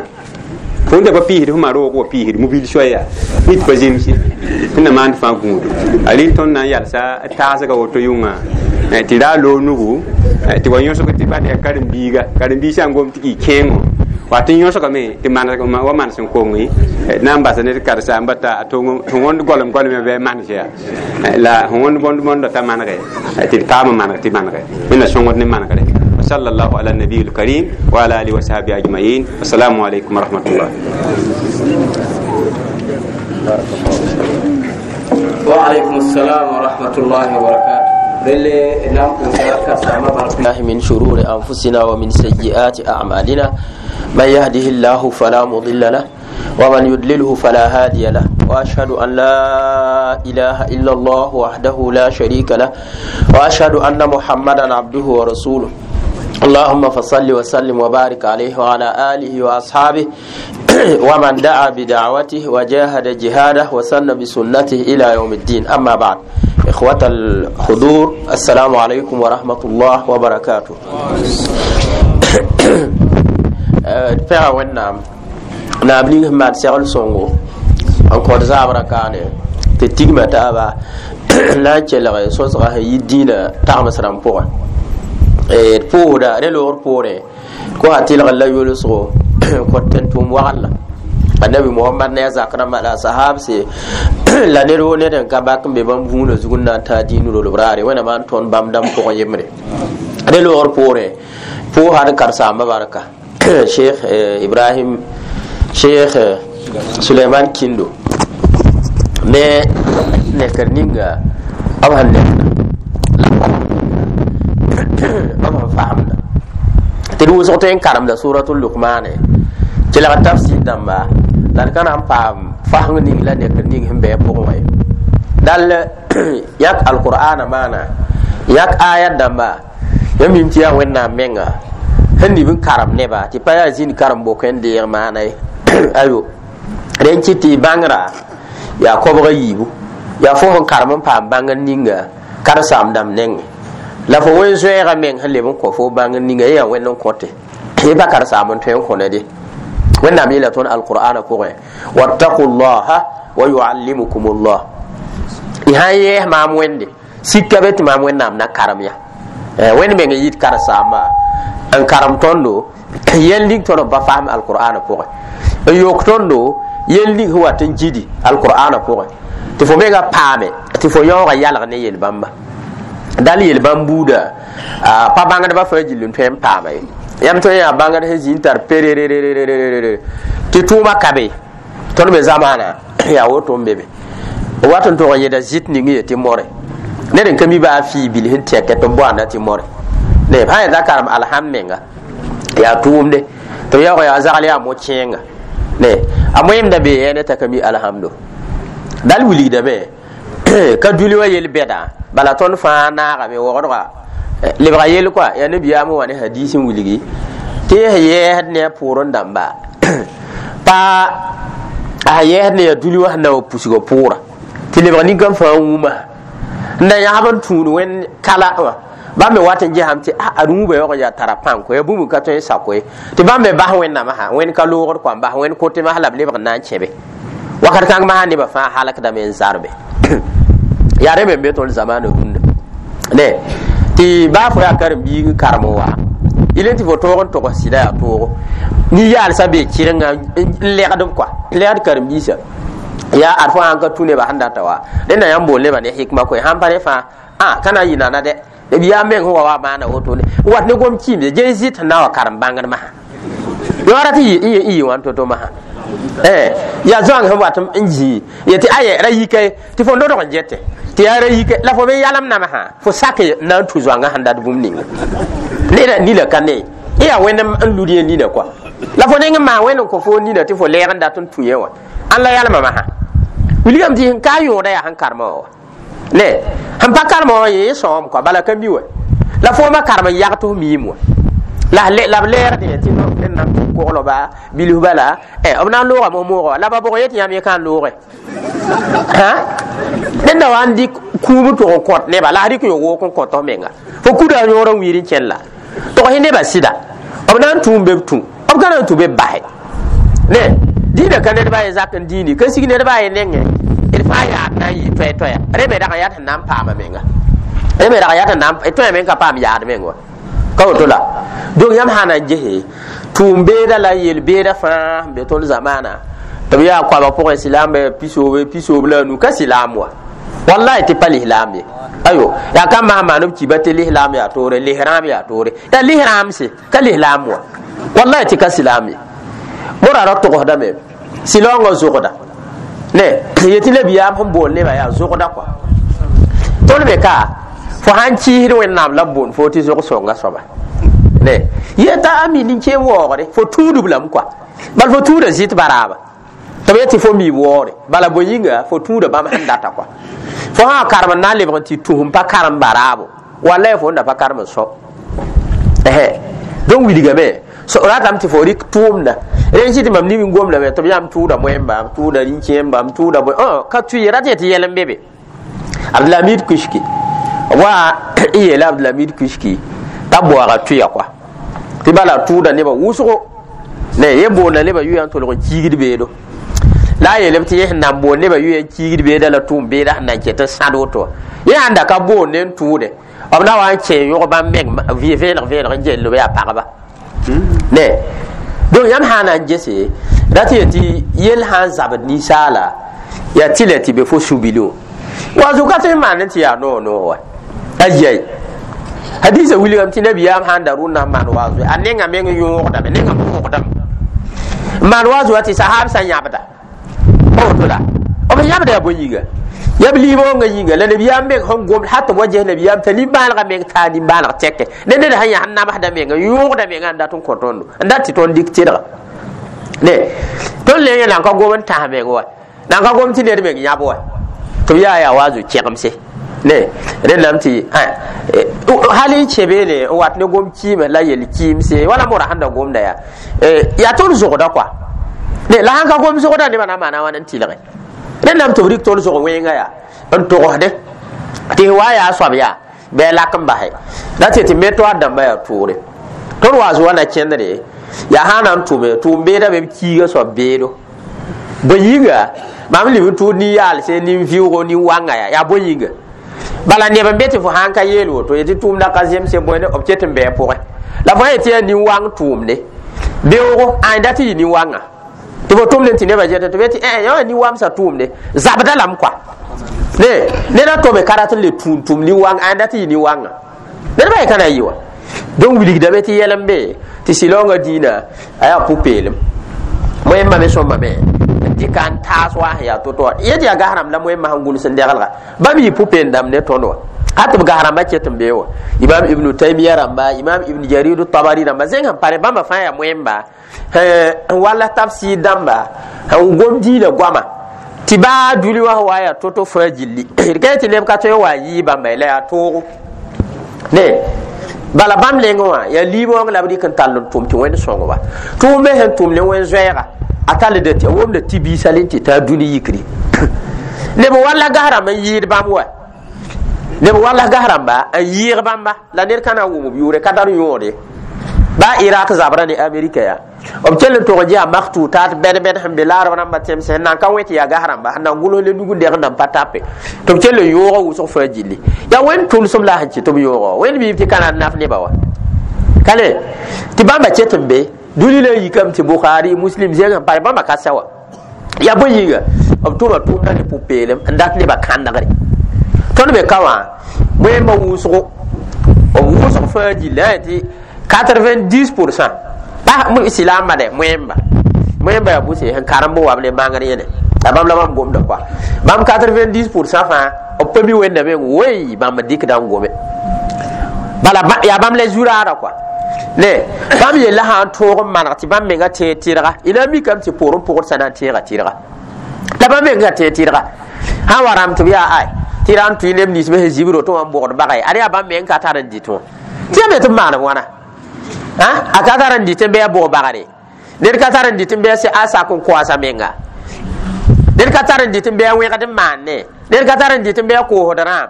fo da pa piisd f ma roog wa piisd mobil soaya nit pa zemse tɩ na maand fãa gũudo a rɩl tõnd na n yalsa taasga woto yʋngã tɩ ra loog nugu tɩ wa yõsg tɩ bad yaa karen-biiga karen-biig sã n gom tɩ kɩ kẽengo wa tɩ yõsgame tɩ wa manes n konge na n basa ned karsaamba t'a tɩ wõnd golem golem bɩ manes yaa la wõnd bõnd bõnda t'a manege tɩ d paam n maneg tɩ manege Wẽnna sõngd ne manegre. وصلى الله على النبي الكريم وعلى آله وصحبه أجمعين. السلام عليكم ورحمة الله. وعليكم السلام ورحمة الله وبركاته. من شرور أنفسنا ومن سيئات أعمالنا من يهده الله فلا مضل له ومن يضلله فلا هادي له وأشهد أن لا إله إلا الله وحده لا شريك له وأشهد أن محمدا عبده ورسوله. اللهم فصل وسلم وبارك عليه وعلى آله وأصحابه ومن دعا بدعوته وجاهد جهاده وسن بسنته إلى يوم الدين. أما بعد، إخوة الحضور، السلام عليكم ورحمة الله وبركاته. pɛga Wẽnnaam naab ning sẽn maan segl sõngo n kõt zaabra kaane tɩ tigma taaba la n kelg sõsga sẽn yi dĩinã tagms rãmb pʋgẽ d pʋʋsda rẽ loogr poorẽ ko a tɩlgr la yolsgo kõt tẽn tʋʋm wagl annabi Muhammad ne a zak rãmba la a sahabse la ned woo ned n ka bak n be bãmb vũunã zug n na n taa dĩin rolb raare Wẽnnaam n tõnd bãmb dãmb pʋgẽ yembre rẽ loogr poorẽ pʋʋsa d karsaambã barka Cheikh Ibrahim Cheikh Suleiman Kindo ne nekr ninga b sẽn nekda Tɩ d wʋsg tõe n karemda suratul lukmane kelg tafsir dãmba la d ka na n paam faseng ning la nekr ning sẽn bɩ a pʋgẽ wã ye. Dal yãk alqur'ana maana yãk ayat dãmba yãmb mim tɩ yaa Wẽnnaam menga sẽn nib n karem neba tɩ pa yaa zĩnd karem bok n deeg maana ye. Ayo, rẽn kɩt tɩ bãngrã yaa kobga yiibu, yaa fo sẽn karem n paam bãngr ninga karen-saam dãmb nengẽ la fo wen zoɛɛgã meng sẽn leb n kõ fo bãngr ninga yaa Wẽnd n kõte y pa karen-saam n tõe n kõ ned ye. Wẽnnaam yeela tõnd alqur'ana pʋgẽ: wattaqu llaha wa yuallimukum llah. Y sãn yɛɛs maam Wẽnde, sika be tɩ maam Wẽnnaam na karem ya. Wẽnd meng n yit karen-saamba n karem tõndo yɛl ning tõnd b pa fasem alqur'ana pʋgẽ, n yok tõndo yel ning sẽn wat n gidi alqur'ana pʋgẽ tɩ fo menga paame tɩ fo yaooga yalg ne yel-bãmba. Dal yel-bãmb buuda pa bãngdbã fãa gill n tõe n paama ye. Yãmb tõe n yaa bãngd sẽn zĩ n tar perererererere tɩ tʋʋma ka be. Tõnd me zamaana yaa woto n be be wat n tʋg n yeda zɩt ning ye tɩ more ned n ka mi baa fii bil sẽn tɛkɛ tɩ b boanda tɩ more ne sã yeta karem alham menga yaa tʋʋmde tɩ b yaoog yaa zagl yaa mo-kẽenga ne a moẽmda bee yɛɛne t'a ka mi alhamdo. Dal wilgdame ka duli wa yel bɛda bala tõnd fãa naagame wogdga lebga yel kɔa yaa nabiyaam wa ne hadis n wilgi tɩ y yɛɛsd ne a pʋʋrẽ dãmba pa a yɛɛsd ne yaa duli wa sẽn na wa pusgã pʋʋra tɩ lebg ninkam fãa wũma n da yãsb n tũud wẽnd kala wã. Bãmb me wat n gesame tɩ ad wũbã yaoog n yaa tara pãn koe, yaa bũmb n ka tõe n sak koe tɩ bãmb me bas Wẽnnaamã sã wẽnd ka loogd kɔa n bas wẽnd kote masã la b lebg n na n kẽbe wakat kãng masã nebã fãa halkdame n zarbe. Yaa rẽ me n be tõnd zamaana rũndã ne tɩ baa fo yaa karen-biig n karem n wa yel tɩ fo toog n togs sɩda yaa toogo nin-yaalsã bee kɩrenga n lɛgd b kɔa n lɛgd karen-biisã yaa ad fo sãn ka tũ nebã sẽn data wa rẽnda yãmb bool nebã ne hikma koe sãn pa ne fãa a ka na n yɩ nana dɛ b yaa meng sẽn wa wa maana wotone n wat ne gom kɩɩmde gee zɩt sẽn na wa karem bãngd masã yõora tɩ y yɩ wãn to-to masã yaa zoãng sẽn wat n zĩ yetɩ aya ra yika ye tɩ fo nodg n gete tɩ yaa ra yike la fo me yalem namsã fo sak n na n tu zoãngã sẽn dat bũmb ninga neda nina ka ne y yaa Wẽnd n lud yẽ nina kɔa la fo neng n maan Wẽnd n kõ fo nina tɩ fo lɛɛg n dat n tũ yẽ wã ãn la yalma masã wilgame tɩ sẽn ka yõoda yaa sẽn karema wã wa ne sẽn pa karema wã yẽ sõom kɔa bala ka mi wa la fooma karem n yag tɩ f miim wã la b lɛɛgdẽ tɩ ned na n tʋ koglba bilf bala b na n loogame moogã wa la ba bʋg yetɩ yãmb yẽ ka n looge ned na wa n dɩk kũum n tʋg n kõt neba la a rɩk yo-wook n kõt f menga fo kuda yõor n wiir n kẽn la tog-y nebã sɩda b na n tũ n be b tũ b ka na n tũ be b basɛ ne dĩinã ka nedbã ye zak n dĩini ka sig nedbã a ye nengẽ d fãa yaad na n yɩ toɛ-toɛya rẽ me dag n yaa tɩ na n paama menga rẽ me dag n yaa tɩ na n tõe me n ka paam yaad meng wa ka woto la. Donc yãmb sã na n gese tʋʋm-beeda la yel-beeda fãa sẽn be tõnd zamaana tɩ b yaa koabg pʋgẽ silaamba pisoobe pisoob la a nu ka silaam wa wallahi tɩ pa lislaam ye. Ayo, yaa ka masã maan b kiba tɩ lislaam yaa toore, lisrãam yaa toore, yaa lisrãamse ka lislaam wa wallahi tɩ ka silaam ye. Mora ra togsdame silaoongã zogda ne yetɩ nabiyaam sẽn bool nebã yaa zogda kɔa tõnd me ka fo sãn kɩɩsd Wẽnnaam la b boond fo tɩ zog sõnga soaba ne yeta a mi nin-kẽem waoogre fo tũudb lame kɔa bal fo tũuda zɩt baraaba tɩ b yetɩ fo mi waoore bala bõe yĩnga fo tũuda bãmb sẽn data kɔa fo sã karem n na n lebg n tɩ tus n pa karem baraabo wallay fo n da pa karem n sõ. Donc wilgame so ratame tɩ fo rɩk tʋʋmda rẽn sɩ tɩ mam nib n gomdame tɩ b yãmb tʋʋda moẽmba b tʋʋda rĩn-kẽemba b tʋʋda bõe ka tʋ ye rat tɩ yɛl n be be. Abdulhamid Kushki wa n yeela Abdulhamid Kushki t'a boaga tʋya kɔa tɩ bala tʋʋda nebã wʋsgo ne ye boonda nebã yʋya n tolg n kiigd beedo la a yeelame tɩ yẽ sẽn na n boond nebã yʋya n kiigd beeda la tʋʋm beeda sẽn na n ket n sãd woto wã yẽ sãn da ka boond ne n tʋʋde b na wa n kẽ yõg bãmb meng vẽeneg vẽeneg n gell b yaa pagba ne. Donc yãmb sã n na n gese rat n yetɩ yell sã n zabd ninsaala yaa tɩ la tɩ be fo sũ-bilẽ wã wa zʋka tõe n maan tɩ yaa noog noog wa ayai hadisa wilgame tɩ nabiyaam sãn da rʋnda n maan waazo a nengã meng yõogdame nengã moogdame n maan waazo wa tɩ sahaab sã yãbda pa woto la b B yãbda yaa bõe yĩnga yaa b liibongã yĩnga la nabiyaam meng sẽn gomd hat tɩ b wa ges nabiyaam t'a nimbãanegã meng taa nimbãaneg tɛke ne ned sẽn yã sẽn namsda menga yõogda menga n dat n kõ tõndo n dat tɩ tõnd dɩk tɩrga ne tõnd le yẽ nan ka gom n tãs meng wa nan ka gom tɩ ned meng yãb wa tɩ b yaa yaa wa a zo kẽgemse ne rẽndame tɩ hal n kẽ beene n wat ne gom kiime la yel kiimse wala mora sẽn da gomda yaa yaa tõnd zogda kɔa ne la sãn ka gom zogda nebã na n maana wãn n tɩlge rẽndame tɩ b rɩk tõnd zog wẽnga yaa n togsde tɩ wa yaa soab yaa bɩ a lak n base la tɩ tɩ me toaad dãmba yaa toore tõnd wa zoa na kẽndre yaa sã na n tʋme tʋʋm beeda be b kiiga soab beedo bõe yĩnga mam lib n tʋʋd nin-yaalse nin-vɩʋgo nin-wãnga yaa yaa bõe yĩnga bala neb n be tɩ fo sãn ka yeel woto yetɩ tʋʋmda ka zemse bõe b ket n bɩ a pʋgẽ la fo yetɩ yaa nin-wãng tʋʋmde beoogo ãn dat tɩ yɩ nin-wãngã tɩ fo tʋmd n tɩ nebã zɛtẽ tɩ b yetɩ ẽ yã nin-wamsã tʋʋmde zabda lame kɔa ne ned a tome ka rat n le tũun tʋm nin-wãng ãn dat tɩ yɩ nin-wãngã ned ba ye ka na n yɩ wa donc wilgdame tɩ yɛl n be tɩ sɩlaoongã dĩinã a yaa pʋ-peelem moẽmbã me sõmbame n dɩka n taas wa sẽn yaa to-to wã yet yaa gas rãmb la moẽmbã sẽn gʋls n dɛgelga bãmb yɩ pʋ-peelem dãmb ne tõnd wã hat b gas rãmbã ket n bee wa imam ibnu taymia rãmba imam ibn jarir tabari rãmba zẽng sẽn pare bãmba fãa yaa moẽmba n wall tafsir dãmba n gom dĩinã goama tɩ baa dũni wã wa yaa to-to fãa gilli d ka tɩ neb ka tõe n wa n yɩɩ bãmba ye la yaa toogo ne bala bãmb leng wã yaa liibõong la b rɩk n tall n tʋm tɩ wẽnd sõngba tʋʋm me sẽn tʋm ne wẽn zoɛɛga a tall a womda tɩ biisã le n tɩ taa dũni yikri neb walla gas rãmb n yɩɩd bãmb wa neb walla gas rãmba n yɩɩg bãmba la ned ka na n wʋm b yʋʋre ka tar yõode ba Irak zabra ne Amerika ya b kell n tog n ges maktutat bɛd-bɛd sẽn be laarb rãmbã tẽmsẽ sẽn nan ka wẽ tɩ yaa gas rãmba sẽn na n gʋls le nug n deg n nan pa tape tɩ b kell n yooga wʋsg fãa gilli yaa wẽnd tʋlsem la sẽn kɩt tɩ b yooga wẽnd biib tɩ ka na n naf nebã wa ka le tɩ bãmba ket n be dũni la n yikame tɩ Bukhari Muslim zẽng sẽn pare bãmba ka sɛ wa yaa bõe yĩnga b tʋma tʋʋmda ne pʋ-peelem n dat nebã kãndgre tõnd be ka wã wẽmba wʋsgo b wʋsg fãa gilli a tɩ 90% pa silaamba de moẽmba moẽmba yaa bʋse sẽn karemb wa b ne bãngr yẽne la bãmb la bãmb gomda kɔa bãmb 90% fãa b pa mi wẽnda meng woy bãmb dɩkda n gome bala yaa bãmb la zu-raada kɔa ne bãmb yella sã n tõog n maneg tɩ bãmb menga tẽeg tɩrga y na n mikame tɩ poorẽ pʋgd sã na n tẽega tɩrga la bãmb menga tẽeg tɩrga sã n wa rãmb tɩ b yaa ay tɩ ra n tʋɩ neb nins me sẽn zibr woto wã n bogd bagã ye ad yaa bãmb meng ka tar n dɩt wã tɩ ya me tɩ b maaneb wãna a ka tar n dɩt n bɩ a bog bagre ned ka tar n dɩt n bɩ a sak n koasa menga ned ka tar n dɩt n bɩ a wẽgd n maanne ned ka tar n dɩt n bɩ a koosd rãam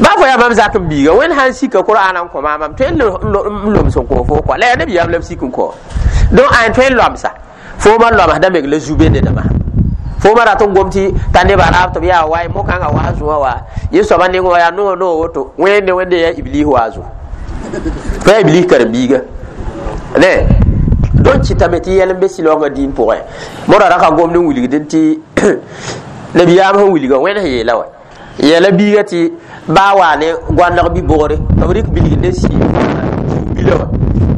ba fo yaa mam zak n biiga wẽnd sãn sika Qur'an n kõ maam mam tõe n loms n kõ fo kɔa la yaa nabiyaam la b sik n kõ donc ãn tõe n loamsa fooma loamsda meng la zu-be nedama fooma rat n gom tɩ t'a nebã raab tɩ b yaa waay mo-kãngã wa zũa wa yẽ soaba neng wã yaa noog noog woto wẽnde wẽnde yaa iblis wa zu fo yaa iblis karen-biiga ne donc kɩtame tɩ yɛl n be sɩlaoongã dĩin pʋgẽ modã ra ka gomd n wilgd tɩ nabiyaam sẽn wilga wẽnd sẽn yeela wa yɛla biiga tɩ baa waa ne goandg bi-bogre b rɩk bilg ne sii bila wã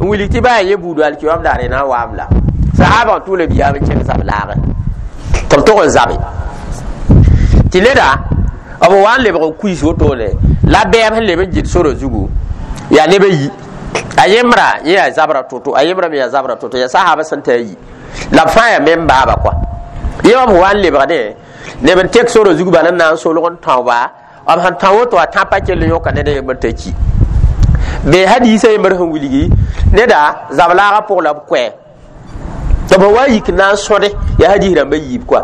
n wilg tɩ baa yaa yẽ buudu alkiyam daare na n waam la sahaba n tʋ nabiyaam n kẽng zab laagẽ tɩ b tog n zabe tɩ neda b wa n lebg n kuis wotone la bɛɛb sẽn leb n gɩd sora zugu yaa neb a yi a yembra yẽ yaa zabra to-to a yembra me yaa zabra to-to yaa sahaba sẽn t'a yi la b fãa yaa mem baaba kɔa yẽ wã b wa n lebgdẽ neb n tek sora zug bala n na n solg n tão-ba b sẽn tão woto a tãpã kell n yõka ned a yembr t'a ki be hadiisã yembr sẽn wilgi neda zab-laagã pʋg la b koɛ tɩ b wa yik na n sõde yaa hadiis rãmbã yiib kɔa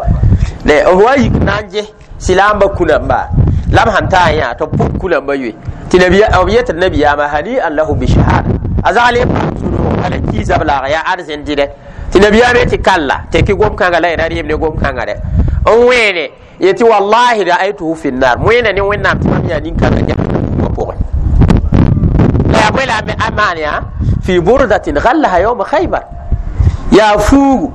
ne b wa yik na n ges silaamba kũnãmba la b sãn taa yã tɩ b pʋg kũnãmbã yoe tɩ b yetɩ nabiyaamã hani an lahu bishahada a zagl n paam sũ-noog bala kii zab-laaga yaa arzẽn dɩdɛ tɩ nabiyaam tɩ kalla tɩ kɩ gom-kãngã la y ra rɩɩm ne gom-kãngã dɛ n wẽene yetɩ wallahi ra'aytuhu fi nnar wẽna ne wẽnnaam tɩ mam yaa nin-kãngã jahannamã pʋgẽ la yaa bõe la a maan yaa fi burdatin ghallaha yawma khaybar yaa fuugu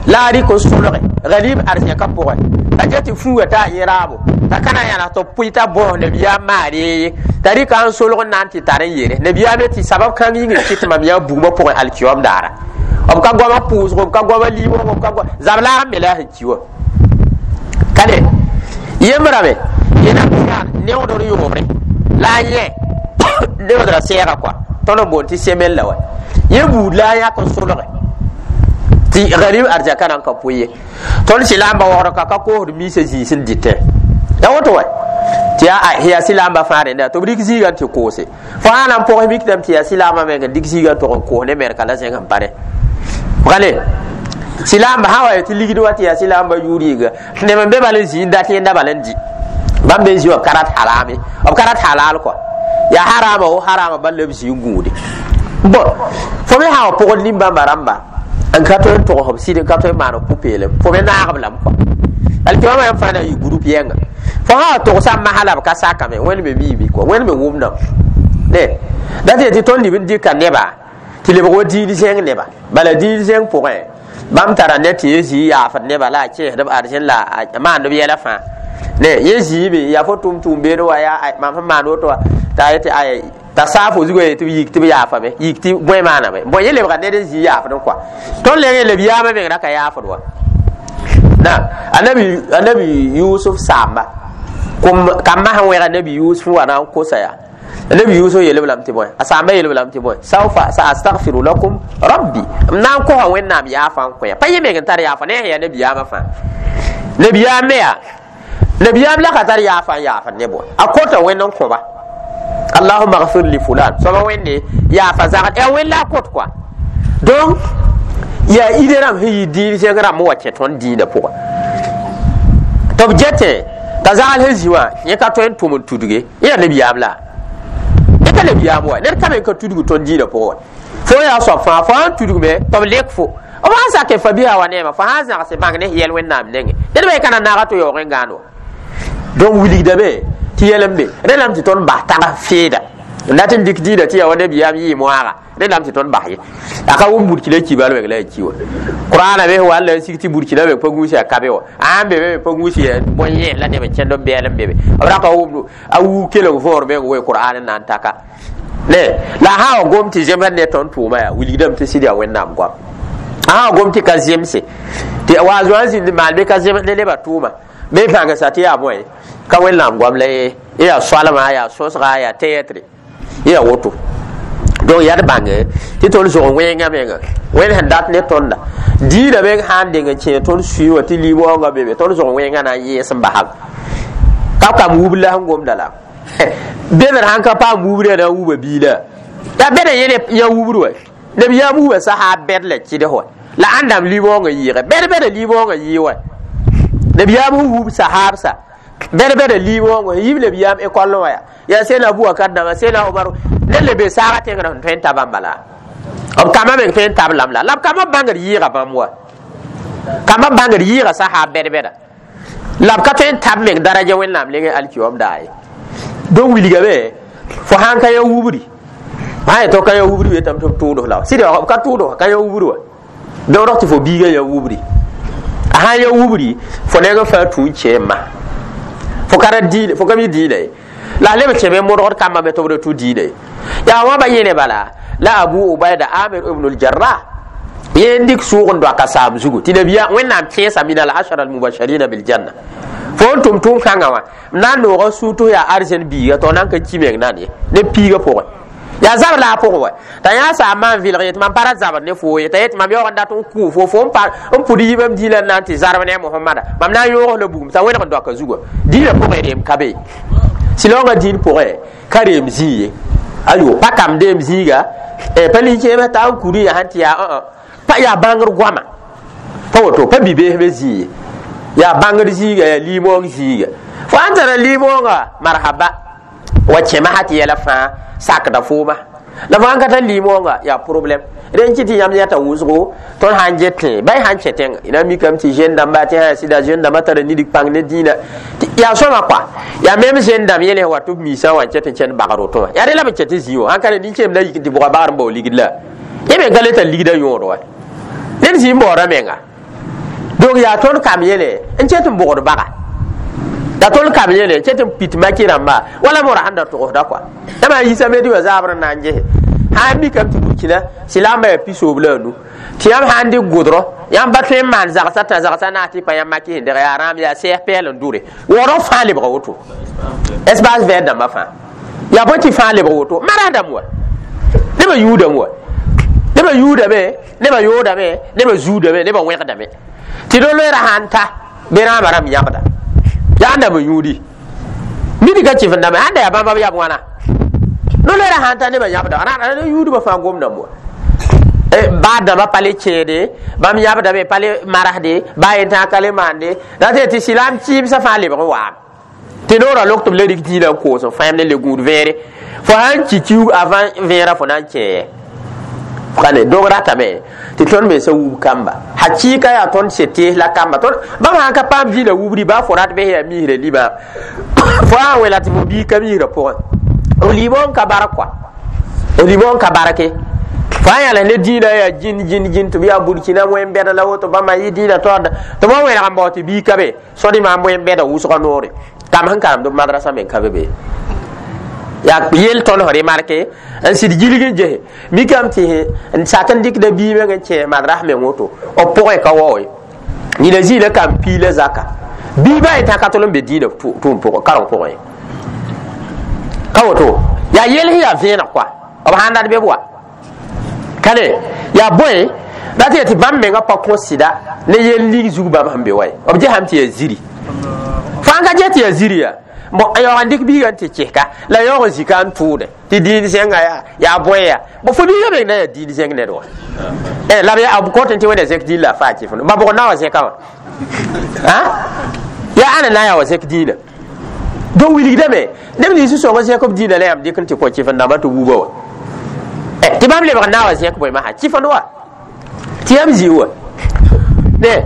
la a rɩk n solge galib arzẽkã pʋgẽ a get tɩ fuuga t'a yẽ raabo t'a ka na n yãnas tɩ b pʋɩ t'a bõos nabiyaam maar ye t'a rɩka n solg n na n tɩ tar n yere nabiyaam tɩ sabab kãng yĩng n kɩt mam yaa bugmã pʋgẽ alkiyom daara b ka goamã pʋʋsgo b ka goamã liibg b ka zab-laag n me la a sẽn ki wã Kale yembrame yẽna neoodr yoobre la a yẽ neoodra sɛɛga kɔa tõnd n boond tɩ semel la wa yẽ buud la a yãk n solge tɩ garib arzaka na n ka pʋ ye tõnd sɩlamba waoogd ka ka koosd miisã zĩis n dɩtẽ ya woto wa tɩ yaa sɩlamba fãa rẽnda tɩ b rɩk zĩigã tɩ koose fo sã na n pʋgs mikdame tɩ yaa sɩlamba meng n dɩk zĩigã n tog n koos ne mɛrka la zẽng n pa rẽ bgale sɩlamba sã wa tɩ ligd wa tɩ yaa sɩlamba yʋʋr yĩnga neb n be bal n zĩ n dat yẽnda bal n dɩ bãmb be n zĩ wã b ka rat harame b ka rat halal kɔa yaa harama wo harama bal la b zĩ n gũude bon fo me sã wa pʋgd nin-bãmba rãmba n ka tõe n togs b sɩd n ka tõe n maan b pʋ-peelem fo me naag b lame kɔa alkiyama yãmb fãa na n yɩ group yɛnga fo sã wa togsã masã la b ka sakame wẽnd me miime kɔa wẽnd me wʋmdame ne dat yetɩ tõnd lib n dɩka neba tɩ lebg wa diin zẽng neba bala diin zẽng pʋgẽ bãmb tara ne tɩ yẽ zĩ yaafd neba la a kẽesd b arzẽn la a maand b yɛla fãa ne yẽ zĩime yaa fo tʋm tʋʋm beene wa yaa mam sẽn maan woto wa t'a yetɩ ay t'a saafo zugã yetɩ b yik tɩ b yaafame yik tɩ bõe maaname bõe yẽ lebga ned n zĩ yaafd n kɔa tõnd leng leb yaamã meng ra ka yaafd wa na anabi Yusuf saamba kambã sẽn wẽg anabi Yusuf wa na n kosa yaa anabi Yusuf yeel-b lame tɩ bõe a saamba yeel-b lame tɩ bõe saufa sa astaghfiru lakum rabbi m na n kosa wẽnnaam yaafa n kõ pa yẽ meng n tar yaafa ne sẽn yaa nabiyaamã fãa nabiyaam me yaa nabiyaam la ka tar yaafa n yaafd ne bõe a kota wẽnd n kõba allahumma ghfir li fulan soaba wẽnde yaafa zagd yaa wẽnd la a kot kɔa donc yaa ide rãmb sẽn yɩ dĩin zẽng rãmb n wa kẽ tõnd dĩinã pʋgã tɩ b getẽ t'a zagl sẽn zĩ wã yẽ ka tõe n tʋm n tudge yẽ yaa nabiyaam la yẽ ka nabiyaam wa ned ka me n ka tudg tõnd dĩinã pʋgẽ wa fo yaa soab fãa fo sãn tudgme tɩ b lek fo b sãn sake fa bisa wa neema fo sãn zãgse bãng ne yɛl wẽnnaam nengẽ ned me ka na naaga tɩ yaoog n gãan wa donc wilgdame tɩ yɛl n be rẽ lame tɩ tõnd bas tag feeda n dat n dɩk dĩinã tɩ yaa wa nabiyaam yɩɩ moaaga rẽ lame tɩ tõnd bas ye a ka wʋm burkina kibal weng la a ki wa qur'ana me wall n sig tɩ burkina me pa gũus yaa kabe wa ãn be me pa gũus yaa bõe yẽes la neb n kẽnd n bɛɛl n be be b ra ka wʋmd a wuu kelg võor meng we qur'an n na n taka ne la a sã wa gom tɩ zemsd ne tõnd tʋʋma yaa wilgdame tɩ sɩd yaa wẽnnaam goam a sã wa gom tɩ ka zemse tɩ wa a zoa n zĩnd maan be ka zems ne nebã tʋʋma me bãngsa tɩ yaa bõe ka wẽnnaam goam la ye yaa soalma yaa sõsga yaa tɛɛtre yaa woto donc yaa d bãnge tɩ tõnd zog wẽngã menga wẽnd sẽn dat ne tõnda dĩinã meng sã n deng n kẽe tõnd sũyẽ wã tɩ lim-waoongã be be tõnd zog wẽngã na n yẽes n basam ka kam wub la sẽn gomda la bẽdr sãn ka paam wubr yaa na n wuba biila yaa bẽd n yẽ yã wubr wa neb yãmb wuba sa bɛd la kɩds wa la ãndame lim-waoongã yɩɩge bɛd bɛda lim-waoongã yɩɩ wa neb yãmb sẽn wub sahaabsa bɛd bɛda lim-waoongã yib neb yãmb ekɔl wã yaa sẽna Abubakar dãmbã sẽna Omar ned le be saaga tẽngrã sẽn tõe n ta bãmba la b kambã meng tõe n tab lam la b kambã bãngd yɩɩga bãmb wa kambã bãngd yɩɩga sahaab bɛd bɛda la b ka tõe n tab meng daraja wẽnnaam leng alkiom daa ye donc wilgame fo sãn ka yã wubri sã yetɩ ka yã wubri wetame tɩ b tʋʋds la sɩd b ka tʋʋds ka yã wubri wa beoodg tɩ fo biigã yã wubri a sãn yã wubri fo neng n fãa tũ n kẽemã fo ka ra dĩinã fo ka mi dĩinã ye la a leb n kẽme modgd kambã me tɩ b ra tũ dĩinã ye yaa wãba yẽne bala la Abu Ubaida Amir ibn al-Jarrah yẽ n dɩk sʋʋg n doaka saam zugu tɩ nabiya wẽnnaam kẽesa min al-ashara al-mubashirina bil-janna fo n tʋm tʋʋm kãngã wã n na n nooga sũ tɩ yaa arzẽn biiga tɩ na n ka ki meng nan ye ne piigã pʋgẽ yaa zabr la a pʋgẽ wa t'a yã saambã n vɩlg yetɩ mam pa ra zabr ne foo ye t'a yetɩ mam yaoog n dat n kʋʋ fo fo n pʋd yibam dĩinã n na n tɩ zarb ne a Mohamada mam na n yõog la bugum t'a wẽneg n doaka zugã dĩinã pʋgẽ reem ka be sɩlaoongã dĩin pʋgẽ ka reem zĩig ye ayo pa kam deem zĩiga pa lik-kẽemã t'a n kuri yaa sãn tɩ yaa pa yaa bãngr goama pa woto pa bi-bees me zĩig ye yaa bãngr zĩiga yaa lim-waoong zĩiga fo sãn tara lim-waoongã marhaba wa kẽma tɩ yɛla fãa sakda fooma la fo sãn ka tar lim-waoongã yaa problème rẽn kɩ tɩ yãmb yãta wʋsgo tõnd sãn get tẽ ba y sãn kẽ tẽnga y na mikame tɩ jeune dãmba tɩ sã sɩda jeune dãmbã tara nidig pãng ne dĩinã yaa sõma kɔa yaa mem jeune dãmb yẽl sẽn wa tɩ b miisã wã n ket n kẽnd bagr woto wã yaa rẽ la b kẽ tɩ zĩ wã sãn ka nin-keem la yik tɩ bʋga bagr n bao ligd la yẽ me ka le tar ligdã yõod wa ned zĩ n baooda menga donc yaa tõnd kam yẽle n ket n bʋgd baga yaa tõnd kam yẽle n ket n pit maki rãmba wala mora sãn da togsda kɔa yãmb a yisa me dɩ wã zaabr n na n gese sã n mikame tɩ burkina sɩlamba yaa 75 Tɩ yãmb sã n dɩk gʋdrõ, yãmb pa tõe n maan zagsã tã zagsã naas tɩ pa yãmb maki sẽn deg yaa rãam yaa sɛɛs pɛɛl n dʋre waoodg fãa lebga woto. Espace vert dãmbã fãa yaa bõe tɩ fãa lebg woto maras dãmb wa nebã yʋʋdame wa nebã yʋʋdame nebã yoodame nebã zuudame nebã wẽgdame tɩ do-loeera sãn ta bɩ rãambã rãmb yãbda yaa n dãmb n yũudi midi ka kɩf n dãmbe sãn da yaa bãmba b yab wãna no-loeera sãn ta nebã yãbda yũudbã fãa gomdame wa baa dãmbã pa le kẽede bãmb yãbdame pa le marasde baa yentã ka le maande la tɩ tɩ silaam kɩɩmsã fãa lebg n waame tɩ noorã lok tɩ b le rɩk dĩinã n koos n fãem ne le gũud vẽere fo sãn ki kiuug avant vẽerã fo na n kẽe kane dog ratame tɩ tõnd mensã wub kamba hakɩɩka yaa tõnd se tees la kamba tõnd bãmb sãn ka paam dĩinã wubri baa fo rat bes yaa misrã liba fo sã n wela tɩ fo biig ka misrã pʋgẽ f liibã n ka bark kɔa f liibã n ka barke fo sã yãles ne dĩinã yaa jĩn jĩn jĩn tɩ b yaa burkina wẽn-bɛd la woto bãmba yɩ dĩinã taoorda tɩ b wa wẽneg n bao tɩ biig ka be sõd maam wẽn-bɛda wʋsgã noore kam sẽn karemd b madrasã me ka be be yaa yel tõnd sẽn remarke n sɩd gilg n gese mikame tɩ n sak n dɩkda bii meng n kẽ madras meng woto b pʋgẽ ka wao ye nina zĩila kam piila zaka bii ba yetã ka tol n be dĩinã tʋʋm pʋgẽ kareng pʋgẽ ye ka woto yaa yel sẽn yaa vẽeneg kɔa b sãn dat be b wa ka ne yaa bõe la tɩ tɩ bãmb mengã pa kõ sɩda ne yel lig zug bãmb sẽn be wa ye b gesame tɩ yaa ziri fãa ka ges tɩ yaa ziri yaa bon yaoog n dɩk biigã n tɩ kɩska la yaoog n zika n tʋʋde tɩ diin zẽnga yaa yaa bõe yaa bon fo biigã meng na yaa diin zẽng ned wa la b kõt tɩ wẽnda zẽk dĩin la a faa kɩf ba bʋg na wa zẽka wã yaa ãna na n yaa wa zẽk dĩinã donc wilgdame neb nins sõng zẽk b dĩinã la yãmb dɩk n tɩ kõ kɩf n dãmbã tɩ wuba wa tɩ bãmb lebg n na wa zẽk bõe masã kɩfend wa tɩ yãmb zĩ wa ne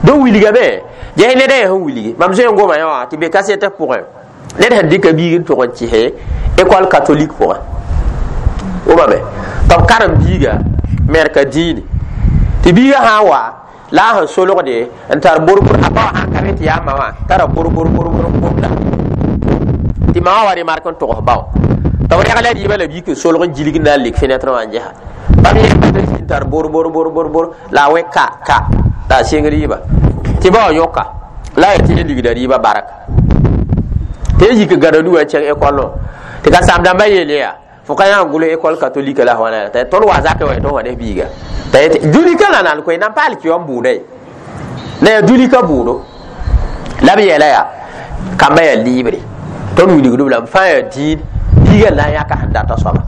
donc wilgame ges ned a yaa sẽn wilgi mam zoe n goma yã wã tɩ be kasɛtã pʋgẽ ned sẽn dɩka biig n tʋg n kɩse école catholique pʋgẽ wʋmame tɩ b karem biiga merka dĩini tɩ biigã sã n wa la a sẽn solgde n tar borbor a ba wã sãn ka be tɩ yaa ma wã tara borbor borbor n gomda tɩ ma wã wa remark n togs ba wã tɩ b reg la rɩɩbã la biig n solg n gilg n na n lik fenêtre wã n gesa bãmb yẽ n tar borbor borbor bor la a wẽ ka ka la a seng rɩɩba tɩ ba wã yõka la a yaa tɩ yẽ ligda rɩɩbã bark tɩ yẽ yik gãda nu wã n kẽng école wã tɩ ka saam dãmbã yeel yaa fo ka yã n gʋls école catholique la wãna t'a tõnd wa zakẽ wa tõnd wa ne biiga t'a yetɩ dũnika la nan koe nan paal kɩ n bʋʋda ye la yaa dũnika bʋʋdo la b yeela yaa kambã yaa liibre tõnd wilgdb lame fãa yaa dĩin biigã n na n yãka sẽn data soaba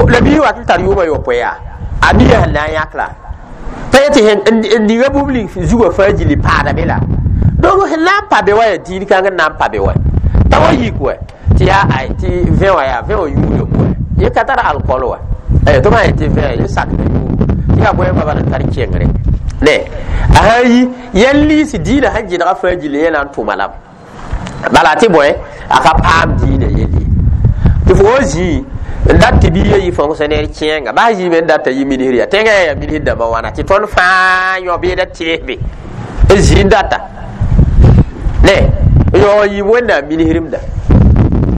la biig wat n tar yʋʋmã yopoe yaa a biigã sẽn na n yãk la pa yetɩ n ninga bũmb ning zugã fãa gilli paada be la donc sẽn na n pa be wa yaa dĩin kãng n na n pa be wa t'a wa yik wa tɩ yaa tɩ vẽ wã yaa vẽ wã yũudame wa yẽ ka tar alcool wa tɩ b sã yetɩ vẽ yẽ sakda yũugo tɩ yaa bõe baba n tar kengre ne a sã n yi yɛl liis dĩinã sẽn gɩdga fãa gilli yẽ na n tʋma lame bala tɩ bõe a ka paam dĩinã yell ye tɩ fo wa zĩi n dat tɩ biigã yɩ fonctionnaire kẽenga bas zĩime n data yɩ ministre yaa tẽngã yaa ministre dãmbã wãna tɩ tõnd fãa yõ beeda teesbe n zĩ n data ne n yaoog n yɩ wẽnnaam ministremda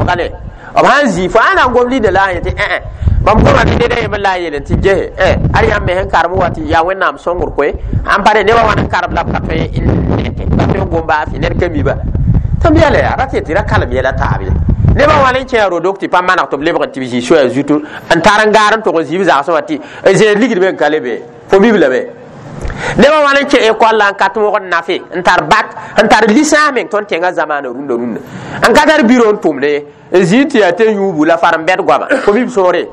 ka ne b sãn zĩ fo ãn na n gom linda la a yetɩ ẽ mam goma tɩ ned a yembr la a yeel tɩ gese ad yãmb me sẽn karem wa tɩ yaa wẽnnaam sõngr koe ãn pa nebã wãn n karem la b ka tõe n nete ka tõe n gom baasɩ ned ka mi ba tɩ m yɛla yaa ra tɩ tɩ ra kalem yɛla taab ye nebã wãn n kẽ rodok tɩ pa maneg tɩ b lebg n tɩ b zĩ soaya zutu n tar n gaar n tʋg n zĩ b zagsẽ wã tɩ n zẽed ligdme n ka le be fo mib lame nebã wãn n kẽ école la n ka tõog n nafe n tar bak n tar licence meng tõnd tẽngã zamaana rũndã rũndã n ka tar biro n tʋmde ye n zĩ tɩ yaa tɩ yũubu la far n bɛd goama fo mib soore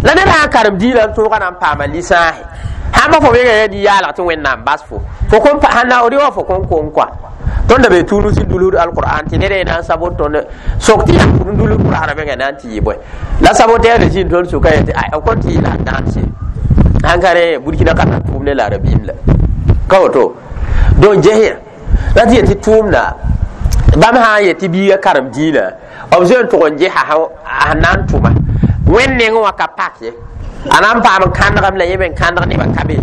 la ned sã n karem dĩinã n tõoga na n paama licence sãn pa fo menga yaa nin-yaalg tɩ wẽnnaam bas fo fo kõn sãn na rɩ wã fo kõn kong kɔa tõnd da be tuunus n dulsd alqur'an tɩ ned na n sabot tõnd sok tɩ yaa n dulsd qur'ana menga na n tɩ yɩ bõe la saboteer zĩnd tõnd sʋka yetɩ ay b kõn tɩ yɩ la n dãanse sãn ka rẽ burkina ka tar tʋʋm ne la rabiim la ka woto donc ges la tɩ yetɩ tʋʋmda bãmb sã n yetɩ biigã karem dĩinã b zoe n tʋg n gesa sẽn na n tʋma wẽnd nengẽ wã ka pak ye a na n paam n kãndgame la yẽ me n kãndg nebã ka be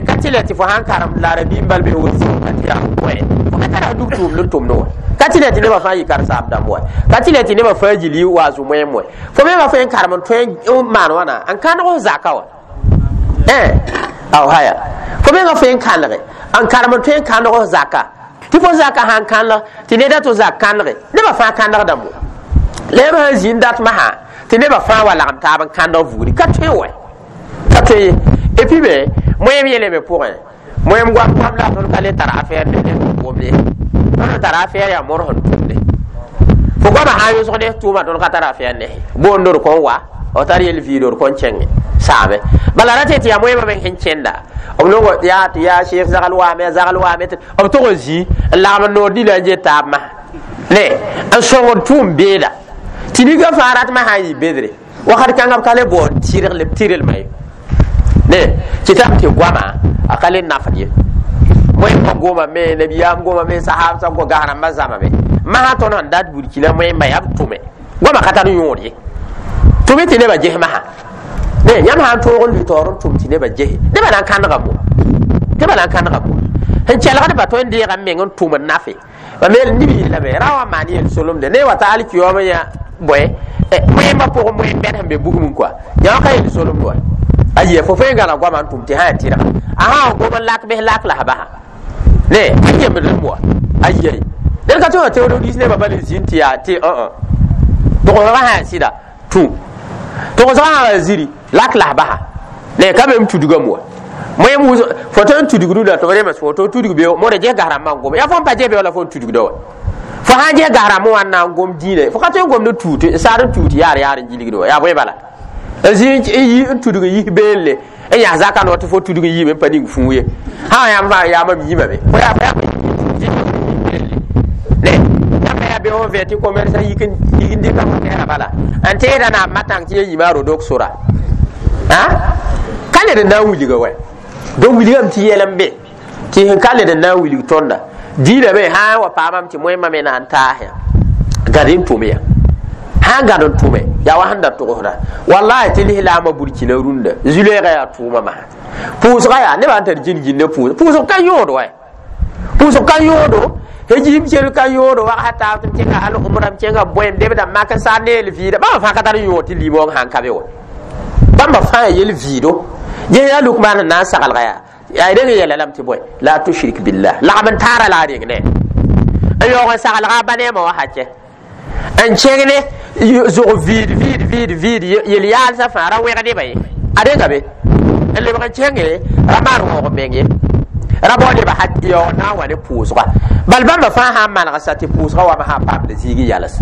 ka tɩ la tɩ fo sãn karem la rabiim bal be woto tɩ yaa bõe fo ka tara dug tʋʋmd n tʋmd wã ka tɩ la tɩ nebã fãa yɩ karen-saam dãmb wa ka tɩ la tɩ nebã fãa gil yɩ wa zu-moeem wã fo me wã fo n karem n tõe n maan wãna n kãndg f zaka wã Aw haya fo menga fo n kãnege n karem n tõe n kãneg f zaka tɩ fo zaka sãn kãneg tɩ neda tɩ zak kãnege nebã fãa kãnegdame la yãmb sãn zĩ n dat masã tɩ nebã fãa wa lagem taab n kãndg vugri ka tõe wɛ ka tõe ye. Et puis me moẽm yeelame pʋgẽ moẽm goam goam la tõnd ka le tar affaire ne ned gomde tõnd tar affaire yaa mor sẽn tʋmde fo goamã sã n yʋsg ne tʋʋma tõnd ka tar affaire ne boond d kõn wa f tar yel viid d kõn kẽnge saame bala ra tɩ yaa moẽmã me sẽn kẽnda b nongo yaa tɩ yaa sheikh zagl waame zagl waame tɩ b tog n zĩ n lagm n noor dila n je taab masã ne n sõngd tʋʋm beeda tɩ ninga fãa ratmã sã n yɩ bedre wakat kãngã b ka le bao n tɩrlmã ye ne kɩtame tɩ goama a ka le nafd ye moẽmbã goma me nabiyaam goma me sahab sã gas rãmbã zãma me masã tõnd sẽn dat burkina moẽmbã yaa b tʋme goama ka tar yõod ye tʋme tɩ nebã ges masã ne yãmb sã n toog n lʋɩ taoor n tʋm tɩ nebã gese nebã na n kãnega mo nebã na n kãnega mo sẽn kelgdba tõe n deega n meng n tʋm n nafe ba me nib yeelame ra wa maan yel solemde ne wa ta alkiyoom yã bõe moẽmbã pʋgẽ moẽm bɛd sẽn be bugum kɔa yã ka yel solemd wa ayi fo fo n gãna goamã n tʋm tɩ sã yaa tɩrga a sã n gom n lak bs lak la s basa ne a yembd wa ayi ned ka tõe wã teood diis nebã bal n zĩnd tɩ yaa tɩ togsga sã yaa sɩda tũ togsga sã yaa ziri lak la s basa ne ka be m tudgame wa moẽm fo tõe n tudgdu la tɩ b rems fo tɩ tudg be modã ges gas rãmbã n gom yaa fo n pa ges be wala fo n tudgda wa fo sã n ges gas rãmbã wã n na n gom dĩinã fo ka tõe n gomd tuut n saad n tuut yaar yaar n gilgd wa yaa bõe bala n zĩ n tudg n yis beelle n yas zaka no tɩ fo tudg n yiime n pa ning fũu ye sã yãmb fãa yaa mam yimame fo yaa ne yãmb yaa be fo vẽ tɩ commerçant yik n dɩka fo tɛɛra bala n teeda naab matãng tɩ ya yima a rodok sora ka led n na n wilga wɛ donc wilgame tɩ yɛl n be tɩ sẽn ka led n na n wilg tõnda dĩinã me sã n wa paamame tɩ moẽmbã me na n taas ya gad n tʋm ya sã n gad n tʋme yaa wa sẽn da togsda wallahi tɩ lislaambã burkina rũndã zu-loeegã yaa tʋʋma masã pʋʋsga yaa nebã n tar gĩn-gĩnd pʋʋs pʋʋsg ka yõod wɛ pʋʋsg ka yõodo hejim sel ka yõodo wagsa taab tɩ m kẽnga al umra m kẽnga bõem debda mak n sa neel vɩɩda bãmba fãa ka tar yõod tɩ limong sãn ka be wa bãmba fãa yel vɩɩdo ges yaa lukmaan n na n saglga yaa yaa reng yɛla lame tɩ bõe la tushrik billah lagm n taara la a reng ne n yaoog n saglga a ba neemã wa hakɛ n kẽng ne zʋg vɩɩd vɩɩd vɩɩd vɩɩd yel-yaalsã fãa ra wẽg nebã ye a renga be n lebg n kẽnge ra maan waoog meng ye ra bao nebã yaoog na n wa ne pʋʋsga bal bãmba fãa sã n maneg sa tɩ pʋʋsga wame sã n paamd zĩig yals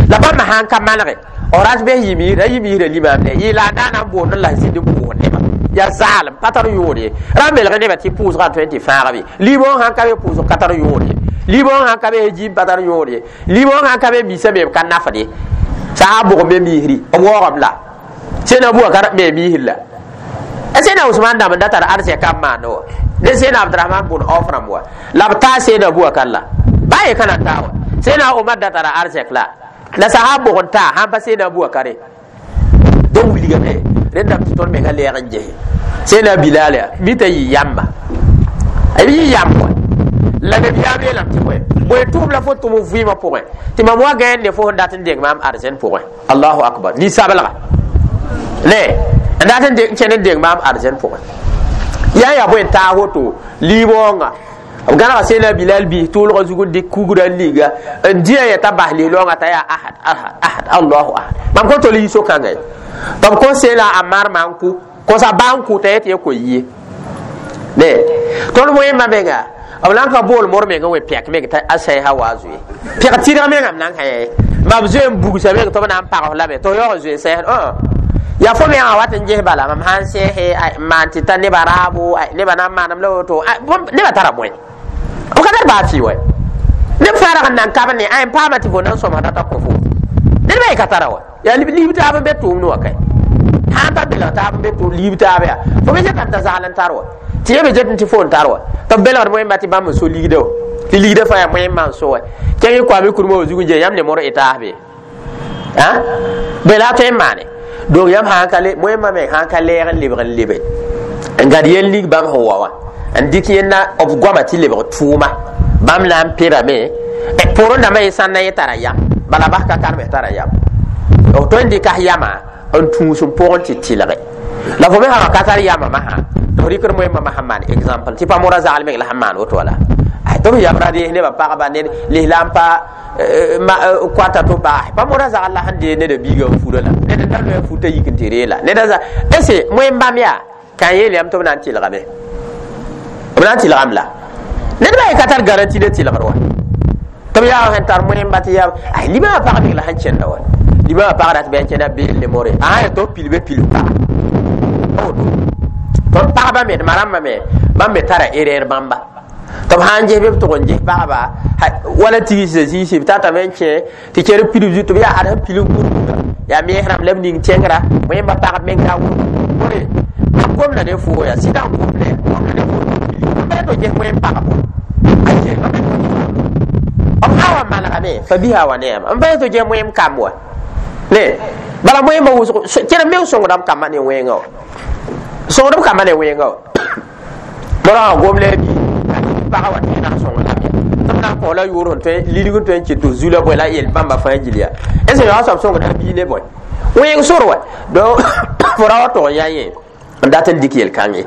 la bãmba sã n ka manege ras bes yimiisra ra yimiisra limaam ne yɩ la a daana n boond n la zĩnd n pʋʋs nebã yaa zaalem pa tar yõod ye ra n belg nebã tɩ pʋʋsgã tõe n tɩ fãag be liibong sãn ka be pʋʋsg ka tar yõod ye liibong sãn ka be jiim pa tar yõod ye liibong sãn ka be misa me b ka nafd ye sã n bʋg me miisri b waoogame la sẽna bua ka me miisr la sẽna Usman dãmb n da tar arsɛka n maand wa ne sẽna Abdurahman bʋn Auf rãmb wa la b taa sẽna bua kal la baa ye ka na n taa wa sẽna Omar da tara arsɛk la la sã n bʋg n taa sãn pa sẽna bua kare donc wilgame rẽndame tɩ tõnd menga lɛɛg n gese sẽna Bilal yaa mi t'a yɩ yamba b yɩ yamb wa la nabiyaam yeelame tɩ bõe bõe tʋʋm la fo tʋm vɩɩmã pʋgẽ tɩ mam wa gãend ne fo sẽn dat n deng maam arzɛn pʋgẽ allahu akbar nin-sablga ne n dat n kẽnd n deng maam arzɛn pʋgẽ yaa yaa bõe n taag woto liibaoongã b gãnega sẽna Bilal biis tʋʋlgã zug n dɩk kugrã n liga n dĩa yɛta bas lislaoongã t'a yaa ahad ahad ahad allahu ahad mam kõn tol yi so-kãngã ye tɩ b kõ sẽna a marmã n kʋ kosa ba n kʋ t'a yet ye ko yie ne tõnd moẽmbã menga b na n ka bool mor meng n we pɛk meng t'a a sɛɛsã waa zoe pɛg tɩrg mengame na n ka yɛ mam zoe n bugsa meng tɩ b na n pags lame tɩ f yaoog n zoe sɛɛsd yaa fo mengã wat n ges bala mam sã n sɛɛse n maan tɩ ta nebã raabo nebã na n maanam la woto nebã tara bõe b ka tar baa fɩ wa neb fãa rag n nan kab ne n paama tɩ fo na n sõmsda t'a kõ fo ned ba ye ka tara wa yaa liib taab n be tʋʋmd wã kae sã n pa belg taab n be tʋʋm liib taab yaa fo me zetame t'a zagl n tar wa tɩ ya me zetẽ tɩ fo n tar wa tɩ b belgd moẽmba tɩ bãmb n so ligda wa tɩ ligda fãa yaa moẽmbã n so wa kẽng koame kurmã wa zug n je yãmb ne mor etaas be bõe la a tõe n maane donc yãmb sã n ka le moẽmbã me sã n ka lɛɛg n lebg n lebe n gad yel ning bãmb sẽn wa wã n dɩk yẽnda b goamã tɩ lebg tʋʋma bãmb na n pebame pʋʋrẽ dãmbã ye sãn na yẽ tara yam bala bas ka karme tara yam b tõe n dɩka yamã n tũus n pʋgẽ tɩ tɩlge La fo me sã ka tar yama masã tɩ f rɩkd moẽmbã masã maan exemple tɩ pa mora zagl meng la sẽn maan woto wala. Tɩ b yabra rees nebã pagba ned lislaam pa koata tɩ baas pa mora zagl la sẽn dee neda biigã n fura la ned n da loe futa yik n tɩ reela neda za ese moẽm bãmb yaa ka yeel yam tɩ b na n tɩlgame, b na n tɩlgame la ned ba ye ka tar garanti ne tɩlgr wa tɩ b yaa sẽn tar moẽmba tɩ yaa ay libã pag meng la sẽn kẽnda wa libã pag rat bɩ a kẽna beel ne more a sã tɩ b pilbe pilf paga tɩ pagba me d marãmbã me bãmb me tara erreur bãmba tɩ b sã n ges bɩ b tʋg n ges pagba wala tigsã zĩisi b tatame n kẽ tɩ kẽr pilb zutu b yaa ad sẽn pilb gũrgũra yaa mees rãmb la b ning tẽngra wẽmba pagb meng yaa wʋrgore b gomda ne foo yaa sɩda n gomda gomda ne foo b tɩ ges wẽm pagbo b sã wa manegame fa bisa wa ne yãmb n pa tɩ ges wẽm kamb wa ne bala wẽmba wʋsg kẽr meng sõngdame kambã ne wẽnga wa sõngdb kambã ne wẽnga wa morã wã gom la a bii pagã wa tɩ na n sõng lame tɩ b na n kõ la yʋʋr sẽn tõe lilg n tõe n kɩt tɩ zu la bõe la yel bãmba fãa gil yaa est ce que soab sõngda a bii ne bõe wẽng sor wa donc fo ra wa tog n yaa yẽ n dat n dɩk yel-kãnge.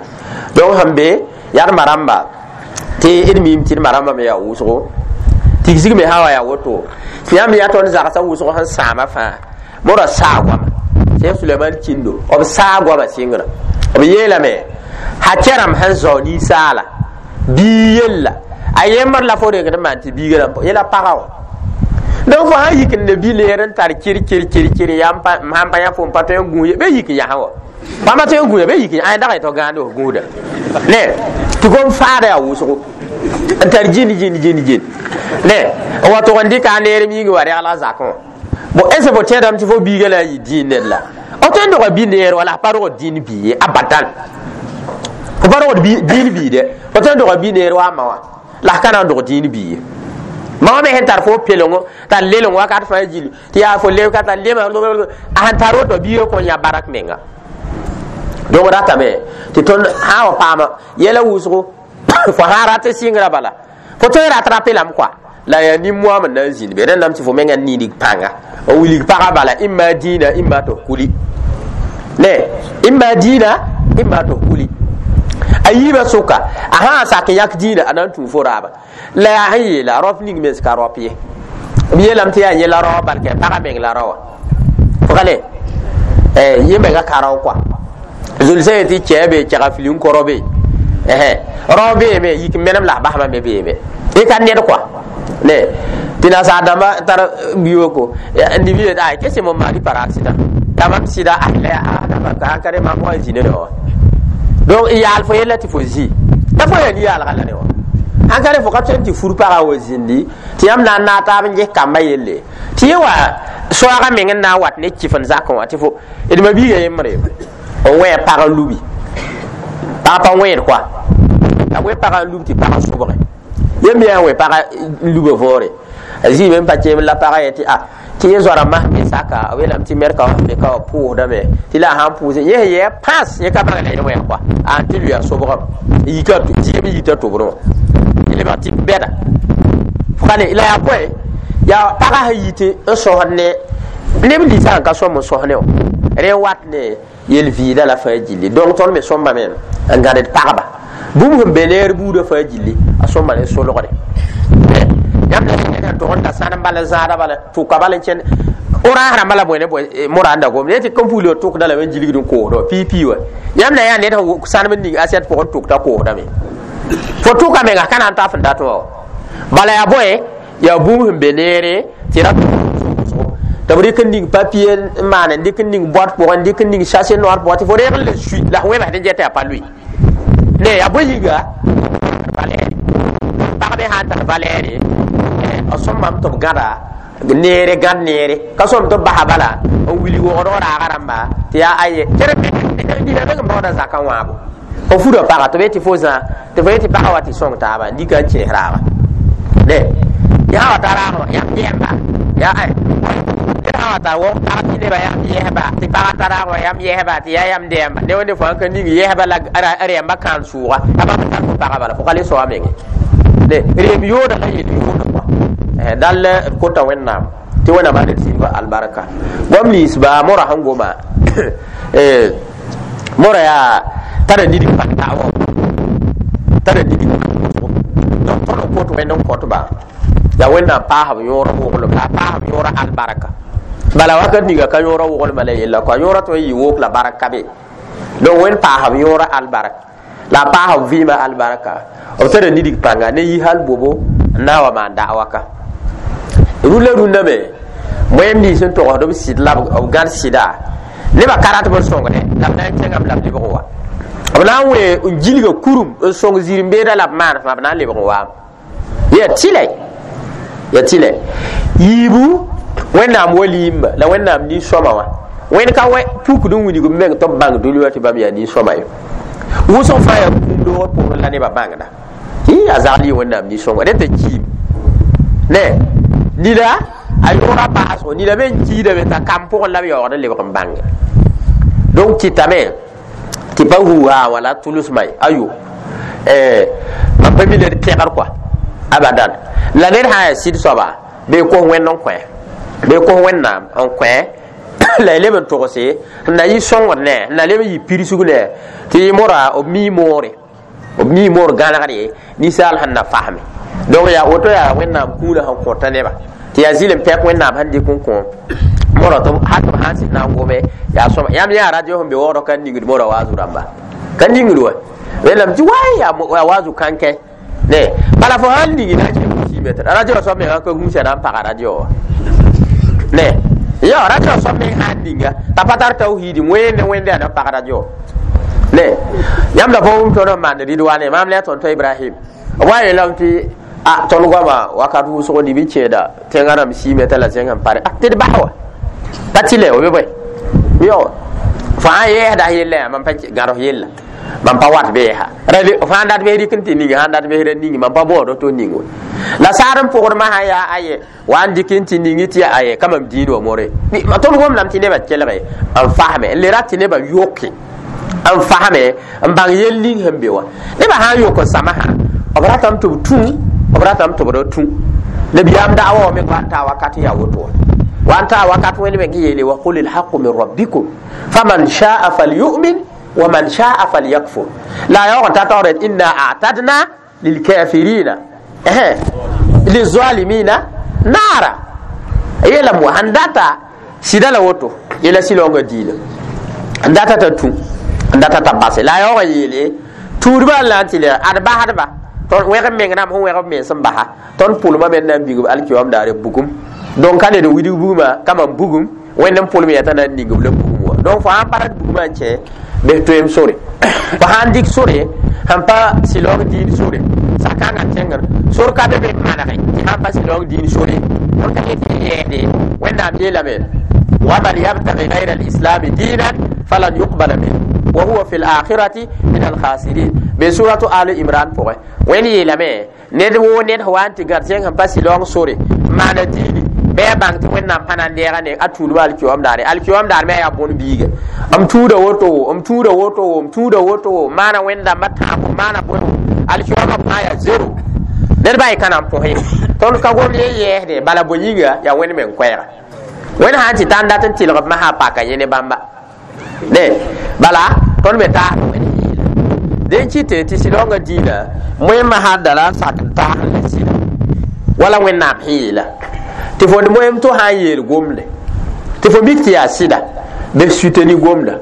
Donc sẽn be yaa d ma-rãmba tɩ d miime tɩ d ma-rãmba me yaa wʋsgo tigsg me sã wa yaa woto tɩ yãmb yaa tõnd zagsã wʋsg sẽn sãama fãa mora saa goama Sẽn Suleman kĩndo b saa goama sɩngrã b yeelame ha kɛrãmb sẽn zao ninsaala bii yella a yembr la fo rengd n maan tɩ biiga rãmb yela pagã wã. Donc fo sã yik n ne bi-leer n tar kɩr kɩr kɩr kɩr yaa sãn pa yã fo n pa tõe n gũus ye bɩ yik n yasã wa bãmba tõe n gũuda bɩ yik n ay dag tɩ gãand f gũuda ne tɩ gom faada yaa wʋsgo n tar jĩn jĩn jĩn jĩn ne n wa tʋg n dɩka a neerem yĩngã wa regla zakẽ wã. Bon est ce que fo tẽedame tɩ fo biiga la a yɩ dĩin ned la f tõe n dog bi-neer wala a pa rogd dĩin bii ye abadan fo pa rogd dĩin bii dɛ fo tõe n doga bi-neer wa a ma wã la f ka na n dog dĩin bii ye ma wã me sẽn tar fo pelengo tar leleng wakat fãa gilli tɩ yaa fo leb ka tar lema a sẽn tar woto biigã kõn yã barak menga. Donc ratame tɩ tõnd sã wa paama yɛla wʋsgo fo sã rat sɩngrã bala fo tõe n rat ra pelame kɔa la yaa nin-moam n na n zĩnd be rẽndame tɩ fo menga nidig pãnga n wilg pagã bala imma dĩinã imma tɩ f kuli ne imma dĩinã imma tɩ f kuli a yiibã sʋka a sã n sak n yãk dĩinã a na n tũu fo raaba la yaa sẽn yeela raop ning mens ka raop ye b yeelame tɩ yaa yẽ la rao barkɛ pagã meng la raoã fʋgale yẽ menga ka rao kɔa zulsã ye tɩ kɛɛ be kɛga fili n kõ be rao beeme yik menem la a basmã me beeme y ka ned kɔa ne tɩ nasaar dãmba tar biyooko nib yet ay que c'est mon mari par accident t'a mam sɩda la ka re mam wa zĩ ne wa donc y yaal fo yella tɩ fo zĩ la fo yaa ni-yaalga la ne wa sãn ka re fo ka tõe n tɩ fur pagã wa zĩndi tɩ yãmb na n naag taab n ges kambã yelle tɩ yẽ wa soaagã meng n na n wat ne kɩf n zakẽ wã tɩ fo d ma biiga yembre n wẽ pag n lubi pag pa wẽed kɔa a wẽ pagã n lub tɩ pagã sobge yẽ me yaa n wẽ pagã n luba voore a zĩime n pa keem la pagã ye tɩ a tɩ yẽ zoara mas me saka b yeelame tɩ merka wã me ka wa pʋʋsdame tɩ la a sãn pʋʋse yẽ sẽn yɛɛ pãs yẽ ka bãng la yẽ wẽg kɔa a n tɩ lʋɩ a sobgame yika zɩɩm yita tʋbrẽ wã tɩ lebg tɩ bɛda fʋgale la yaa bõe yaa pagã sẽn yi tɩ n sõsd ne neb ninsã n ka sõm n sõs ne wã rẽ wat ne yel-vɩɩda la fãa gilli donc tõnd me sõmbame n gãded pagba bũmb sẽn be neer buudã fãa gilli a sõmba ne solgre yãmb la tʋg n ta sãnem bala zãada bala tʋka bala n kẽnd orãas rãmbã la bõe ne bõe mora n da gom ne tɩ kõn pugl tʋkda lame n gilgd n koosd wã pii-pii wa yãmb la yaa ned sẽn sãnem n ning asiɛt pʋgẽ tʋk t'a koosdame fo tʋka menga ka na n taf n dat wã bala yaa bõe yaa bũmb sẽn be neere tɩ ra tɩ b rɩk n ning papier n maan n dɩk n ning boat pʋgẽ n dɩk n ning sachet noor pʋgẽ tɩ fo reeg n le sui la f wẽbsd n get yaa pa lʋɩ ne yaa bõe yĩnga valɛɛre pagb sã n tar valɛɛre b sõmbame tɩ b gãda neere gãd neere ka sõm tɩ b basa bala n wilg wogdg raaga rãmba tɩ yaa aye dĩnã meng n baooda zakã wãabo f fura paga tɩ b yetɩ fo zã tɩ fo yetɩ pagã wa tɩ sõng taaba n dɩka n kẽes raaba ne yaa wa ta raag wã yãmb yɛmba yaa ay sã wa tar wog pag tɩ nebã yãmb yɛsba tɩ pagã ta raag wã yãmb yɛsba tɩ yaa yãmb dɛɛmba ne wẽnde fo sãn ka ning yɛsba la rɛɛmbã kãan sʋʋga a bãmb tar fo pagã bala fo ka le soa menge ne reem yooda la yel yooda kɔa dall d kota Wẽnnaam tɩ Wẽnnaam d sɩdg albarka goam ninsba mora sẽn goma. Mora yaa tara nidg pãng da'wa, tara nidg donc tõnd n kot wẽnd n kõtba yaa Wẽnnaam paasb yõor woglem la a paasb yõora albarka. Bala wakat ninga ka yõora woglmã la yella kɔa yõora tõe n yɩ wok la barka be. Donc Wẽnd paasb yõora albarka la a paasb vɩɩmã albarka. B tara nidg pãnga ne yi hal bobo n na n wa maan da'wa ka rũndã. Rũndã me moẽm nins n togsd b sɩd la b gãd sɩda nebã ka rat b n sõngdẽ la b na n kẽngame la b lebg n wa. B na n wẽ n gilga kurum n sõng zir-n-beeda la b maan fãa, b na n lebg n waame. Ya tɩlɛ, ya tɩlɛ yiibu Wẽnnaam wa liimba la Wẽnnaam nin-sõma wã. Wẽnd ka pukd n wilg b meng tɩ b bãng dũni wã tɩ bãmb yaa nin-sõma ye. Wʋsg fãa yaa kũum doogr pʋgẽ la nebã bãngda a zagl yɩ Wẽnnaam nin-sõnga rẽ t'a kiim ne nida a yõora baasgo nida me n kiidame t'a kam pʋgẽ la b yaoogd n lebg n bãnge. Donc kɩtame tɩ pa huuhaa wala tʋlsma ye ayo mam pa mi ned pẽgr kɔa abadan la ned sã n yaa sɩd soaba bee kos Wẽnd n kõ, bee kos Wẽnnaam n kõ la y leb n togse n na yɩ sõngd ne n na leb n yɩ pirsg ne tɩ yɩ mora b mii moore, b mii moor gãnegre ninsaal sẽn na fasme. Donc yaa woto yaa Wẽnnaam kũunã sẽn kõta neba tɩ yaa zɩlem pɛk Wẽnnaam sẽn dɩk n kõ mora tɩ hal tɩ b sãn sɩd na n gome yaa sõma. Yãmb yã radio sẽn be waoodg ka ningd mora waazu rãmba ka ningd wa wẽnnaam tɩ waay yaa waazu kãnkɛ ne. Bala fo sãn ning na n kẽ sime tɩ radio soab mengã ka gũusa na n paga radio wã ne. Ya radio soab meng sãn ninga t'a pa tar tawhiidi wẽnde wẽnde yaa na n pag radio ne. Yãmb la fo wʋm tõnd n maand Ridwane maam la ya tõn-tõ Ibrahim b wa yeelame tɩ a tõnd goama wakat wʋsgo nib n kẽeda tẽngã rãmb siime t'a la zẽng n pare tɩ d bas wa pa tɩlɛ o be bõe yo fo sã n yɛɛsda yella yaa mam pa gãds yella mam pa wat beesa fo sãn dat bes rɩk n tɩ ning sãn dat bes ra ning mam pa baood to ning wa la saad n pʋgdmã sã yaa aye wa n dɩk n tɩ ning tɩ yaa aye ka mam diin wa more. Tõnd gomdame tɩ nebã kelge n fasme n le rat tɩ nebã yoke n fasme n bãng yell ning sẽn be wã. Nebã sã n yok n samsã b ratame tɩ b tũ, b ratame tɩ b ra tũ. Nabiyaam da'wa wã me wa n taa wakat yaa woto wã wa n taa wakat Wẽnd meng yeele wa qul lhaqu min rabbikum faman sha'a falyu'min wa man sha'a falyakfur la yaoog n ta taoor inna a'tadna lilkafirina lizalimina naara yeelame wa sẽn data sɩda la woto yela sɩlaoongã diila n data t'a tũ n data t'a base la a yaoog n yeele tuudbã n la n tɩ le ad basdba tõnd wẽg b meng rãmb sẽn wẽg b mens n basa tõnd pʋlmã me n na n bigb alkiyoam daare bugum. Donc ka ned widg bugmã ka mam bugum Wẽnd n pʋlem yaa t'a na n ning b la bugum wã. Donc fo sãn pa rat bugmã n kẽ bes toeem sore, fo sãn dɩk sore sẽn pa sɩlaoong diin sore sakãngã tẽngr sor ka be be n manege tɩ sãn pa sɩlaoong diin sore tõnd ka yet tɩ yɛɛsde. Wẽnnaam yeelame waman yabtagi gayra alislami diinan falan yuqbala min wa huwa fi lakhirati min alkhasirin be suratu Ali Imran pʋgẽ. Wẽnd yeelame ned woo ned sẽn wa n tɩ gãd zẽng sẽn pa sɩlaoong sore maana diini bɩ a bãng tɩ Wẽnnaam pa na n deega ne a tuudbã alkiyoam daare. Alkiyoam daar me a yaa bõn biiga m tũuda woto, m tũuda woto, m tũuda woto, maana Wẽnd-dãmbã tãabo maana bõe alkiyoamã fãa yaa zero ned ba y ka na n põs ye. Tõnd ka gom ye yɛɛsde bala bõe yĩnga yaa Wẽnd meng koɛɛga. Wẽnd sã n tɩ tãn dat n tɩlg b masã paka yẽ ne bãmba ne bala tõnd me taas Wẽnd yeela dẽn kɩte tɩ sɩlaoongã diinã moẽmã sã n da la n sak n taas la sɩda wala Wẽnnaam sẽn yeela tɩ fo moem to sã n yeel gomde tɩ fo mik tɩ yaa sɩda bɩ suteni gomda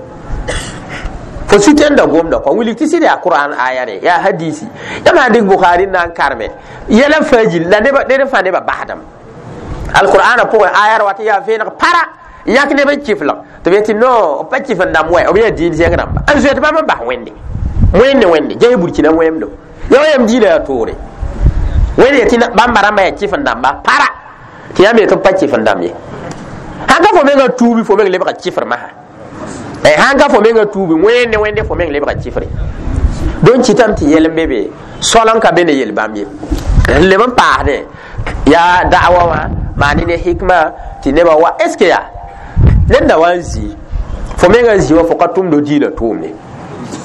fo sutenda gomda kõ wilg tɩ sɩd yaa Qur'an aya re yaa hadisi yãmb sã n dɩk Bukhari n na n karme yɛla fãa gil la ned fãa nebã basdame alqur'ana pʋgẽ aya ra wat n yaa vẽeneg para n yãk neb n kiflg tɩ b yetɩ no b pa kif n dãmb wɛ b yaa diin zẽng rãmba n zoet bãmb n bas Wẽnde wẽnde wẽnde ges burkina wẽmdo ya wa yam diinã yaa toore. Wẽnd yetɩ bãmba rãmbã yaa kif n dãmba para tɩ yãmb yetɩ b pa kif n dãmb ye. Sãn ka fo mengã tuubi fo meng lebga kifr masã, sãn ka fo mengã tuubi wẽnde wẽnde fo meng lebga kifre. Donc kɩtame tɩ yɛl n be be sol n ka be ne yel bãmb ye n leb n paasdẽ yaa da'wa wã maani ne hikma tɩ nebã wa est ce que yaa ned na wa n zĩ fo mengã zĩ wã fo ka tʋmd diinã tʋʋmde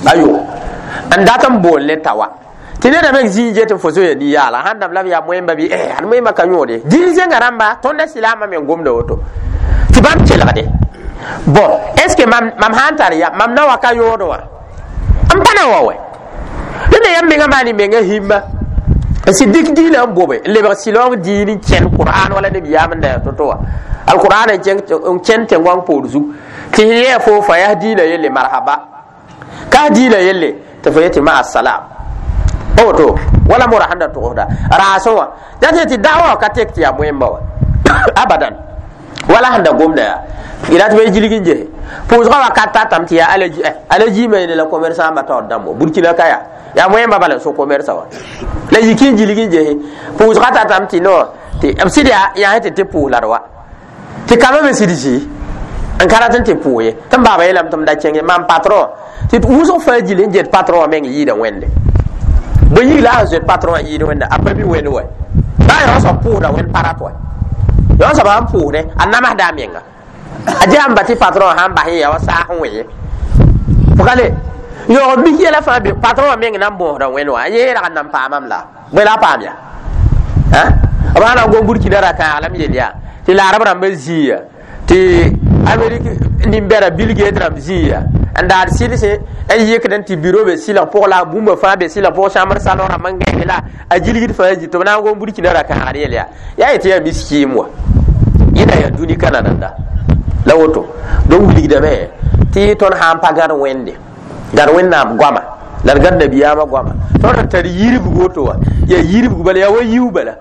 ayo n dat n bool ne tawa tɩ neda meng zĩ n get n fo zoya nin-yaala sãn dãmb la b yaa moẽmba bɩ ad moẽmba ka yõode diin zẽnga rãmba tõnd silaamã meng gomda woto tɩ bãmb kelgde Bon, est ce que mam sãn tar ya mam na wa ka yõod wã n pa na wa wɛ dẽnda yãmb menga maan y menga himma n sɩd dɩk diinã n bobe n lebg sɩlaong diin n kẽn qur'an wala nabiyaam n da yaa to-to wã alqur'an n kẽn tẽn-goang poor zug tɩ sẽn yɛɛ fo fa yaa diinã yelle marhaba ka diinã yelle tɩ fo yetɩ ma assalam pa woto wala mora sẽn da togsda raasẽ wã dat tɩ da'wa wã ka tek tɩ yaa moẽmba wã abadan wala sẽn da gomda yaa y rat bɩ gilg n gese pʋʋsgã wakat tatame tɩ yaa alaji me la commerçant ba taoor dãmbo burkina ka yaa yaa moẽmba bala n so commerça wã la yik n gilg n gese pʋʋsgã tatame tɩ no tɩ b sɩd yaa yaa tɩ tɩ pʋʋs la d wa tɩ kambã me sɩd zĩ n ka rat n tɩ pʋʋs ye tɩ m baaba yeelame tɩ m da kẽng mam patron tɩ wʋsg fãa gil n get patron wã meng yɩɩda wẽnde bõe yik la a sẽn zoet patron wã yɩɩd wẽnda a pa mi wẽnd wa baa yõ soab pʋʋsda wẽnd pa rat wa yõ soab sãn pʋʋsdẽ a namsda a menga a ges n ba tɩ patron sãn bas n ya wa saas n wẽ ye pʋgale yõog mik yɛla fãa be patron wã meng na n bõosda wẽnd wã a yẽ rag n nan paamam la bõe la a paam ya b sã na n gom burkina ra-kãag la m yel yaa tɩ laarb rãmbã zĩiya tɩ amerik nin-bɛda Bill Gates rãmb zĩiya n daad sɩlsẽ n yɩkd n tɩ biro be sɩlg pʋg la a bũmba fãa be sɩlg pʋg chambre salon rãmb n gãeng la a gilgd fãa zĩ tɩ b na n gom burkina ra-kãagd yel yaa yaa yetɩ yaa miskiim wa yẽna yaa dũni ka nananda la woto donc wilgdame tɩ tõnd sã n pa gãd wẽnde gãd wẽnnaam goama la d gãd nabiyaamã goama tõnd n tar yirbg woto wã yaa yirbg bala yaa wa yiu bala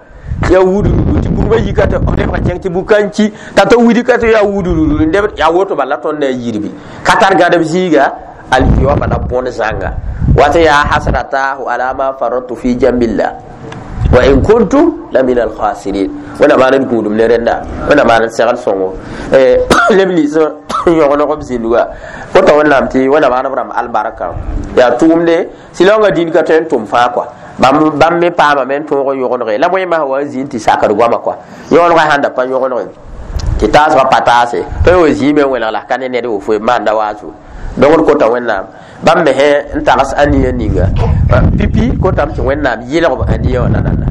yaa wudururu tɩ bugmã yika tɩ b lebg kẽng tɩ bug-kãn ki t'a tɩ widi ka tɩ yaa wudururu n deb yaa woto bala tõnd na n yirbi ka tar gãdb zĩiga alkiyama la bõn zãnga wat yaa hasratahu ala ma faradtu fi jambillah wa in kuntu la min alkhasirin wẽnna maan d gũudum ne rẽnda wẽnna maan d segl sõngo leb lɩs yõgeneg b zĩndga kota wẽnnaam tɩ wẽnna maan b rãmb albarka yaa tʋʋmde sɩlaoongã dĩn ka tõe n tʋm fãa kɔa bãmb me paamame n tõog n yõgenege la bõe masã wa n zĩ n tɩ sakd goama kɔa yõgenegã sãn da pa yõgenege tɩ taasgã pa taase tõe wa zĩime n wẽlg la ka ne ned wofo maanda waaso donc d kota wẽnnaam bãmb me n tags aniya ninga pipi kotame tɩ wẽnnaam yɩlg b aniya wã nanana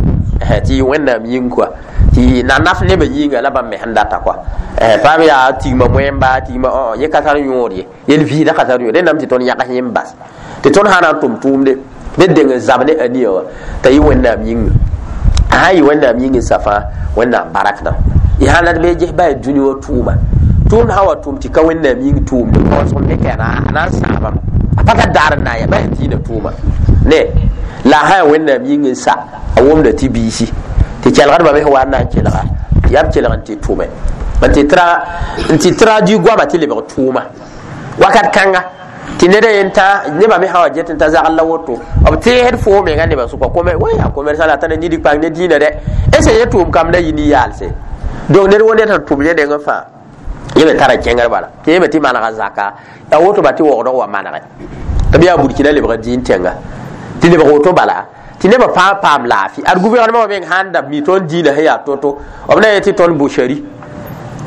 tɩ yɩ wẽnnaam yĩng kɔa tɩ na naf nebã yĩnga la bãmb me sẽn data kɔa paam yaa tigma moẽmba tigma yẽ ka tar yõod ye yel vɩɩdã ka tar yõod rẽndame tɩ tõnd yãgs yẽ n bas tɩ tõnd sã na n tʋm tʋʋmde ned deng n zab ne aniya wã t'a yɩ wẽnnaam yĩnga a sã n yɩ wẽnnaam yĩng n sa fãa wẽnnaam barakdã y sã la d be ges baa dũni wã tʋʋma tʋʋmd sã wa tʋm tɩ ka wẽnnaam yĩng tʋʋmde kaoosg n me ka a na n sãamame a pa tar daar n na n ya baa diinã tʋʋma ne la a sã yaa wẽnnaam yĩng n sa a wʋmda tɩ biisi tɩ kelgdbã me sẽn wa n na n kelga yaa b kelg n tɩ tʋme n tɩ traduit goama tɩ lebg tʋʋma wakat kãnga tɩ ned a yen tã nebã me sã wa get n ta zagl la woto b teesd foo menga nebã sʋka wa yaa commerçant la tara nid kpang ne diinã dɛ est ce yẽ tʋʋm kam la yɩ nin-yaalse donc ned wo ned sẽn tʋm yẽ nengẽ fãa yẽ me tara kẽngr bala tɩ yẽ me tɩ manega zaka a woto ba tɩ waoogdg wa manege tɩ b yaa burkina lebg diin tẽnga tɩ lebg woto bala tɩ nebã fãa paam laafɩ ad gouvernement wã meng sãn da mi tõnd diinã sẽn yaa to-to b na yet tɩ tõnd boucherie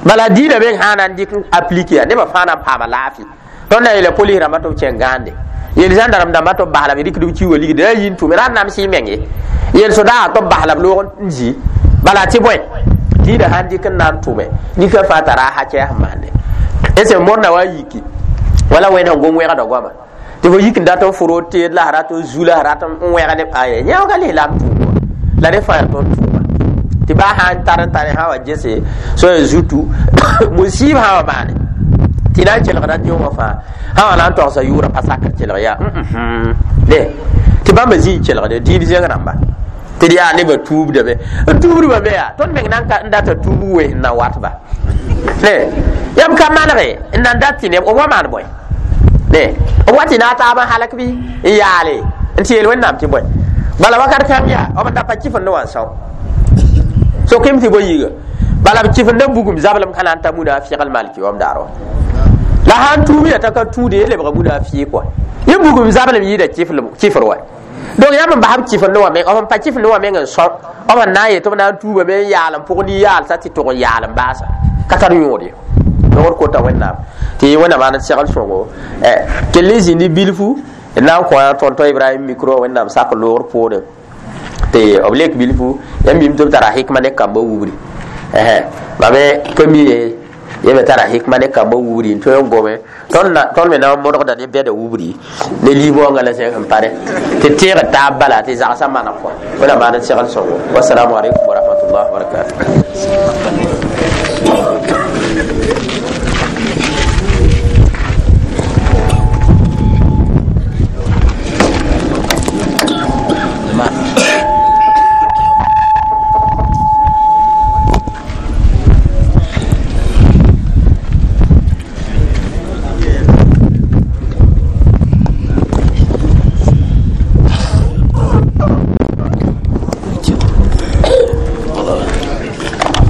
bala diinã meng sã na n dɩk n appliquer ya nebã fãa na n paama laafɩ tõnd na yeela polis rãmbã tɩ b kẽng gãande yel zãndarem dãmbã tɩ b bas la b rɩkd b ki wa ligd ra yĩn tʋme ra n nams y meng ye yel sodaagã tɩ b bas la b loog n zĩ bala tɩ bõe diinã sãn dɩk n na n tʋme nika fãa tara a hakɛɛs n maande est ce modna wa yiki wala wẽnd sẽn gom wẽgda goama tɩ fo yik n dat n fʋ teed la rat n zu la rat n wẽg ne aye yãooga lislaam tʋʋm wã la rẽ fãa yaa tõnd tʋʋma tɩ baa sã n tar n tare sã wa gese so ya zutu musiib sã wa maane tɩ na n kelgda dĩo wã fãa sã wa na n togsa yʋʋrã pa sakr kelg yaa ne tɩ bãmba zĩ n kelgde diin zẽng rãmba tɩ d yaa nebã tuubdame n tuubdbã me yaa tõnd meng n data tuub wes n na watba ne yãmb ka manege n nan dat tɩ neb b wa maan bõe ne b wa tɩ na a taab n halk bɩ n yaale n tɩ yeel wẽnnaam tɩ bõe bala wakat kãng yaa b n da pa kɩfend wã n sao sokem tɩ bõe yiiga bala b kɩfenda bugum zablem ka na n ta munafɩgl malki wam daar wã la sãn tuum ya t'a ka tũude ye lebga munafɩ kɔa yẽ bugum zablem yɩɩda kɩfr wa donc yãmb n bas b kɩfend wã meng b n pa kɩfend wã meng n sõm b n na n yet tɩ b na n tuubame n yaal n pʋg nin-yaalsa tɩ tʋg n yaal n baasa ka tar yõod ye donc d kota wẽnnaam tɩ wẽnnaam maan d segl sõngo kell n zĩndi bilfu d na n kõ tõn-tõ Ibrahim micro wẽnnaam sak loogr poorẽ tɩ b lek bilfu yãmb mim tɩ b tara hikma ne kambã wubri mame ka mi ye Yẽ me tara hikma ne kambã wubri n tõe n gome tõnd me na n modgda ne bɛda wubri ne liib-waoongã la zẽg sẽn pare tɩ teegd taab bala tɩ zagsã maneg kɔa wẽna maan n segl sõngo. Wassalamu alaikum wa rahmatullah wa barakatuh.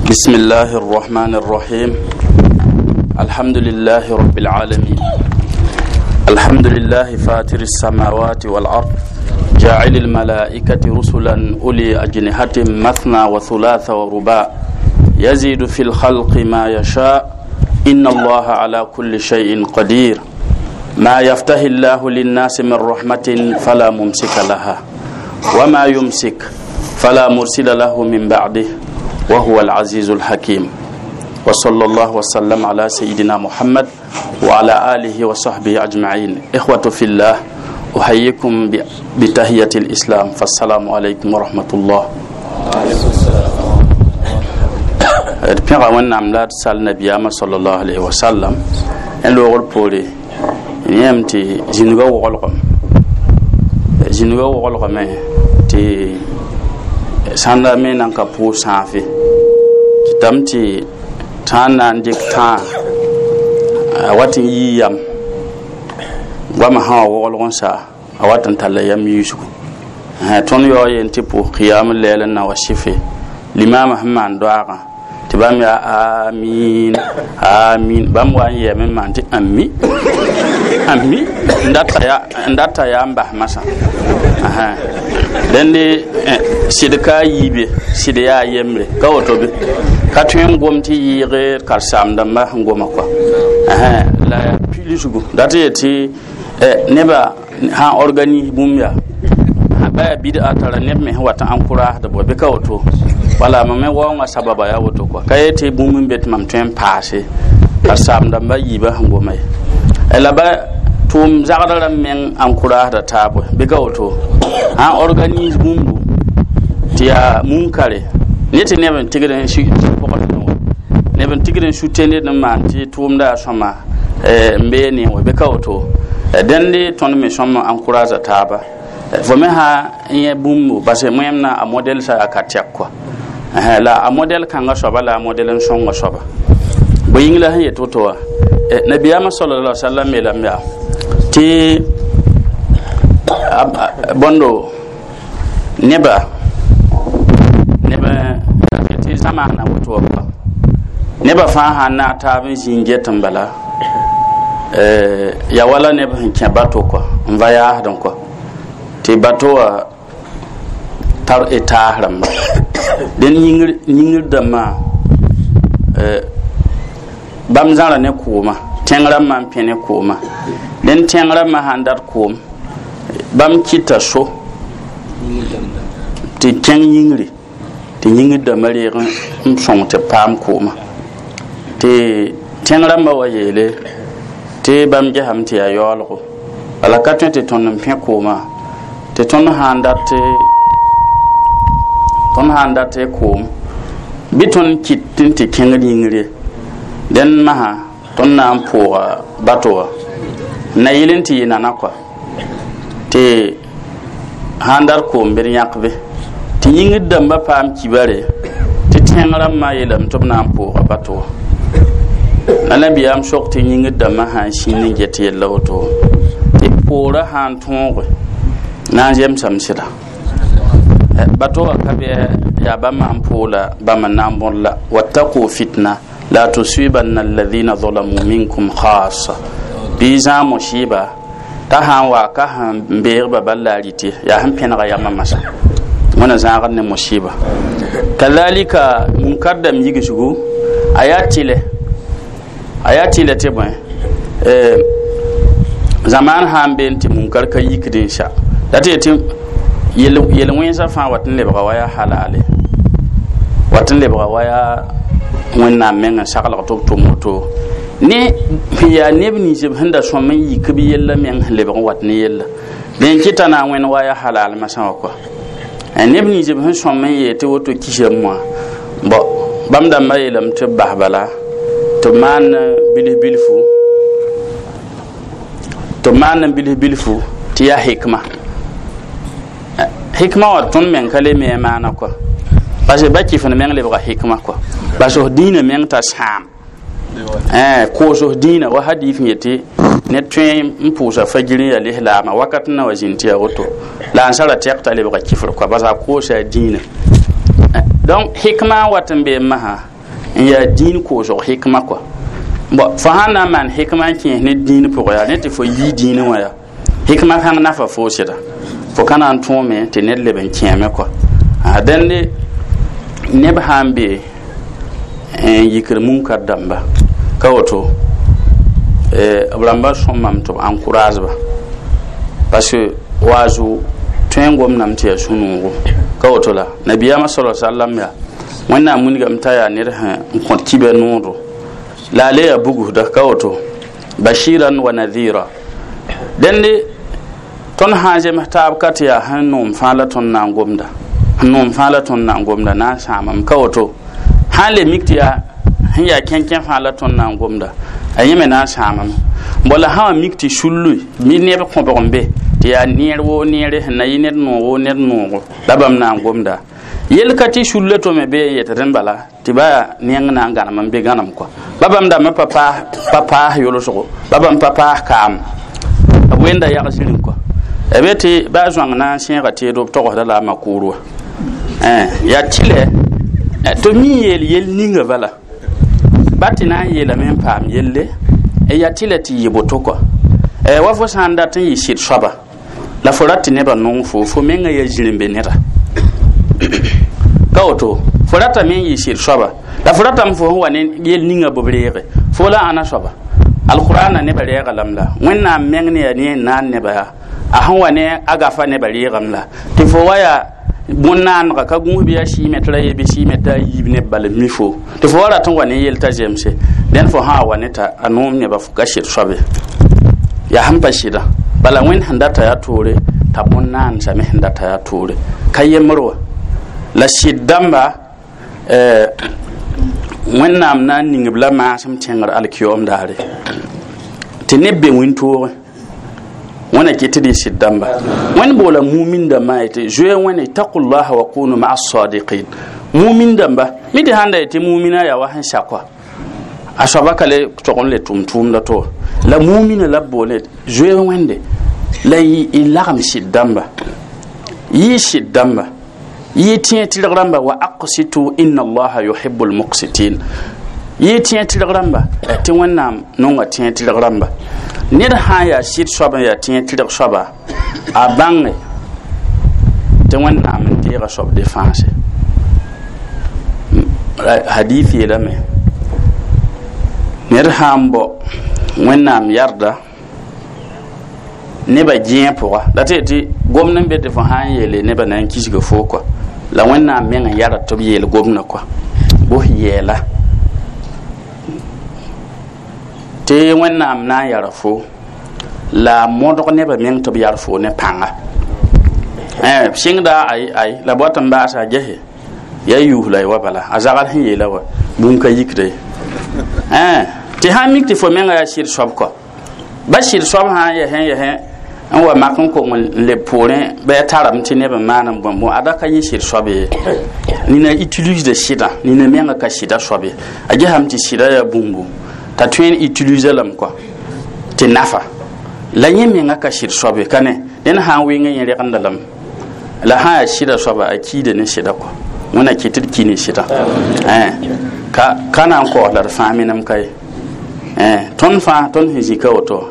بسم الله الرحمن الرحيم. الحمد لله رب العالمين. الحمد لله فاتر السماوات والأرض جاعل الملائكة رسلا أولي أجنحة مثنى وثلاث ورباع يزيد في الخلق ما يشاء إن الله على كل شيء قدير. ما يفتح الله للناس من رحمة فلا ممسك لها وما يمسك فلا مرسل له من بعده وهو العزيز الحكيم. وصلى الله وسلم على سيدنا محمد وعلى آله وصحبه أجمعين. إخوة في الله، أحييكم بتحية الإسلام، فالسلام عليكم ورحمة الله. Pẽga Wẽnnaam la d sal nabiyaamã sallallahu alayhi wa sallam n loogr poore yẽm tɩ zĩnigã woglgame tɩ sãnda me nan ka pʋʋs sãafe kɩtame tɩ tãa na n dɩk tãa a wat n yii yam goamã sã wa woglg n saa a wat n talla yam yiisgu. Tõnd yaoo yen tɩ pʋʋs qiyam lɛɛl n na wa sɩfe limaamã sẽn maan doaagã tɩ bãmb yaa amiin amiin bãmb wa n yɛɛme n maan tɩ ami ami n data yaa n bas masã. Dẽnde sɩd ka a yiibe sɩd yaa yembre ka woto be ka tõe n gom tɩ yɩɩg karen-saam-dãmbã sẽn goma kɔa la yaa pilisgu dat yet tɩ nebã sãn organise bũmb yaa ba yaa bid'a tara neb me sẽn wat n encouraged bɔ bɩ ka woto wala mam me waoongã sababa yaa woto kɔa ka yet tɩ bũmb n be tɩ mam tõe n paase karen-saam-dãmbã yiibã sẽn goma ye la ba tʋʋm zagd rãmb meng encourageda taab bɩ ka woto sãn organise bũmbu tɩ yaa munkare ne tɩ neb n tigd n neb n tigd n sute ned n maan tɩ tʋʋmda yaa sõma n bee ne wã bɩ ka woto dẽnde tõnd me sõm encouragea taaba fo me sã n yẽ bũmbu parce wẽmna a modɛl sã yaa ka tɛk kɔa la a modɛl kãngã soaba la a modɛl n sõnga soaba bõe yĩng la sẽn yet woto wã nabiyaamã sallallahu alaihi wasallam yeelame yaa tɩ bõndo neba tɩ zamaana woto wã pʋga neba fãa sãn naag taab n zĩig get n bala ya wala neb sẽn kẽ bato kɔa n va yaasdẽ kɔa tɩ bato wã tar taas rãmba dẽn yĩngr dãmbã bãmb zãra ne kooma tẽng rãmbã n pẽ ne kooma dẽn tẽng rãmbã sãn dat koom bãmb kɩta so tɩ kẽng yĩngre tɩ yĩngr dãmbã reeg n sõng tɩ paam kooma tɩ tẽng rãmbã wa yeele tɩ bãmb gesame tɩ yaa yaoolgo bala ka tõe tɩ tõnd n pẽ kooma tɩ tõnd sãn dat koom bɩ tõnd kɩt n tɩ kẽngd yĩngre dẽn masã tõnd na n pʋʋga bato wã na yɩl n tɩ yɩ nana kɔa tɩ sãn dat koom bɩ d yãk be tɩ yĩngr dãmbã paam kibare tɩ tẽng rãmbã yeelame tɩ b na n pʋʋga bato wã la nabiyaam sok tɩ yĩngr dãmbã sã n sĩnd n get yella woto tɩ poorã sã n tõoge na n zemsame sɩda bato wã ka bɩ yaa bãmb n poola bãmb n na n bõd la wattaqu fitna la tusibanna alladhina zalamu minkum khassa bɩ zãag musiba t'a sã n wa ka sẽn beegba bal la a rɩte yaa sẽn pẽnega yamã masã wẽna zãagd ne musiba kadhalika munkar dãmb yigsgu a yaa tɩlɛ tɩ bõe zamaan sã n been tɩ munkar ka yikd n sa la tɩ yetɩ yel-wẽnsã fãa wat n lebga wa yaa halale wat n lebga wa yaa Wẽnnaam meng n saglg tɩ b tʋm woto ne yaa neb nins b sẽn da sõm n yik b yella meng sẽn lebg n wat ne yella dẽn kɩta na n wẽnd wa yaa halal masã wã kɔa. Neb nins b sẽn sõm n yeel tɩ woto kisame wã bõ bãmb dãmbã yeelame tɩ b bas bala tɩ b maan bilf bilfu tɩ b maan bilf bilfu tɩ yaa hikma hikma wã tõnd meng ka le me a maana kɔa parce que ba kɩf n meng lebga hikma kɔa bas f dĩinã meng t'a sãam koos f dĩinã wa hadif n yetɩ ned tõe n pʋʋsa fajir n yaa lislaamã wakat n na wa zĩnd tɩ yaa woto la a nsara tɛk t'a lebga kifr kɔa bas a koosa a dĩinã. Donc hikma n wat n bee masã n yaa dĩin koosg hikma kɔa bon fo sãn na n maan hikma n kẽes ne dĩin pʋgã yaa ne tɩ fo yii dĩinã wã yaa hikma kãng nafa foo sɩda fo ka na n tõome tɩ ned leb n kẽeme kɔa. Dẽnde neb sã n be n yikr munkar dãmba ka woto b rãmba sõmame tɩ b encourage ba parce que waazu tõe n gomdame tɩ yaa sũ-noogo ka woto la nabiyaamã sala sallam yaa Wẽnnaam wilgame t'a yaa ned sẽn n kõt kibã nooro la a le yaa bugusda ka woto bashiran wa nadhira. Dẽnde tõnd sã n zems taab ka tɩ yaa sẽn noom fãa la tõnd na n gomda sẽn noom fãa la tõnd na n gomda na n sãamame ka woto sãn le mik tɩ yaa sẽn yaa kẽnkẽ fãa la tõnd na n gomda a yẽ me na n sãamame bala sã wã mik tɩ sullu mi neb kõbg n be tɩ yaa neer woo neere sẽn na yɩ ned noog woo ned noogo la bãmb na n gomda yel ka tɩ sulla to me bee n yet rẽnd bala tɩ ba neng na n gãnem n be gãnem kɔa ba bãmb dãmbã pa paas yolsgo ba bãmb pa paas kaam b wenda yag zĩring kɔa b tɩ ba zoang na n sẽega teedo b togsda la a makuur wã yaa tɩlɛ tɩ mi n yeel yel ninga bala ba tɩ na n yeelame n paam yelle yaa tɩlɛ tɩ yɩ boto kɔa wa fo sã n dat n yɩ sɩd soaba la fo rat tɩ nebã nong fo fo mengã yaa zĩrembe neda ka woto fo ratame n yɩ sɩd soaba la fo ratame fo sẽn wa ne yel ninga b reege fo la ãna soaba alqur'ana nebã reega lame la Wẽnnaam meng ne yaa ne n naan nebã yaa a sẽn wa ne a gafa nebã reegame la tɩ fo wa yaa bõn-naanega ka gũus bɩ yaa sɩɩme tɩ ra ye bɩ sɩɩme t'a yiib neb bal n mi fo tɩ fo wa rat n wa ne yel t'a zemse dẽn fo sã wa ne t'a a noom nebã fo ka sɩd soabe yaa sẽn pa sɩdã bala Wẽnd sẽn data yaa toore t'a bõn-naansame sẽn data yaa toore ka yembr wa la sɩd dãmba Wẽnnaam na n ning b la maasem tẽngr alkiyoom daare tɩ neb be wĩntoogẽ Wẽna kɩ tɩ d yɩ sɩd dãmba Wẽnd boola mumin dãmbã yetɩ zoe Wẽne ittaqullaha wa kunu maa sadiqin mumin dãmba mi tɩ sãn da yetɩ mumina yaa wa sẽn sakwa a soaba ka le tog n le tʋm tʋʋmda to la mumina la b boole zoe Wẽnde la y lagem sɩd dãmba yɩ sɩd dãmba yɩ tẽeg tɩrg rãmba wa aqsitu inna allaha yuhibu lmuqsitin yɩ tẽeg tɩrg rãmba tɩ Wẽnnaam nonga tẽeg tɩrg rãmba ned sã n yaa sɩd soab n yaa tẽeg tɩrg soaba a bãnge tɩ Wẽnnaam n deega soab defãase hadith yeelame ned sã n bao Wẽnnaam yarda nebã gẽeg pʋga la tɩ yetɩ gomd n be tɩ fo sã n yeele nebã na n kisga foo kɔa la Wẽnnaam meng n yara tɩ b yeel gomdã kɔa bos yɛɛla tɩ Wẽnnaam na n yara fo la a modg nebã meng tɩ b yar fo ne pãnga sɩngda ay ay la b wat n baasa a gese yaa yuus la y wa bala a zagl sẽn yeela wa bũmb ka yikda ye tɩ sã n mik tɩ fo menga yaa sɩd soab kɔ ba sɩd soab sã n yɛsẽ n wa mak n kong n leb poorẽ bɩ a tarame tɩ neb n maan n bõmb ada ka yẽ sɩd soab ye nina utilise sɩdã nina menga ka sɩda soab ye a gesame tɩ sɩda yaa bũmbu t'a tõe n utilise lame kɔa tɩ nafa la yẽ menga ka sɩd soab ye ka ne ned sã n wɩng yẽ regenda lame la sã n yaa sɩda soaba a kiida ne sɩda kɔa Wẽnna kɩ tɩ d ki ne sɩda ka na n kaoos la d fãa menem ka ye tõnd fãa tõnd sẽn zĩ ka woto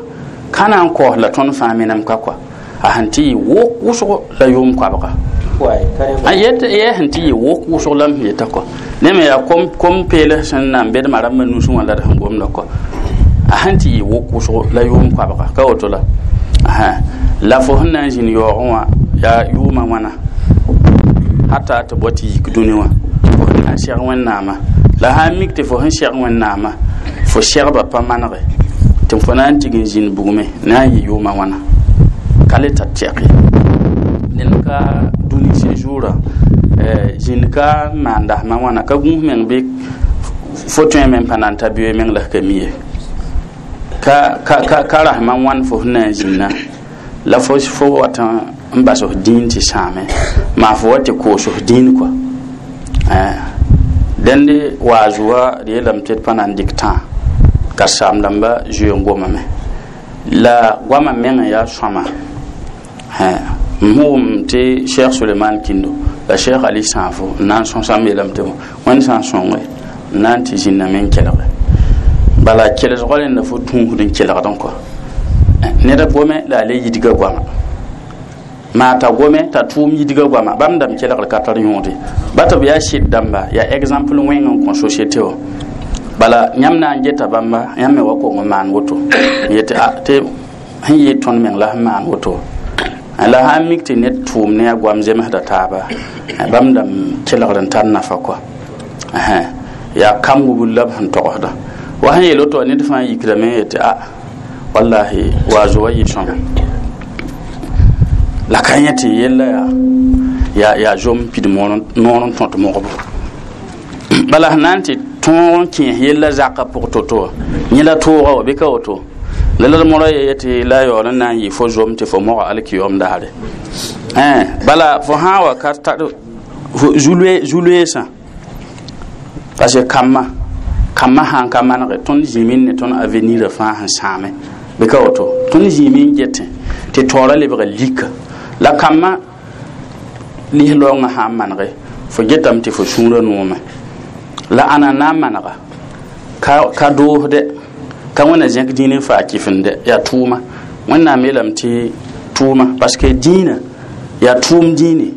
ka na n kaoos la tõnd fãa menem ka kɔa a sẽn tɩ yɩ wok wʋsgo la yʋʋm koabga a yɛ sẽn tɩ yɩ wok wʋsg la m sẽn yeta kɔ ne me yaa kom peels sẽn na n bedmã rãmbã nusẽ wã la d sẽn gomda kɔ a sẽn tɩ yɩ wok wʋsgo la yʋʋm koabga ka woto la la fo sẽn na n zĩnd yaoogẽ wã yaa yʋʋmã wãna hata tɩ bao tɩ yik dũni wã Fo sẽn na n seg Wẽnnaamã la sã n mik tɩ fo sẽn seg Wẽnnaamã fo segbã pa manege tɩ fo na n tig n zĩnd bugmẽ na n yɩ yʋʋmã wãna ka le tar tɛk ye. Ned ka dũni séjour zĩnd ka n maan dasmã wãna ka gũus meng bɩ fo tõe me n pa na n ta beoe meng la f ka mi ye. Ka rasmã wãn fo sẽn na n zĩnna la fo wat n bas f dĩin tɩ sãame maa fo wa tɩ koos f dĩin kɔa. Dẽnd waaz wa d yeelame tɩ d pa na n dɩk tãa karen-saam dãmba zoe n gomame la goamã meng n yaa sõama. M wʋm tɩ Cheikh Suleman Kindo la Cheikh Ali Sãafo n na n sõsame yeelame tɩ Wẽnd sã n sõnge n na n tɩ zĩnname n kelge bala kelsgã rẽnda fo tũusd n kelgdẽ kɔ ned gome la a le yidga goama maa t'a gome t'a tʋʋm yidga goama bãmb dãmb kelgr ka tar yõode ba tɩ b yaa sɩd dãmba yaa exemple wẽng n kõ société wã. Bala yãmb na n geta bãmba yãmb me wa kong n maan woto n yetɩ a tɩ sẽn yɩɩ tõnd meng la sẽn maan woto la sã n mik tɩ ned tʋʋm ne a goam zemsda taaba bãmb dãmb kelgr n tar nafa kɔa yaa kam wubl la b sẽn togsda wa sẽn yeel woto ned fãa yikdame n yetɩ a wallahi waazo wa yɩ sõma la ka yẽ tɩ yella yaa zom pid noor n tõt mogbo bala sẽn na n tɩ tõog n kẽes yella zakã pʋg to-to yẽ la tooga wa bɩ ka woto la la d modã ye tɩ la yaool n na n yɩ fo zom tɩ fo moga alkiyom daare. Bala fo sã n wa ka tar zu-loeesã parce que kambã sã n ka manege tõnd zĩime ne tõnd avenir fãa sẽn sãame bɩ ka woto tõnd zĩime n getẽ tɩ taoorã lebga lika la kambã lis-laoongã sã n manege fo getame tɩ fo sũurã noome la ãna na n manega ka doosdɛ ka wẽna zẽk dĩin n faa kɩfende yaa tʋʋma. Wẽnnaam yeelame tɩ tʋʋma parce que dĩinã yaa tʋʋm dĩine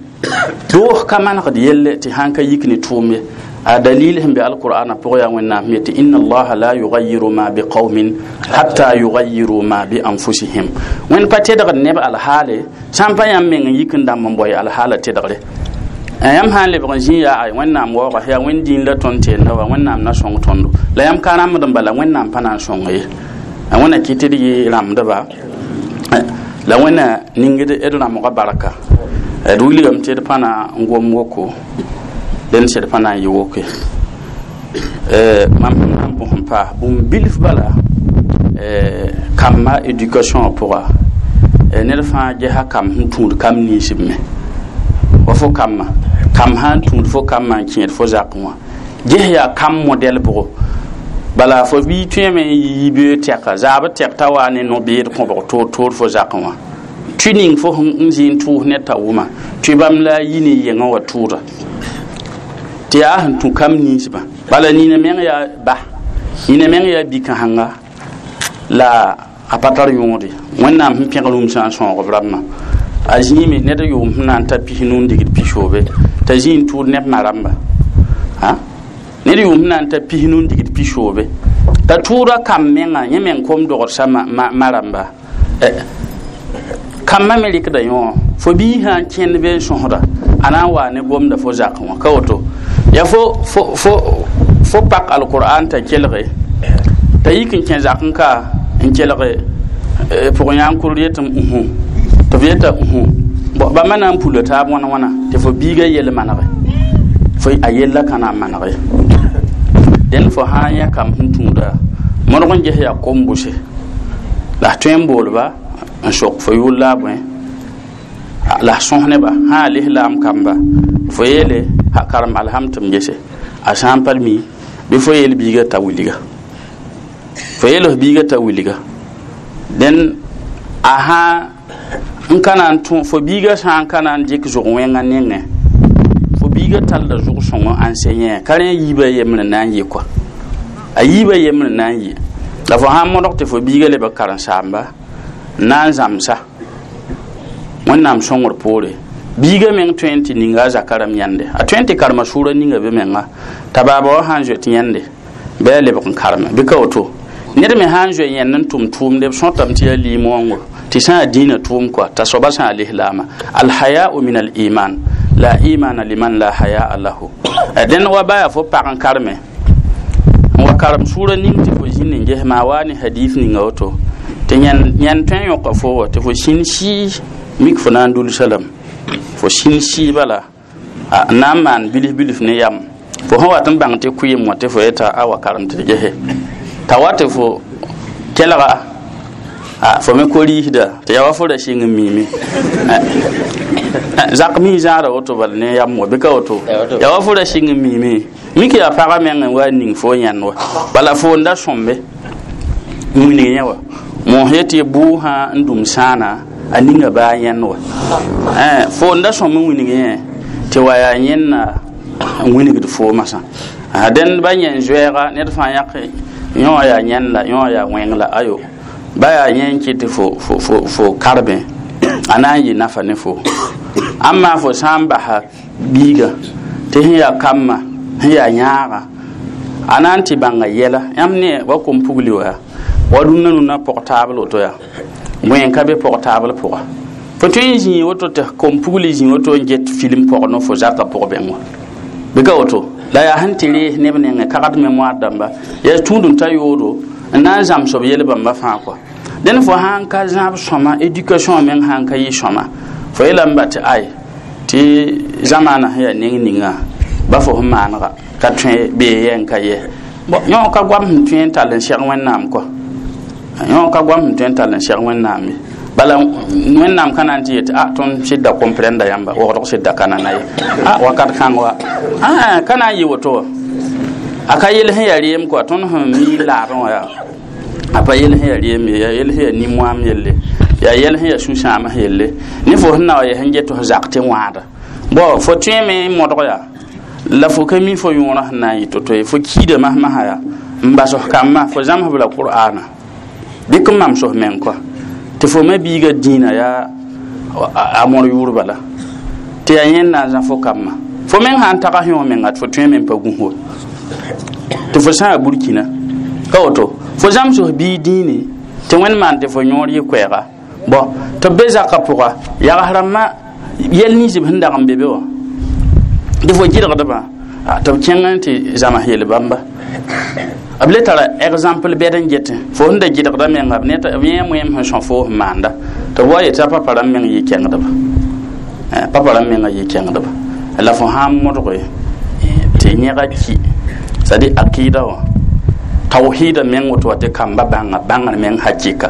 doos ka manegd yelle tɩ sãn ka yik ne tʋʋm ye. A dalil sẽn be alqur'ana pʋgã yaa Wẽnnaam sẽn yetɩ inna allaha la yugayiru ma biqaumin hatta yugayiru ma bi anfusihim. Wẽnd pa tedgd neb alhaale sã n pa yãmb meng n yik n dãmb n boe alhaala tedgre. Yãmb sã n lebg n zĩ yaa ay Wẽnnaam waooga yaa Wẽnd dĩin la tõnd tenda wa Wẽnnaam na sõng tõndo la yãmb ka rãmbd n bala Wẽnnaam pa na n sõng ye. Wẽnna kɩ tɩ d yɩ rãmbdba la Wẽnna ningd d rãmbga barka d wilgame tɩ d pa na n gom woko dẽnd sẽd pa na n yɩ woke. Mam sẽn na n bõs n paas bũmb bilf bala kambã éducation pʋga ned fãa gesa kam sẽn tũud kam ninsb me wa fo kambã kam sã n tũud fo kambã n kẽed fo zakẽ wã ges yaa kam modɛl bʋgo bala fo bɩ tõeme n yi yibeoog tɛka zaab tɛk t'a waa ne no-beed kõbg toor-toor fo zakẽ wã tʋ ning fo n zĩ n tʋʋs ned t'a wʋma tʋ bãmb la a yi ne yengã wa tʋʋda tɩ yaa sẽn tũ kam ninsbã bala nina meng yaa ba nina meng yaa bi-kãsenga la a pa tar yõode. Wẽnnaam sẽn pẽg rũmsã n sõog b rãmbã a zĩime ned yʋʋm sẽn na n ta 90 n digd 90 t'a zĩ n tʋʋd neb ma rãmba ned yʋʋm sẽn na n ta 90 n digd 90 t'a tʋʋda kam menga yẽ meng kom dogdsa ma rãmba kambã me rɩkda yõ fo bii sã n kẽnd be n sõsda a na n waa ne gomda fo zakẽ wã ka woto ya fo pak alqur'an t'a kelge t'a yik n kẽ zakẽ ka n kelge pʋgẽ yã n kur yetɩ uhu tɩ f yeta uhu bãmba na n pula taab wãna wãna tɩ fo biiga yel manege fo a yella ka na n manege dẽnd fo sã n yã kam sẽn tũuda modg n ges yaa kom-bʋse la f tõe n boolba n sok fo yʋʋl la a bõe la f sõs neba sã a lislaam kamba fo yeele ha karem alham tɩ m gese a sã n pa mi bɩ fo yeel biiga t'a wilga fo yeel f biiga t'a wilga dẽn a sã n ka na n tũ fo biiga sã n ka na n dɩk zʋg wẽngã nengẽ fo biiga tallda zʋg sõngo enseignant ka rẽ yiibã yembr n na n yɩ kɔa a yiibã yembr n na n yɩ la fo sã n modg tɩ fo biiga lebg karen-saamba n na n zãmsa Wẽnnaam sõngr poore biiga meng tõe n tɩ ninga a zaka rãmb yãnde a tõe n tɩ karema sʋʋra ninga be menga t'a baaba wã sã n zoet yãnde bɩ a lebg n kareme bɩ ka woto ned me sã n zoe yẽnd n tʋm tʋʋmde b sõtame tɩ yaa liim-wãngo tɩ sã n dĩinã tʋʋm kɔa t'a soaba sã n lislaama alhayau min aliman la imana liman la hayaa lahu. Dẽnd wa baya fo pag n karme n wa karem sʋʋra ning tɩ fo zĩnd n ges maa wa ne hadith ninga woto tɩ yãnd tõe n yõka fo wa tɩ fo sĩn sɩɩ mik fo na n dulsa lame fo sĩn sɩɩ bala n na n maan bilf bilf ne yam fo sẽn wat n bãng tɩ kʋɩɩm wã tɩ fo yeta a wa karem tɩ d gese t'a wa tɩ fo kelga fo me ko-riisda tɩ yaa wa fo ra sɩng n miime zak mi zãada woto bal ne yam wa bɩ ka woto yaa wa fo ra sɩng n miime mik yaa pagã meng n wa ning fo yãnd wa bala fo n da sõmbe n wilg yẽ wa mos yetɩ bʋʋsã n dũm sãana a ninga baa yãnd wa fo n da sõm n wilg yẽ tɩ wa yaa yẽnna n wilgd fo masã dẽnd ba yẽn zoɛɛga ned fãa yãk yõ yaa yãnd la yõ yaa wẽng la ayo ba yaa yẽ n kɩt tɩ fo karbẽ a na n yɩ nafa ne fo amma fo sã n basa biiga tɩ sẽn yaa kambã sẽn yaa yãaga a na n tɩ bãnga yɛla yãmb ne wa kom pugli wa wa rũnnã rũnnã pɔg taabl woto yaa bõe n ka be pɔg taabl pʋga fo tõe n zĩig woto tɩ kom pugli zĩ woto n get film pɔg no fo zaka pʋg bẽng wa bɩ ka woto la yaa sẽn tɩ rees neb nengẽ kagd mémoire dãmba yaa tũud n ta yoodo n na n zãms b yel bãmba fãa kɔa dẽn fo sãn ka zãb sõma éducation meng sãn ka yɩ sõma fo yeelame ba tɩ ay tɩ zamaana sẽn yaa neng ninga ba fo sẽn maanega ka tõe bee yɛ n ka yɛ bon yõ ka goam sẽn tõe n tall n sɛg wẽnnaam kɔa yõ ka goam sẽn tõe n tall n sɛg wẽnnaam ye bala wẽnnaam ka na n tɩ yetɩ a tõnd sɩdda comprenda yãmba wogdg sɩdda ka nana ye a wakat kãng wa ka na n yɩ woto wa a ka yel sẽn yaa reem kɔa tõnd sẽn mi laadẽ wã yaa a pa yel sẽn yaa reem ye yaa yel sẽn yaa nin-moam yelle yaa yɛl sẽn yaa sũ-sãams yelle ne fo sẽn na wa yɛ sẽn get tɩ f zak tɩ wãada bon fo tõeme n modg yaa la fo ka mi fo yõorã sẽn na n yɩ to-to ye fo kiida masmasã yaa n bas f kambã fo zãmsb la qur'ana dɩk n mams f meng kɔa tɩ fo ma biiga dĩinã yaa a mõr yʋʋr bala tɩ yaa yẽnd na n zã fo kambã fo meng sã n tags yõ menga tɩ fo tõe me n pa gũs wa tɩ fo sã yaa burkina ka woto fo zãms f biig dĩine tɩ wẽnd maan tɩ fo yõor yɩ koɛɛga bon tɩ b be zakã pʋga yags rãmbã yɛl nins b sẽn dag n be be wã tɩ fo gɩlgdbã tɩ b kẽng n tɩ zãms yel bãmba b le tara exemple bɛd n getẽ fo sẽn da gɩlgda menga b yẽ moeem sẽn sõ fo sẽn maanda tɩ b wa yetɩ a papa rãmb meng yɩ kẽngdba papa rãmb menga yɩ kẽngdba la fo sã n modge tɩ yẽga ki c'est à dire akida wã tawhida meng woto wa tɩ kamba bãnga bãngr meng hakɩka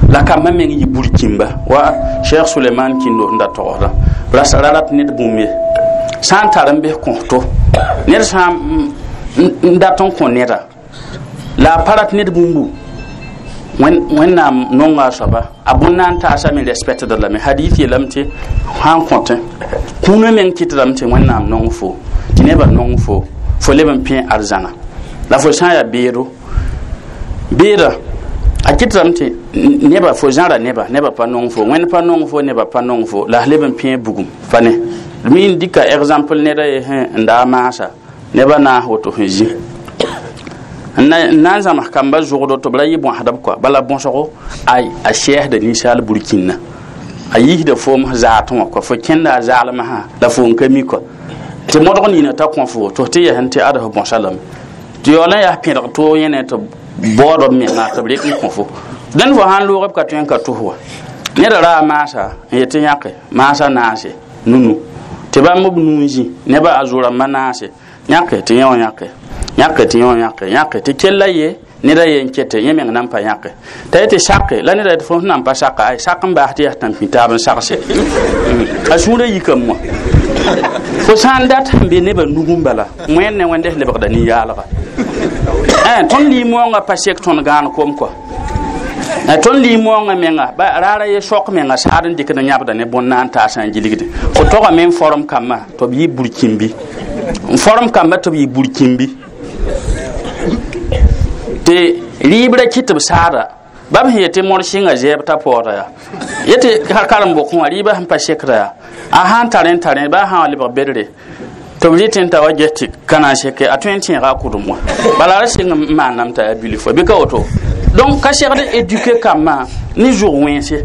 la kambã meng yɩ burkĩmba wa cheikh suleiman kĩndo sẽn da togsdã ra rat ned bũmb ye sã n tar n bes kõsto ned sã n dat n kõ neda la a pa rat ned bũmbu wẽnnaam nonga a soaba a bõn na n taasame respectda lame hadith yeelame tɩ sã n kõtẽ kũunã meng kɩtdame tɩ wẽnnaam nong fo tɩ nebã nong fo fo leb n pẽ arzãna la fo sã n yaa beedo beeda a kɩtdame tɩ neba fo zãra neba neba pa nong fo wẽnd pa nong fo neba pa nong fo la leb n pẽ bugum pa ne mi n dɩka exemple neda ye sẽn n daa maasa neba naas woto sẽn zĩ n na n zãms kamba zʋgdo tɩ b ra yɩ bõsdb kɔa bala bõsgo a sɛɛsda ninsaal burkĩnna a yiisda foom zaatẽ wã kɔa fo kẽnda a zaalmsã la fo n ka mi kɔa tɩ modg nina t'a kõ fo tɩ f tɩ yɛsẽn tɩ ad f bõsa lame tɩ yaool n yaa pẽdg toog yẽne tɩ baood b menga tɩ b rek n kõ fo dẽnd fo sã n loog b ka tõe n ka tos wa neda ra a maasa n yetɩ yãke maasa naase nunu tɩ bãmb b nuu n zĩ nebã a zo-rãmbã naase yãke tɩ yẽ wã yãke yãke tɩ yẽ wã yãke yãke tɩ kella ye neda ye n kete yẽ meng nan pa yãke t'a yetɩ sake la neda yetɩ fo sẽn nan pa saka ay sak n baas tɩ yaa tãn-pĩ taab n sagse a sũurã yikame wã fo sã n dat sẽn be nebã nugẽ bala wẽnd ne wẽnde lebgda nin-yaalga tõnd lɩ-moongã pa sek tõnd gãan kom kɔa tõnd lɩ-moongã menga raara ye sok menga saad n dɩkd n yãbda ne bõn na n taasã n gilgde fo togame n form kambã tɩ b yɩ burkĩmbi n form kambã tɩ b yɩ burkĩmbi tɩ rɩɩbrã kɩt b saada bam sẽn yetɩ mõr sɩnga zɛɛb t'a paooda yaa yetɩ karen-bokẽ wã rɩɩbã sẽn pa sekda yaa a sãn tar n tar baa sã wa lebg bedre tɩ b rɩtẽ t'a wa ges tɩ ka na n seke a tõe n tẽega a kʋdem wã bala ra sɩng n maaname t'a yaa bilf wa bɩ ka woto donc ka segd éduquer kambã ne zʋg wẽnse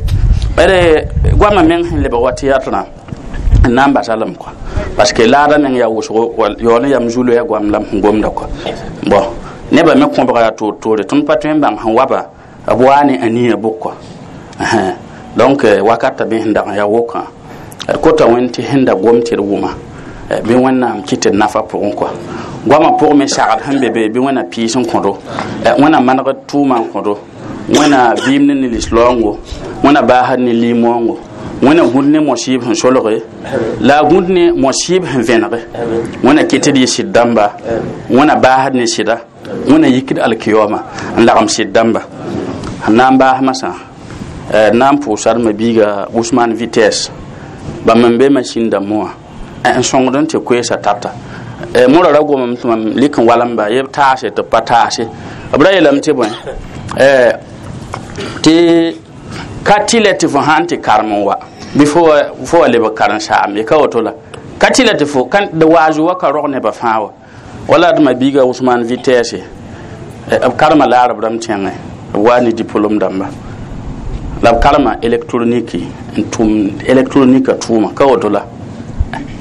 d goamã meng sẽn lebg wa tɩ yatɩrã N na n basa lame kɔa, parce que laada meng yaa wʋsgo yaool n yam zu-loɛɛ goam la m sẽn gomda kɔa. Bɔn, nebã me kõbga yaa toor-toore, tõnd pa tõe n bãng sẽn wa ba b waa ne aniya bʋk kɔa. Donc wakata bɩ sẽn dag n yaa wokã, d kota Wẽnd tɩ sẽn da gom tɩ d wʋma, bɩ Wẽnnaam kɩt d nafa pʋgẽ kɔa. Goamã pʋgẽ me sagd sẽn be be, bɩ Wẽnna piis n kõdo, Wẽnna manegd tʋʋma n kõdo, Wẽnna vɩɩm ne nilis-laoongo, Wẽnna baasd ne lim-waoongo, Wẽnna gũd ne mosɩɩb sẽn solge la a gũd ne mosɩɩb sẽn vẽnege, Wẽnna kɩt d yɩ sɩd dãmba, Wẽnna baasd ne sɩda, Wẽnna yikd alkiyooma n lagem sɩd dãmba. Sẽn na n baas masã, d na n pʋʋsa d ma-biiga Usman Vitesse, bãmb n be machine dãmbẽ wã n sõngd n tɩ koeesa tata. Mora ra gomame tɩ mam lik n walemba yeb taase tɩ b pa taase. B ra yeelame tɩ bõe, tɩ ka tɩlɛ tɩ fo sãn tɩ karem n wa bɩ fo wa lebg karen-saam ye, ka woto la ka tɩlɛ tɩ fo d waazu wa ka rog nebã fãa wa. Wala d ma-biiga Usman Vitesse, b karema laarb rãmb tẽngẽ, b waa ne diplôme dãmba la b karema électronique n tʋm électronique tʋʋma, ka woto la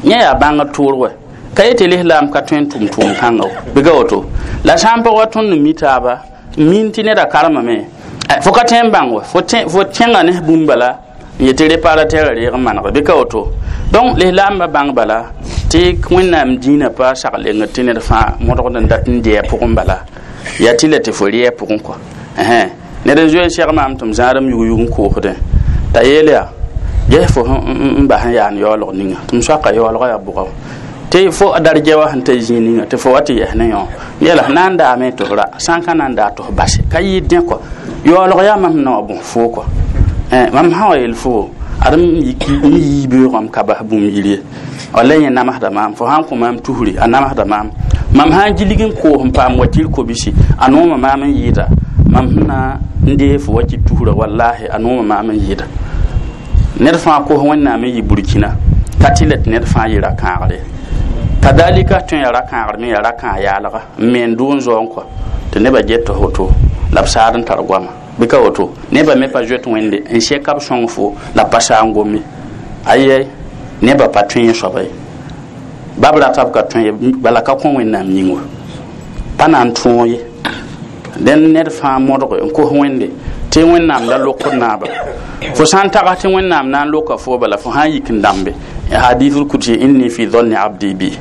yẽ yaa bãngd tʋʋr wɛ ka yetɩ lislaam ka tõe n tʋm tʋʋm kãnga bɩ ka woto la. Sã n pag wa tõnd n mi taaba n min tɩ neda karemame, fo ka tõe n bãng wa fo kẽnga ne bũmb bala n yetɩ réparateur a reeg n manege, bɩ ka woto. Donc lislaambã bãng bala tɩ Wẽnnaam dĩinã pa sag lengd tɩ ned fãa modgd n dat n dɩ a pʋgẽ, bala yaa tɩ la tɩ fo rɩ a pʋgẽ kɔa. Ned n zoe n seg maam tɩ m zãadem yug-yug n koosdẽ t'a yeel yaa ges fo n bas n yaan yaoolg ninga tɩ m soaka yaoolgã yaa bʋga tɩ fo darja wa sẽn ta zĩig ninga tɩ fo wa tɩ yɛs ne yõ yɛla na n daame tɩ f ra sã n ka na n daa tɩ f base ka yɩɩd dẽ kɔa. Yaoolg yaa mam sẽn na wa bõs foo kɔa. Mam sã wa yel fo ad m yii beoogame ka bas bũmb yir ye, walla yẽ namsda maam. Fo sãn kõ maam tusri, a namsda maam. Mam sã n gilg n koos n paam wakir kobisi, a nooma maam n yɩɩda. Mam sẽn na n dee fo wakir tusra, wallahi, a nooma maam n yɩɩda. Ned fãa kos Wẽnnaam n yɩ Burkina ka tɩ la tɩ ned fãa yɩ ra-kãagre kadalika tõe yaa ra-kãagr me yaa ra-kãag yaalga n me n dʋ n zaoong kɔa tɩ nebã get tɩ woto la b saad n tar goama, bɩ ka woto. Nebã me pa zoet Wẽnde n sɛka b sõng fo la pa saa n gome ayɛ. Nebã pa tõe yẽ soaba ye, bab rata b ka tõe ye, bala ka kõ Wẽnnaam yĩng wa pa na n tõog ye. Dẽn ned fãa modge n kos Wẽnde tɩ Wẽnnaam la lokd naaba. Fo sã n tags tɩ Wẽnnaam na n loka fo, bala fo sã n yik n dãmbe hadithul kudsi inni fi dhanni abdi bi,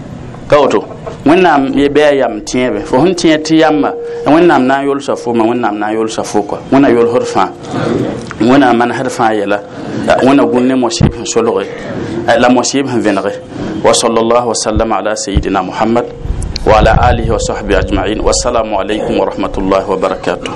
ka woto. Wẽnnaam ye bɩ a yam tẽebe fo sẽn tẽ tɩ yamba Wẽnnaam na n yolsa fo ma, Wẽnnaam na n yolsa fo kɔa. Wẽnna yolsd fãa, Wẽnna manesd fãa yɛla, Wẽnna gũn ne mosɩb sẽn solge la mosɩb sẽn vẽnege. Wa sallallahu wa sallam ala sayidina Muhammad wa ala alihi wa sahbihi ajma'in. Wassalamu alaikum wa rahmatullahi wa barakatuh.